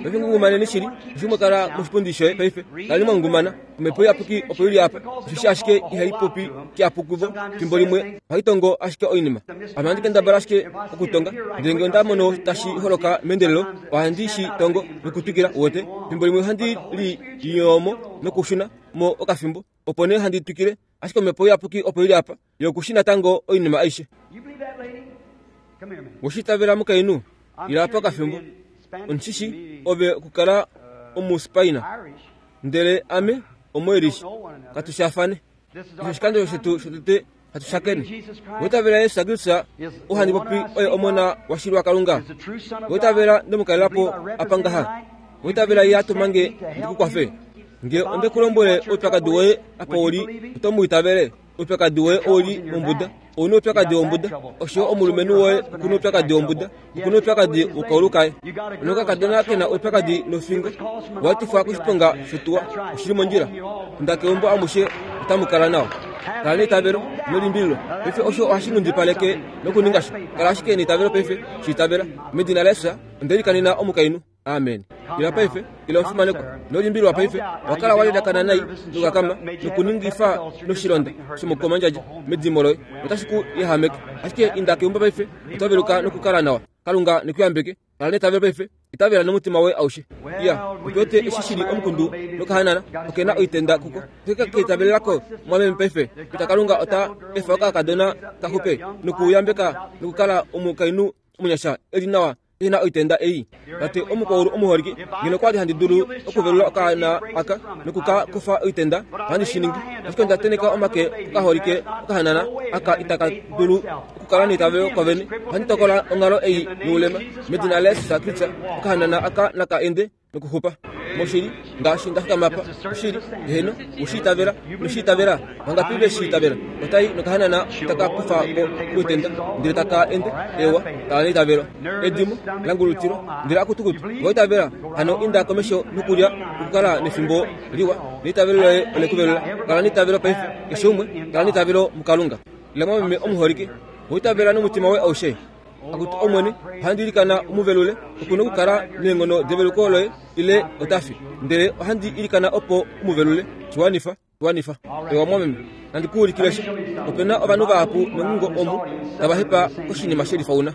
Paife ngungumaneni shili, eshi mwa kala moshipundi shoye paife, kaleni mwa ngungumana. Omhepo Iyapuki opo i li apa. Osheshi ashike ihai popi kihapu kuvo, fimbo limwe ohai tongo ashike oinima. Ame ohandi kendabala ashike okutonga, ndele ngee onda mono tashi holoka meendelelo, ohandi shi tongo nokutwikila, uwete. Fimbo limwe ohandi li yoomo nokushuna mo okafimbo, opo nee handi twikile. Ashike Omhepo Iyapuki opo i li apa, Ye oku shii natango oinima aishe. We shi itavela mukainhu? Ila apa okafimbo. Ondi shi shii ove okukala Omuspaina, ndele ame Omuirish. Katu shaafane. Osho oshikando shetu shotete hatu shakene. Owa itavela Jesus Kristus oo handi popi oye Omona washili waKalunga? Owa itavela nde mu kalela po apa ngaha? Owa itavela Ye a tuma nge ndi ku kwafe? Nge onde ku lombwele oupyakadi woye apa u li, oto mu itavele? Oupyakadi woye ou li mombuda. Ou na oupyakadi wombuda. Osho yo omulumenhu woye oku na oupyakadi wombuda. Oku na oupyakadi wokaulu kaye. Nokakadona ke na oupyakadi nofingo. Wa tifwa koshiponga shotuwa. Oshi li mondjila. Inda keumbo amushe otamu kala nawa. Kala neitavelo, ino limbililwa. Paife osho ohashi nghundipaleke nokuninga sha. Kala ashike neitavelo paife, shi itavela. Medina laJesus, onde likanena omukainhu. Amen. Ila paife, ila omufimanekwa. Ino limbililwa paife. Owa kala wa lilakana nai nokakama nokuningifa noshilonda shomokomandjadja medimo loye. Otashi ku yahameke. Ashike inda keumbo paife, oto veluka nokukala nawa. Kalunga ne ku yambeke. Kala neitavelo paife. Itavela nomutima woye aushe. Iya, otu wete eshi shi li omukundu nokahanana oke na oitenda kuko. Oke ka itavelela ko mwameme paife kutya Kalunga ota efa okakadona ka xupe nokuyambeka nokukala omukainhu omunyasha e li nawa e na oitenda ei. Tate omukwaulu omuholike, ngeno okwa li handi dulu okuvelula okaana aka noku ka kufa oitenda, ohandi shi ningi. Ashike onda teneka omake kokaholike okahanana aka itaka dulu okukala neitavelo kovene. Ohandi tokola onghalo ei youlema. Medina laJesus Kristus, okahanana aka naka ende nokuxupa. Moshili, ngaashi nda fikama apa, oshili, heeno, we shi itavela, ino shi itavela? Vangapi ve shi itavela? Ota i nokahanana taka kufa ko koitenda, ndele taka ende, ewa, kala neitavelo. Edimo, la ngulutilwa, ndele akutukutu, owa itavela? Hano inda komesho nokulya nokukala nefimbo liwa, neitavelo loye ole ku velula. Kala neitavelo paife, keshe umwe, kala neitavelo muKalunga. Ila mwameme omuholike, owa itavela nomutima woye aushe? Akutu Omwene, ohandi ilikana u mu velule, oku na okukala neenghono develuko loye, ile ota fi. Ndele ohandi ilikana opo u mu velule. Shi wanifa, shi wanifa. Ewa mwameme, nandi ku ulikile sha. Ope na ovanhu vahapu mengungo omu tava hepa koshinima she lifauna.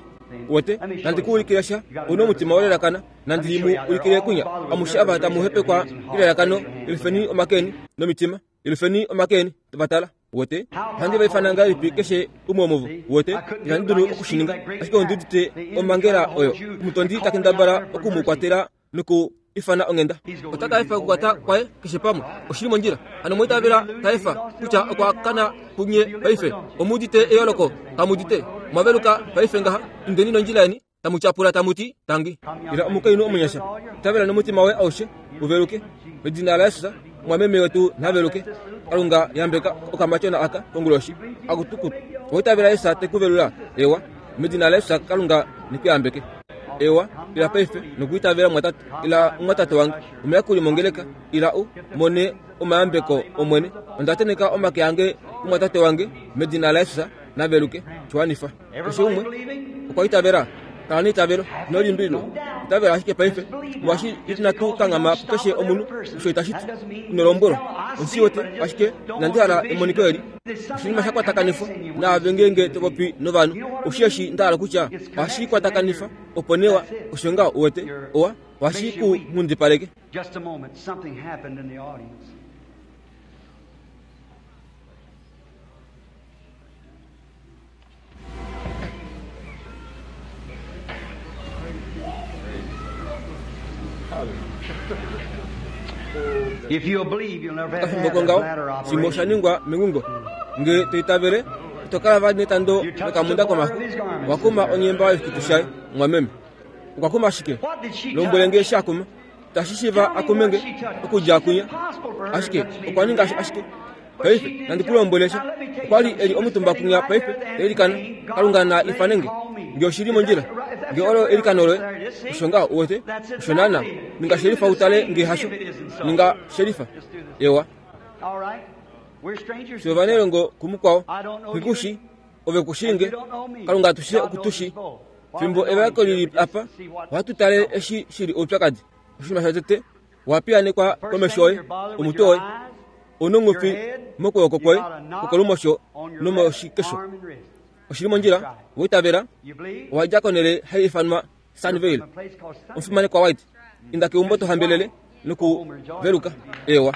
Uwete? Nandi ku ulikile sha. Ou na omutima wa lelakana. Nandi mu ulikile kwinya. Amushe ava tamu hepekwa kelalakano, yelufeni omake eni nomitima. Yelufeni omake eni, va tala. Wete? Ohandi va ifana ngahelipi keshe umwe womuvo? Wete? Ihandi dulu oku shi ninga. Ashike ondi udite omhangela oyo. Omutondi ta kendabala oku mu kwatela noku ifana onghenda. Ota ka efa okukwata kwaye keshe pamwe. Oshi li mondjila. Hano omwa itavela ta efa kutya okwa kana punye paife. Omu udite eyooloko, kamu udite? Omwa veluka paife ngaha. Indeni nondjila yeni, tamu tyapula tamu ti, Tangi. Ila omukainhu omunyasha, itavela nomutima woye aushe, u veluke. Medina laJesus, omwameme wetu na veluke. Kalunga yambeka okamatyona aka konguloshi. Akutukutu. Owa itavela Jesus te ku velula? Ewa. Medina laJesus, Kalunga ne ku yambeke. Ewa, ila paife nokuitavela mumwatate. Ila mumwatate wange, omuyakuli mongeleka, ila u mone omayambeko Omwene. Onda tenheka omake ange kumwatate wange, medina laJesus, na veluke. Shiwanifa. Keshe umwe okwa itavela. Kala neitavelo, ino limbililwa. Itavela ashike paife, molwaashi inatu kanghama pukeshe omunhu. Osho itashi ti ino lombwelwa. Ondi shi wete, ashike inandi hala emoniko eli. Oshinima sha kwatakanifwa naave ngeenge to popi novanhu. Ou shii eshi nda hala kutya? Ohashi kwatakanifa, opo nee wa, osho ngaho, uwete, owa, ohashi ku nghundipaleke. Just a moment, something happened in the audience. Okafimbo kongaho, shimwe osha ningwa mengungo. Nge to itavele, ito kala vali netando lokamunda komaxu. Owa kuma onyemba yoshikutu shaye, mumwameme. Okwa kuma shike? Lombwele nge eshi a kuma. Itashi shiiva a kume nge okudja kwinya. Ashike okwa ninga ashike. Paife, nandi ku lombwele sha. Okwa li e li omutumba kwinya paife, ta ilikana, Kalunga na ifane nge. Nge oshi li mondjila, nge olo eilikano loye, osho ngaho, uwete, osho naana. Ninga shelifa u tale nge hasho. Ninga shelifa. Ewa. Fye ovanailongo kumukwao. Nghi ku shii, ove ku shii nge. Kalunga atushe oku tu shii. Fimbo evaeko li li apa, ohatu tale eshi shi li oupyakadi. Oshinima shotete, Owa piyaanekwa komesho yoye, omutwe woye, ounongofi mokwooko kwoye kwokolumosho nomoshikesho. Oshi li mondjila, owa itavela, owa dja konhele hai ifanwa Sunnyvale. Omufimanekwa White, inda keumbo to hambelele nokuveluka. Eewa.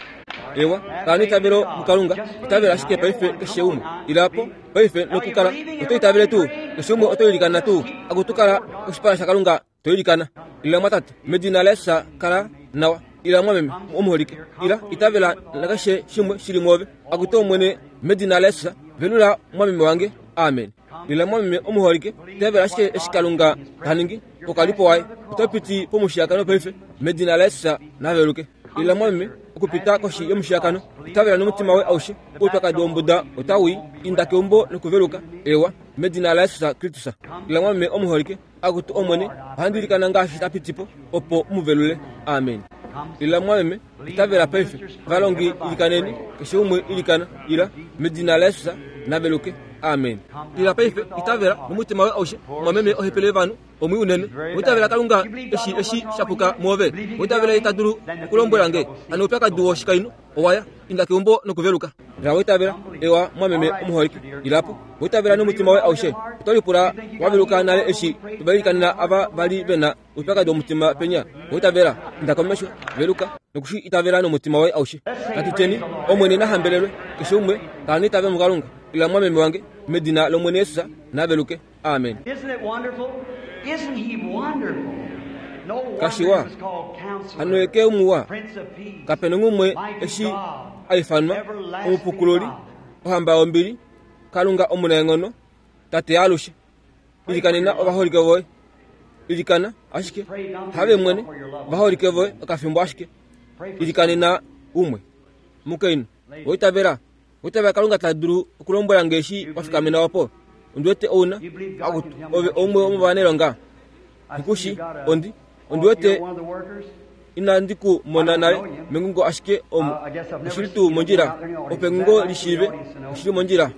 Eewa, kala neitavelo muKalunga, itavela ashike paife keshe umwe. Ila po paife nokukala oto itavele tuu, keshe umwe oto ilikana tuu, akutu kala koshipala shaKalunga To ilikana, Ila mwatate, medina laJesus kala nawa. Ila mwameme omuholike, ila, itavela nakeshe shimwe shi li mwoove. Akutu Omwene, medina laJesus, velula mwameme wange. Amen. Ila mwameme omuholike, itavela ashike eshi Kalunga ta ningi pokalipo waye. Oto piti pomushiyakano paife, medina laJesus na veluke. Ila mwameme, okupita koshi yomushiyakano, itavela nomutima woye aushe. Oupyakadi wombuda otau i. Inda keumbo nokuveluka. Eewa, medina laJesus Kristus. Ila mwameme omuholike. Akutu Omwene, ohandi ilikana ngaashi ta piti po, opo u mu velule. Amen. Ila, mumwameme, itavela paife. Valongi, ilikaneni, keshe umwe ilikana. Ila, medina laJesus, na veluke. Amen. Ila paife, itavela nomutima woye aushe, mumwameme ohepele yovanhu, omwii unene. Oitavela Kalunga eshi eshi sha puka mwoove. Oitavela Ye ta dulu okulombwela nge, hano oupyakadi woshikainhu owa ya. Inda keumbo nokuveluka. Ila wa itavela, ewa, mwameme omuholike. Ila po. Wa itavela nomutima woye aushe. Oto lipula wa veluka nale eshi to va ilikanena ava va li ve na oupyakadi womutima penya. Wa itavela. Inda komesho, veluka, noku shi itavela nomutima woye aushe. Natu tyeni, Omwene na hambelelwe, keshe umwe, kala neitavelo muKalunga. Ila mwameme wange, medina lOmwene Jesus, na veluke. Amen. Kashiwa, hano ye ke muwa. Kape na umwe eshi a ifanwa Omupukululi, Ohamba yombili, Kalunga omunaenghono, Tate yaalushe. Ilikanena ovaholike voye. Ilikana ashike, have mwene, ovaholike voye okafimbo ashike. Ilikanena umwe. Mukainhu, oitavela Oitavela Kalunga ta dulu okulombwela nge eshi wa fikamena opo? Ondi wete ou na. Akutu, ove oumwe womovanailonga? Nghi ku shii. Ondi, ondi wete inandi ku mona nale mengungo ashike omu. Oshi li tuu mondjila? Opo engungo li shiive, oshi li mondjila.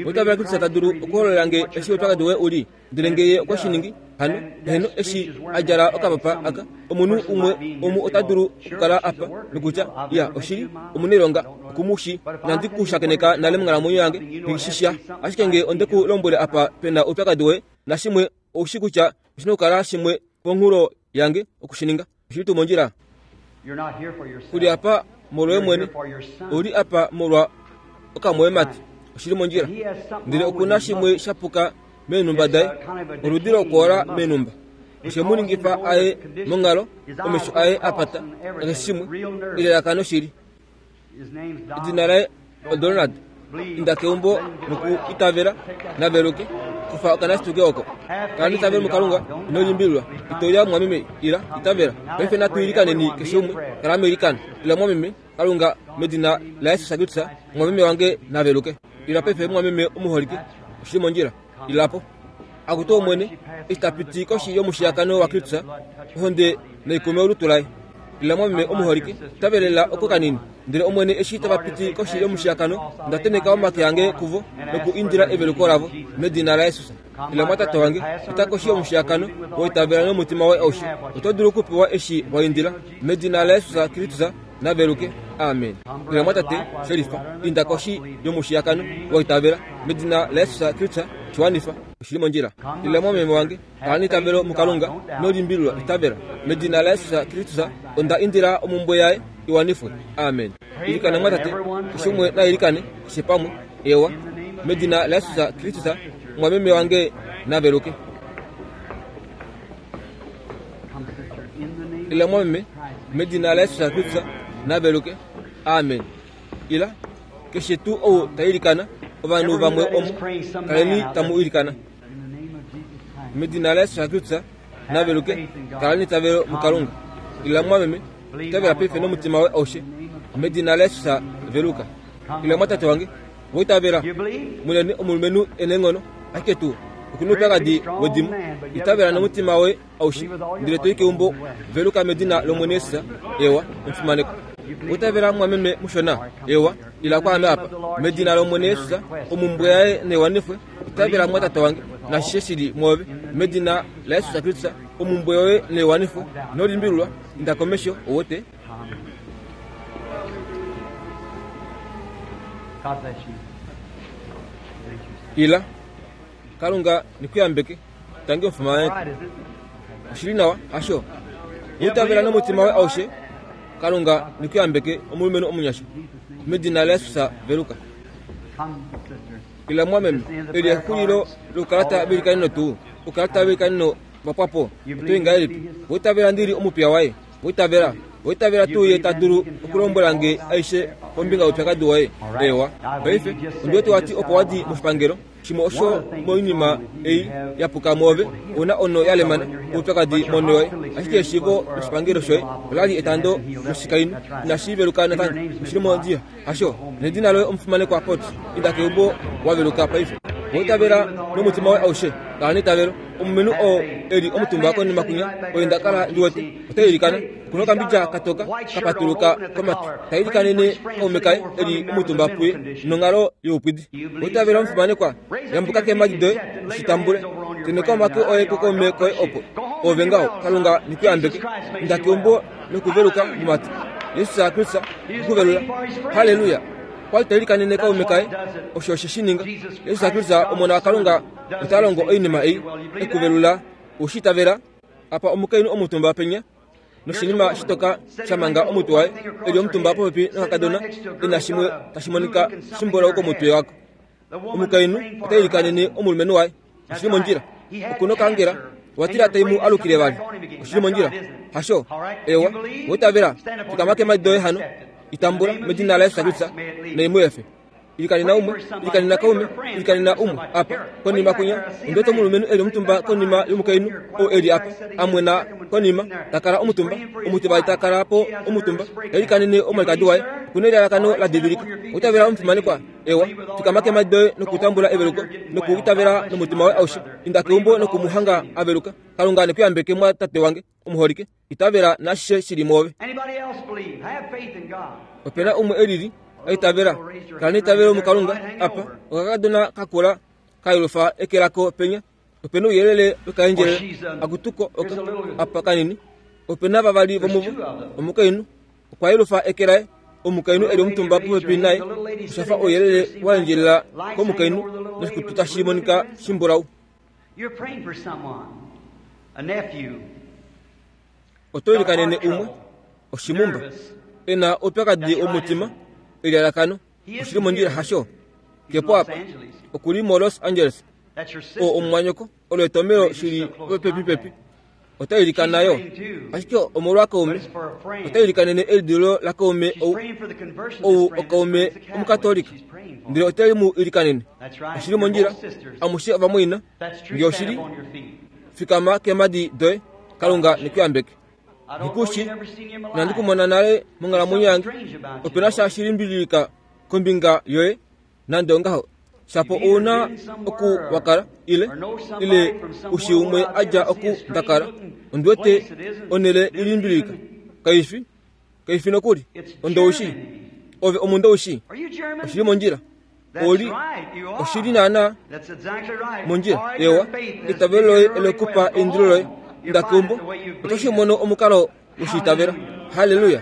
Oitavela Kristus ta dulu okuhololela nge eshi oupyakadi woye u li? Ndele nge ye okwe shi ningi, hano, heeno, eshi a djala okapapa aka, omunhu umwe omu ota dulu okukala apa nokutya, Ya, oshili, omunailonga, oku mu shii. Inandi ku shakeneka nale monghalamwenyo yange, nghi shi sha. Ashike nge onde ku lombwele apa pe na oupyakadi woye, nashimwe, ou shii kutya oshi na okukala shimwe ponhulo yange oku shi ninga. Oshi li tuu mondjila? Ku li apa molwoye mwene. Ou li apa molwa okamwoyemati. Oshi li mondjila. Ndele oku na shimwe sha puka meenhumba daye, oludi lokwoola meenhumba. Oshe mu ningifa a ye monghalo, omesho aye a pata, nakeshe shimwe, elalakano shili. Edina laye oDonald. Inda keumbo noku itavela, na veluke. Kufa okanasituke oko. Kala neitavelo muKalunga, ino limbililwa. Ito lya mumwameme, ila, itavela. Paife natu ilikaneni keshe umwe, kala meilikano. Ila mumwameme, Kalunga, medina laJesus Kristus, mumwameme wange na veluke. Ila paife mumwameme omuholike, oshi li mondjila. Ila po. Akutu Omwene, eshi ta piti koshi yomushiyakano waKristus, ohonde naikume olutu laye. Lila mwameme omuholike, tavelela oko kanini. Ndele Omwene eshi tava piti koshi yomushiyakano, onda tenheka omake ange kuvo noku indila eveluko lavo, medina laJesus. Ila mwatate wange, pita koshi yomushiyakano, wa itavela nomutima woye aushe. Oto dulu okupewa eshi wa indila, medina laJesus Kristus, na veluke. Amen. Ila mwatate, shelifa, inda koshi yomushiyakano, wa itavela, medina laJesus Kristus, shi wanifa. Oshi li mondjila. Ila mwameme wange, kala neitavelo muKalunga, ino limbililwa, itavela. Medina laJesus Kristus, onda indila omhumbwe yaye i wanifwe. Amen. Ilikana mwatate, keshe umwe na ilikane, keshe pamwe. Ewa. Medina laJesus Kristus, omwameme wange na veluke. Ila mwameme, medina laJesus Kristus, na veluke. Amen. Ila, keshe tuu ou ta ilikana, ovanhu vamwe omu, kaleni tamu ilikana. Medina laJesus Kristus, na veluke, kala neitavelo muKalunga. Ila mwameme, itavela paife nomutima woye aushe. Medina laJesus, veluka. Ila mwatate wange, wa itavela? Munene omulumenhu e neenghono, ashike tuu oku na oupyakadi wedimo. Itavela nomutima woye aushe, ndele to i keumbo, veluka medina lOmwene Jesus. Ewa, omufimanekwa. Wa itavela mwameme mushona? Ewa, ila kwaame apa. Medina lOmwene Jesus, omumbwe yaye naiwanifwe. Itavela mwatate wange, nashishe shi li mwoove. Medina laJesus Kristus, omumbwe yoye naiwanifwe. Ino limbililwa, inda komesho, ou wete. Ila, Kalunga ne ku yambeke. Tangi omufimanekwa. Oshi li nawa, hasho? Itavela nomutima woye aushe. Kalunga ne ku yambeke, omulumenhu omunyasha. Medina laJesus, veluka. Ila mwameme, eli exulilo lokukalata veilikaneno tuu. Okukalata veilikaneno va pwa po. Oto i ngahelipi? Wa itavela ndi li omupiya waye? Wa itavela? Wa itavela tuu ye ta dulu okulombwela nge aishe kombinga youpyakadi woye? Eewa. Paife, ondi wete wa ti opo wa di moshipangelo, shimwe osho moinima ei ya puka mwoove, ou na ono ya lemana, oupyakadi monho yoye. Ashike eshiivo loshipangelo shoye ola li etando loshikainhu. Inashi veluka natango. Oshi li mondjila. Hasho, nedina loye omufimanekwa Potts. Inda keumbo wa veluka paife. Wa itavela nomutima woye aushe. Kala neitavelo. Omulumenhu oo e li omutumba konima kwinya, oye nda kala ndi wete, ota ilikana. Oku na okambidja ka toka ka patuluka komatwi. Ta ilikanene kaume kaye e li omutumba puye nonghalo youpwidi. Wa itavela omufimanekwa? Yambuka keemhadi doye u shi tambule. Tenheka omake oye kukaume koye opo. Oove ngaho. Kalunga ne ku yambeke. Inda keumbo nokuveluka momatwi. Jesus Kristus okuvelula. Halleluya! Okwa li ta ilikanene kaume kaye. Osho oshe shi ninga. Jesus Kristus, Omona waKalunga, ota longo oinima ei, ekuvelula. U shi itavela? Apa omukainhu omutumba penya, noshinima shitoka sha manga omutwe waye, e li omutumba popepi nokakadona, e na shimwe tashi monika shimbulau komutwe wako. Omukainhu ota ilikanene omulumenhu waye. Oshi li mondjila. Oku nokaangela. Owa tila tai mu alukile vali. Oshi li mondjila. Hasho? Ewa. Owa itavela? Fikama keemhadi doye hano. Itambula, medina laJesus Kristus, nai mu efe. Ilikanena umwe, ilikanena kaume, ilikanena umwe apa, konima kwinya. Ondi wete omulumenhu e li omutumba konima yomukainhu oo e li apa, a mwena konima, ta kala omutumba. Omutivali ta kala po omutumba, ta ilikanene omwalikadi waye. Oku na elalakano la divilika. Owa itavela omufimanekwa? Ewa, fikama keemhadi doye nokutambula eveluko, nokuitavela nomutima woye aushe. Inda keumbo noku mu hanga a veluka. Kalunga ne ku yambeke mwa tate wange omuholike. Itavela naashishe shi li mwoove. Ope na umwe e lili a itavela? Kala neitavelo muKalunga. Apa, okakadona ka kula ka yelufa eke lako penya. Ope na ouyelele wekaendjelele. Akutuko oka, apa kanini. Ope na vavali vomuvo, omukainhu Okwa yelufa eke laye. Omukainhu e li omutumba popepi naye osha fa ouyelele wa endjelela komukainhu noshikutu tashi monika shimbulau. Oto ilikanene umwe, oshimumba, e na oupyakadi womutima, elialakano. Oshi li mondjila, hasho? Ke po apa. Oku li moLos Angeles. Oo omumwanyoko. Olo etomhelo shi li popepipepi. Ota ilikana yo, ashike omolwakaume. Ota ilikanene elidilululo lakaume ou, ou okaume Omukatolika. Ndele ote mu ilikanene. Oshi li mondjila. Amushe ovamwaina, nge oshi li, fikama keemhadi doye. Kalunga ne ku yambeke. Nghi inandi ku mona nale monghalamwenyo yange. Ope na sha shi limbililika kombinga yoye, nande ongaho. Shapo ou na oku wa kala, ile, ile u shii umwe a dja oku nda kala. Ondi wete onhele ilimbililika. Kai fi, kai fi nokuli. Ondoushi. Ove omundoushi. Oshi li mondjila. Oli, oshi li naana mondjila. Ewa, eitavelo loye ole ku pa eindilo loye. Inda keumbo, oto shi mono omukalo we shi itavela. Halleluya!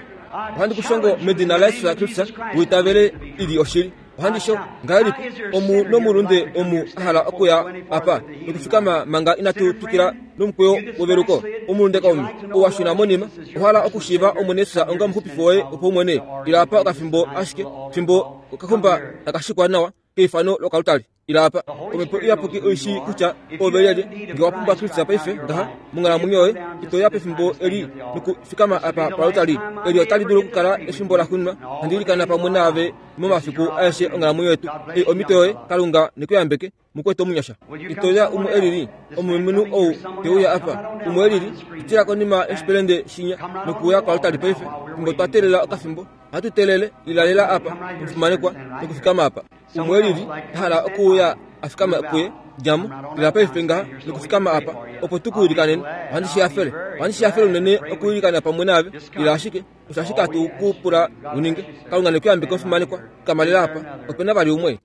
Ohandi ku shongo medina laJesus Kristus u itavele i li oshili. Ohandi sho ngahelipi omu nomulunde omu a hala okuya apa nokufikama manga inatu twikila nomukweyo weveluko? Omulunde kaume, ou wa shuna monima, owa hala okushiiva Omwene Jesus onga omuxupifi woye wopaumwene? Ila apa okafimbo ashike, fimbo okaxumba taka shikwa nawa keifano lokalutali. Ila apa. Omhepo Iyapuki oi shii kutya ove lyelye. Nge wa pumbwa Kristus paife ngaha monghalamwenyo yoye, ito ya pefimbo eli nokufikama apa palutali. Eli otali dulu okukala efimbo laxuuninwa handi ilikana pamwe naave momafiku aeshe onghalamwenyo yetu. Ei omhito yoye. Kalunga ne ku yambeke, mukwetu omunyasha. Ito ya umwe elili, omulumenhu ou te uya apa, umwe elili, pitila konima yoshipelende shinya nokuuya koaltari paife, fimbo twa teelela okafimbo. Ohatu teelele, lilalela apa, omufimanekwa, nokufikama apa. Umwe elili a hala okuuya a fikame puye, dja mo, lila paife ngaha nokufikama apa, opo tu ku ilikanene. Ohandi shi hafele. Ohandi shi hafele unene okuilikana pamwe naave. Lila ashike. Osho ashike hatu ku pula u ninge. Kalunga ne ku yambeke omufimanekwa. Fikama lela apa. Ope na vali umwe?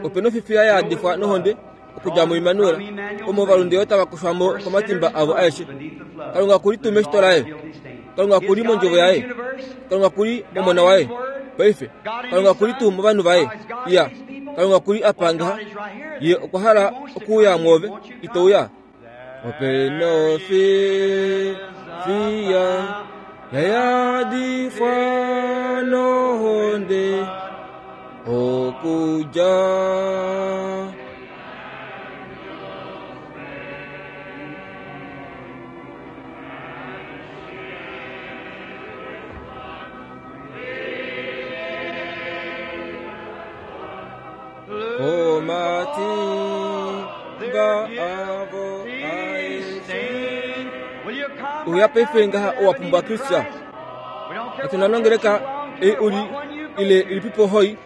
Ope na ofifiya ya yadifwa nohonde okudja muImmanuel, omo ovalunde yo tava kushwa mo komatimba avo aeshe. Kalunga oku li tuu meshito laye? Kalunga oku li mondjovo yaye? Kalunga oku li momona waye? Paife, Kalunga oku li tuu movanhu vaye? Iya, Kalunga oku li apa ngaha. Ye okwa hala okuuya mwoove. Ito uya? Ope na ofifiya ya yadifwa nohonde okudja Komatimba avo aeshe. Uya paife ngaha owa pumbwa Kristus. Katu na nongeleka ei u li ile ilipipo hoi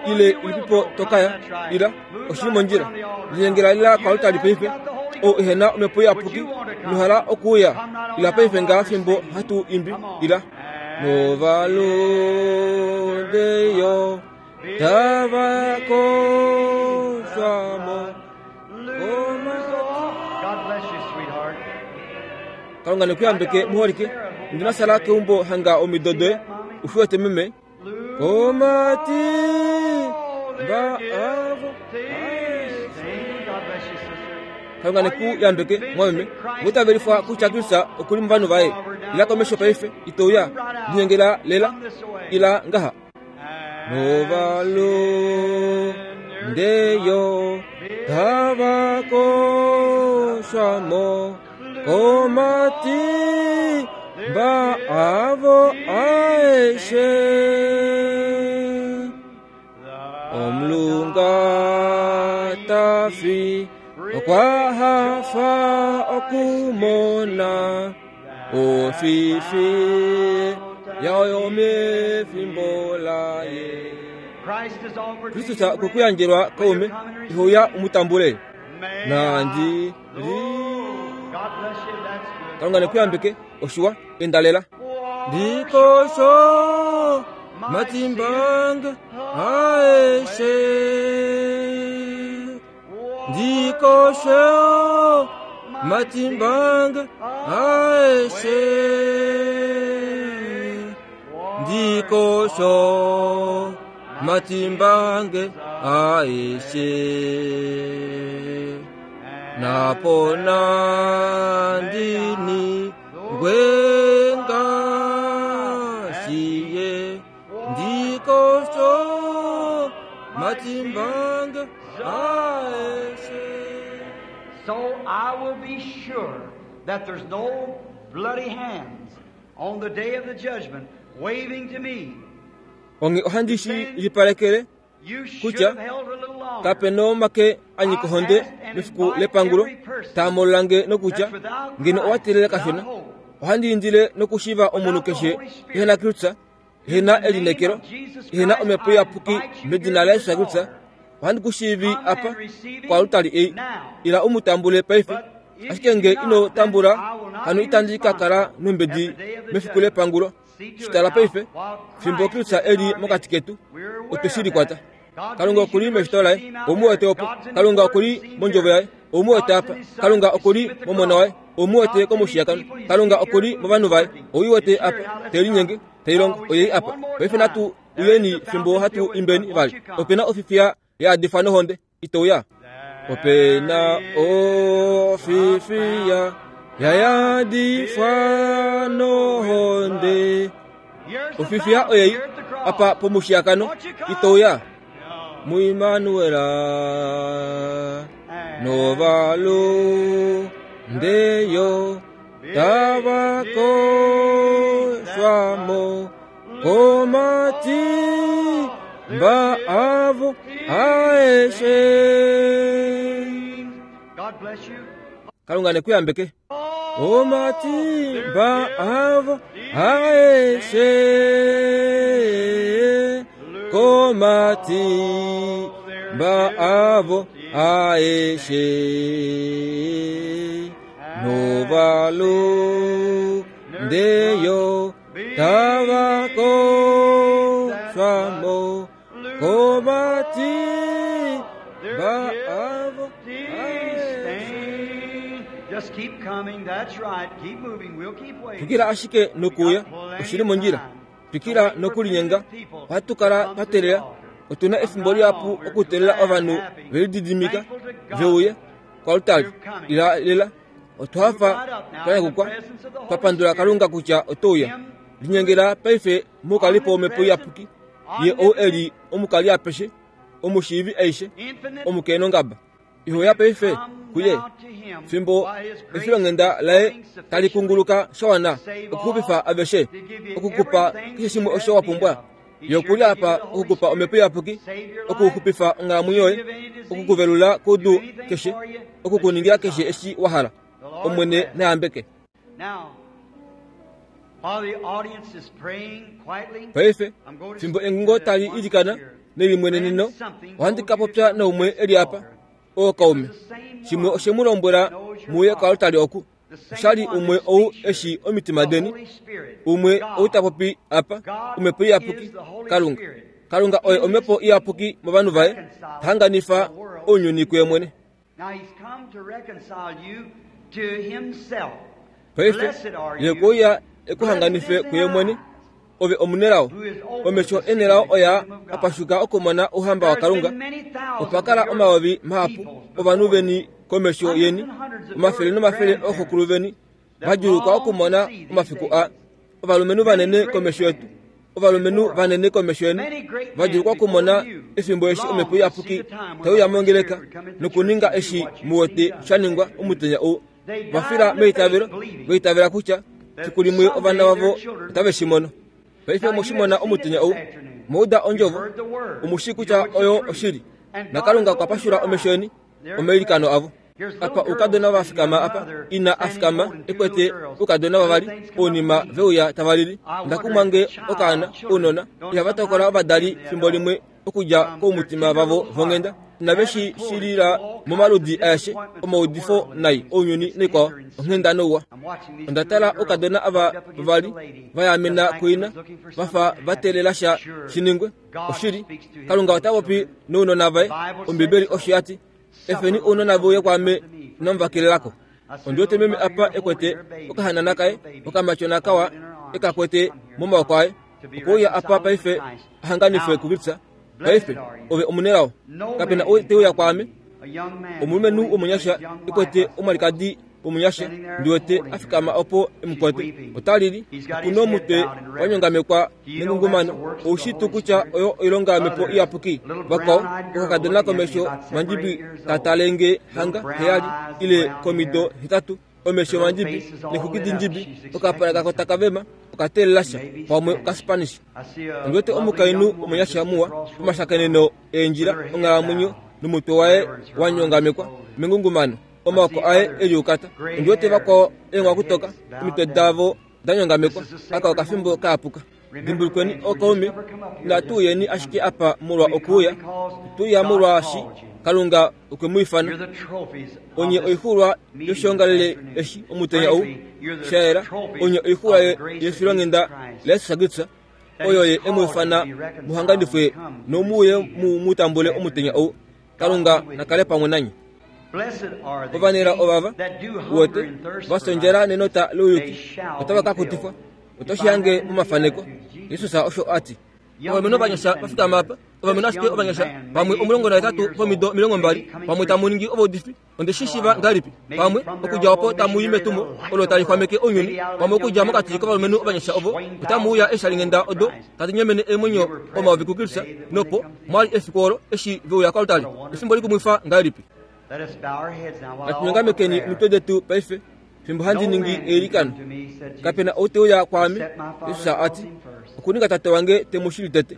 ile ilipipo tokaya ila oshi li mondjila. Linyengela lila koaltari paife ou ehena omhepo iyapuki nohala okuuya ila paife ngaha fimbo hatu imbi ila. Novalunde yo tava koshwa mo Kalunga ne ku yambeke muholike. Ndi sala keumbo hanga omido doye. U shi wete meme? Komatimba avo Kalunga ne ku yambeke mwameme. Oitavelifwa kutya Kristus oku li movanhu vaye. Ila komesho paife, ito uya. Linyengela lela. Ila ngaha. Novalunde yo tava koshwa mo komatimba avo aeshe. Omulunga ta fi okwa hafa okumona ofifi yayo mefimbo laye. Kristus okwe ku yandjelwa kaume, ihouya u mu tambule. Nandi li Kalunga ne ku yambeke, oshiwa, enda lela. Ndikosho matimbange aeshe. Ndikosho matimbange aeshe. Ndikosho matimbange aeshe. Napona ndini ngwengasiye ndikosho matimbange aeshe. So I will be sure that there's no bloody hands on the day of the judgment waving to me. Onghee ohandi shi lipalekele kutya kape na omake a nyika ohonde mefiku lepangulo taa molola nge nokutya, Ngeno owa teelela kashona. Ohandi indile nokushiiva omunhu keshe ehe na Kristus, ehe na elineekelo, ehe na Omhepo Iyapuki medina laJesus Kristus. Ohandi ku shiivi apa koalutali ei. Ila u mu tambule paife. Ashike nge ino tambula, hano itandi ka kala nombedi mefiku lepangulo. Shi tala paife, fimbo Kristus e li mokati ketu, otwe shi likwata. Kalunga oku li meshito laye, ou mu wete opo. Kalunga oku li mondjovo yaye, ou mu wete apa. Kalunga oku li momona waye, ou mu wete komushiyakano. Kalunga oku li movanhu vaye, ou i wete apa, te linyenge, tai longo, oyei apa. Paife natu uyeni fimbo hatu imbeni vali. Ope na ofifiya ya yadifwa nohonde, ito uya? Ope na ofifiya ya yadifwa nohonde. Ofifiya oyei apa pomushiyakano, ito uya? MuImanuela novalundeyo tava koshwa mo komatimba avo aeshe. Kalunga ne ku yambeke. Omatimba avo aeshe komatimba avo aeshe novalundeyo tava koshwa mo komatimba avo aeshe. Just keep coming. That's right. Keep moving. We'll keep waiting. Twikila ashike nokuuya, oshi li mondjila. Twikila nokulinyenga. Ohatu kala twa teelela. Otu na efimbo lihapu okuteelela ovanhu ve lididimika ve uye koaltari. Ila lela. Otwa hafa, twa nyakukwa, twa pandula Kalunga kutya oto uya. Linyengela paife moukalipo wOmhepo Iyapuki, Ye ou e li omukali apeshe, omushiivi aishe, omukeenongaba. Iho uya paife kuye, fimbo efilonghenda laye tali kunguluka sha wana okuxupifa aveshe, oku ku pa keshe shimwe osho wa pumbwa. Ye oku li apa oku ku pa Omhepo Iyapuki, okuxupifa onghalamwenyo yoye, oku ku velula koudu keshe, oku ku ningila keshe eshi wa hala. Omwene na yambeke. Paife, fimbo engungo tali ilikana nelimweneneno, ohandi ka popya naumwe e li apa, ookaume. Shimwe oshe mu lombwela mu uye koaltari oku. Osha li umwe ou e shii omitima deni, umwe ou ta popi apa, Omhepo Iyapuki, Kalunga. Kalunga oye Omhepo Iyapuki movanhu vaye, ta hanganifa ounyuni kuye mwene. Paife, Ye okwe uya e ku hanganife kuye mwene. Ove omunelao. Omesho enelao oyaa a pashuka okumona Ouhamba waKalunga. Opa kala omayovi mahapu ovanhu veni komesho yeni, omafele nomafele ooxokulu veni va djuulukwa okumona omafiku aa. Ovalumenhu vanene komesho yetu, ovalumenhu vanene komesho yeni va djuulukwa okumona efimbo eshi Omhepo Iyapuki tai uya mongeleka nokuninga eshi mu wete sha ningwa omutenya ou. Va fila meitavelo, va itavela kutya fiku limwe ovana vavo otave shi mono. Paife omwe shi mona omutenya ou, omwa uda ondjovo, omu shii kutya oyo oshili, naKalunga okwa pashula omesho eni omailikano avo. Apa oukadona va fikama apa, ina a fikama e kwete oukadona vavali, ounima ve uya tava lili. Onda kumwa nge okaana, ounona, ihava tokola ovadali fimbo limwe okudja koumutima vavo vonghenda. Inave shi shilila momaludi aeshe omaudifo nai ounyuni naikwao, onghenda nouwa. Onda tala oukadona ava vavali va yaamena kuina, va fa va teelela sha shi ningwe. Oshili, Kalunga ota popi nounona vaye. Ombibeli osho ya ti. Efeni ounona ve uye kwaame, inamu va kelela ko. Ondi wete meme apa e kwete okahanana kaye okamatyona kawa e ka kwete momaoko aye. Okwe uya apa paife a hanganifwe kuKristus. Paife, ove omunelao. Kape na ou te uya kwaame. Omulumenhu womunyasha e kwete omwalikadi womunyasha, ndi wete a fikama opo e mu kwate. Ota lili. Oku nomutwe wa nyongamekwa nengungumano. Ou shii tuu kutya oyo oilonga yOmhepo Iyapuki? Vakwao, okakadona komesho mandjibi ka tale nge hanga heyali ile komido hetatu, omesho mandjibi nexwiki dindjibi, okapala kako taka vema, oka teelela sha, pamwe Okaspanish. Ondi wete omukainhu omunyasha muwa pomashakeneno eendjila onghalamwenyo nomutwe waye wa nyongamekwa mengungumano, omaoko aye e liukata. Ondi wete vakwao eenghwakutoka, omitwe davo da nyongamekwa. Aka okafimbo ka yapuka. Dimbulukweni ookaume, inatu uyeni ashike apa molwa okuuya, otwe uya molwaashi Kalunga okwe mu ifana. Onye oixuulwa yoshiongalele eshi omutenya ou, sha yela, onye oixuulwa yefilonghenda laJesus Kristus, oyo ye e mu ifana mu hanganifwe nomu uye mu mu tambule omutenya ou. Kalunga na kale pamwe nanye. Ovanelao ovava, uwete, va sondjela nenota louyuki, otava ka kutifwa. Oto shi hange momafaneko. Jesus osho a ti. Ovalumenhu ovanyasha va fikama apa, ovalumenhu ashike ovanyasha, pamwe 18 vomido 20, pamwe tamu ningi ovaudifi, onde shi shiva ngahelipi? Pamwe, okudja opo tamu i metumo olo tali xwameke ounyuni, pamwe okudja mokati kovalumenhu ovanyasha ovo, otamu uya eeshalinghenda odo tadi nyemene eemwenyo omayovi kuKristus, nopo mwa li efiku olo eshi ve uya koaltari. Efimbo likumwifa ngahelipi! Natu nyongamekeni omitwe detu paife fimbo handi ningi eilikano. Kape na ou te uya kwaame, Jesus a ti, okuninga Tate wange te mu shili tete.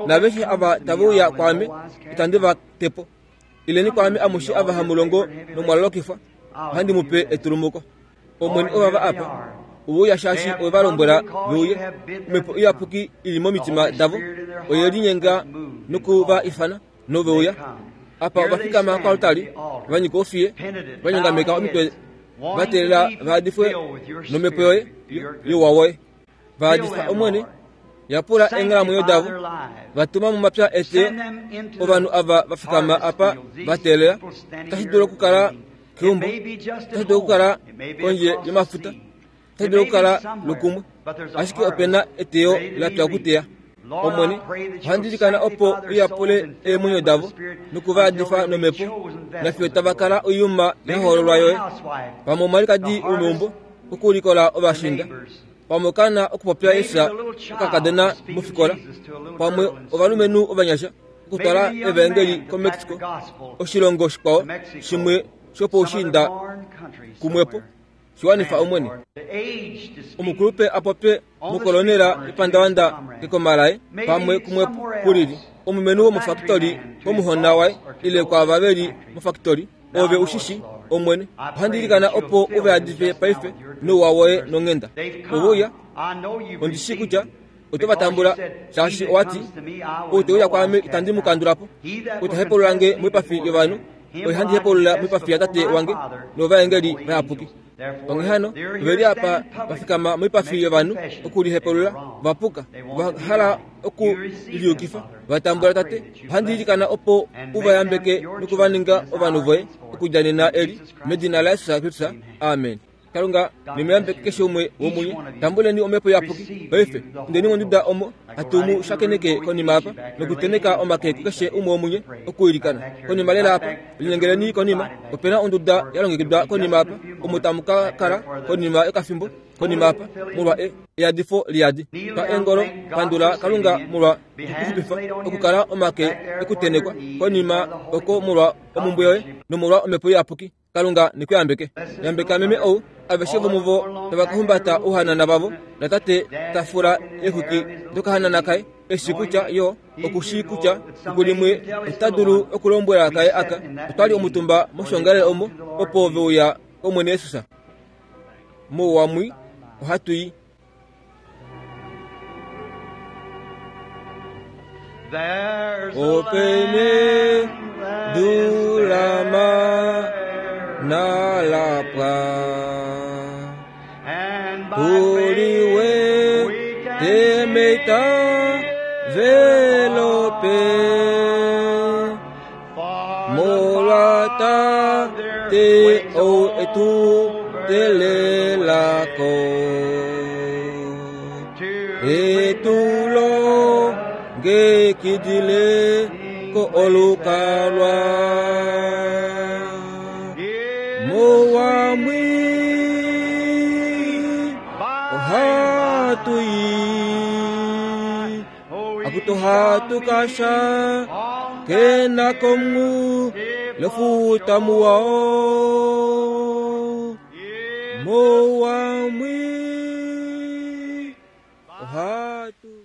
Naaveshe ava tave uya kwaame, itandi va te po. Ileni kwaame amushe ava hamu longo nomwa lolokifwa, ohandi mu pe etulumuko. Omwene ovava apa, ove uya shaashi owe va lombwela ve uye. Omhepo Iyapuki i li momitima davo oye linyenga noku va ifana, nove uya. Apa ova fikama koaltari, va nyika ofiye, va nyongameka omitwe, va teelela va yadifwe nomhepo yoye youwa woye. Va yadifa Omwene, yapula eenghalamwenyo davo, va tuma momapya eteyo. Ovanhu ava va fikama apa va teelela, otashi dulu okukala keumbo, otashi dulu okukala kondje yomafuta, otashi dulu okukala lukumwe, ashike ope na eteyo la pya okuteya. Omwene, ohandi ilikana opo u yapule eemwenyo davo noku va yadifa nomhepo, nafiyo tava kala oiyuma ya hoololwa yoye, pamwe omwalikadi womeumbo, okulikola ovashinda, pamwe okaana okupopya Jesus okakadona mofikola, pamwe ovalumenhu ovanyasha okutwala evaengeli koMexico, oshilongo shikwao shimwe shopoushiinda kumwepo. Shi wanifa Omwene. Omukulupe a popye mokolonela yepandavanda kekoma laye, pamwe kumwepo kulili, omulumenhu womofakitoli komuhona waye ile kwaava ve li mofakitoli, Ove u shi shii, Omwene. Ohandi ilikana opo u va yadife paife nouwa woye nonghenda. Ove uya, ondi shii kutya oto va tambula, shaashi owa ti, Ou te uya kwaame itandi mu kandula po. Ou ta hepulula nge moipafi yovanhu, oye handi hepulula moipafi yaTate wange novaengeli vayapuki. Onghee hano, ove li apa va fikama moipafi yovanhu okulihepulula, va puka, va hala oku liyukifa, va tambula Tate. Ohandi ilikana opo u va yambeke noku va ninga ovanhu voye okudja nena eli, medina laJesus Kristus. Amen. Kalunga ne mu yambeke keshe umwe womunye. Tambuleni Omhepo Iyapuki paife. Indeni monduda omo hatu mu shakeneke konima apa nokuteneka omake kukeshe umwe womunye okwiilikana. Konima lela apa, linyengeleni konima. Ope na onduda ya longekidwa konima apa omo tamu ka kala konima yokafimbo konima apa molwa e, eyadifo liyadi. Twa eengolo, pandula Kalunga molwa okukuxupifa, okukala omake ekutenekwa konima oko molwa omumbwe yoye nomolwa Omhepo Iyapuki. Kalunga ne ku yambeke. Yambeka meme ou, aveshe vomuvo tava ka humbata ouhanana vavo, natate ta fula eexwiki dokahanana kaye, e shii kutya yo oku shii kutya fiku limwe ota dulu okulombwela kaye aka, Otwa li omutumba moshiongalele omo, opo ve uya kOmwene Jesus. Mouwa mwii ohatu i. Ope nedu la mana la pwa, Uliwe temeita velope, Molwa Tate ou etu telela ko. E tu longekidile ko olukalwa. Mouwa mwii ohatu i. Akutu hatu ka shakena komu lofuta muwa oo. Mouwa mwii ohatu.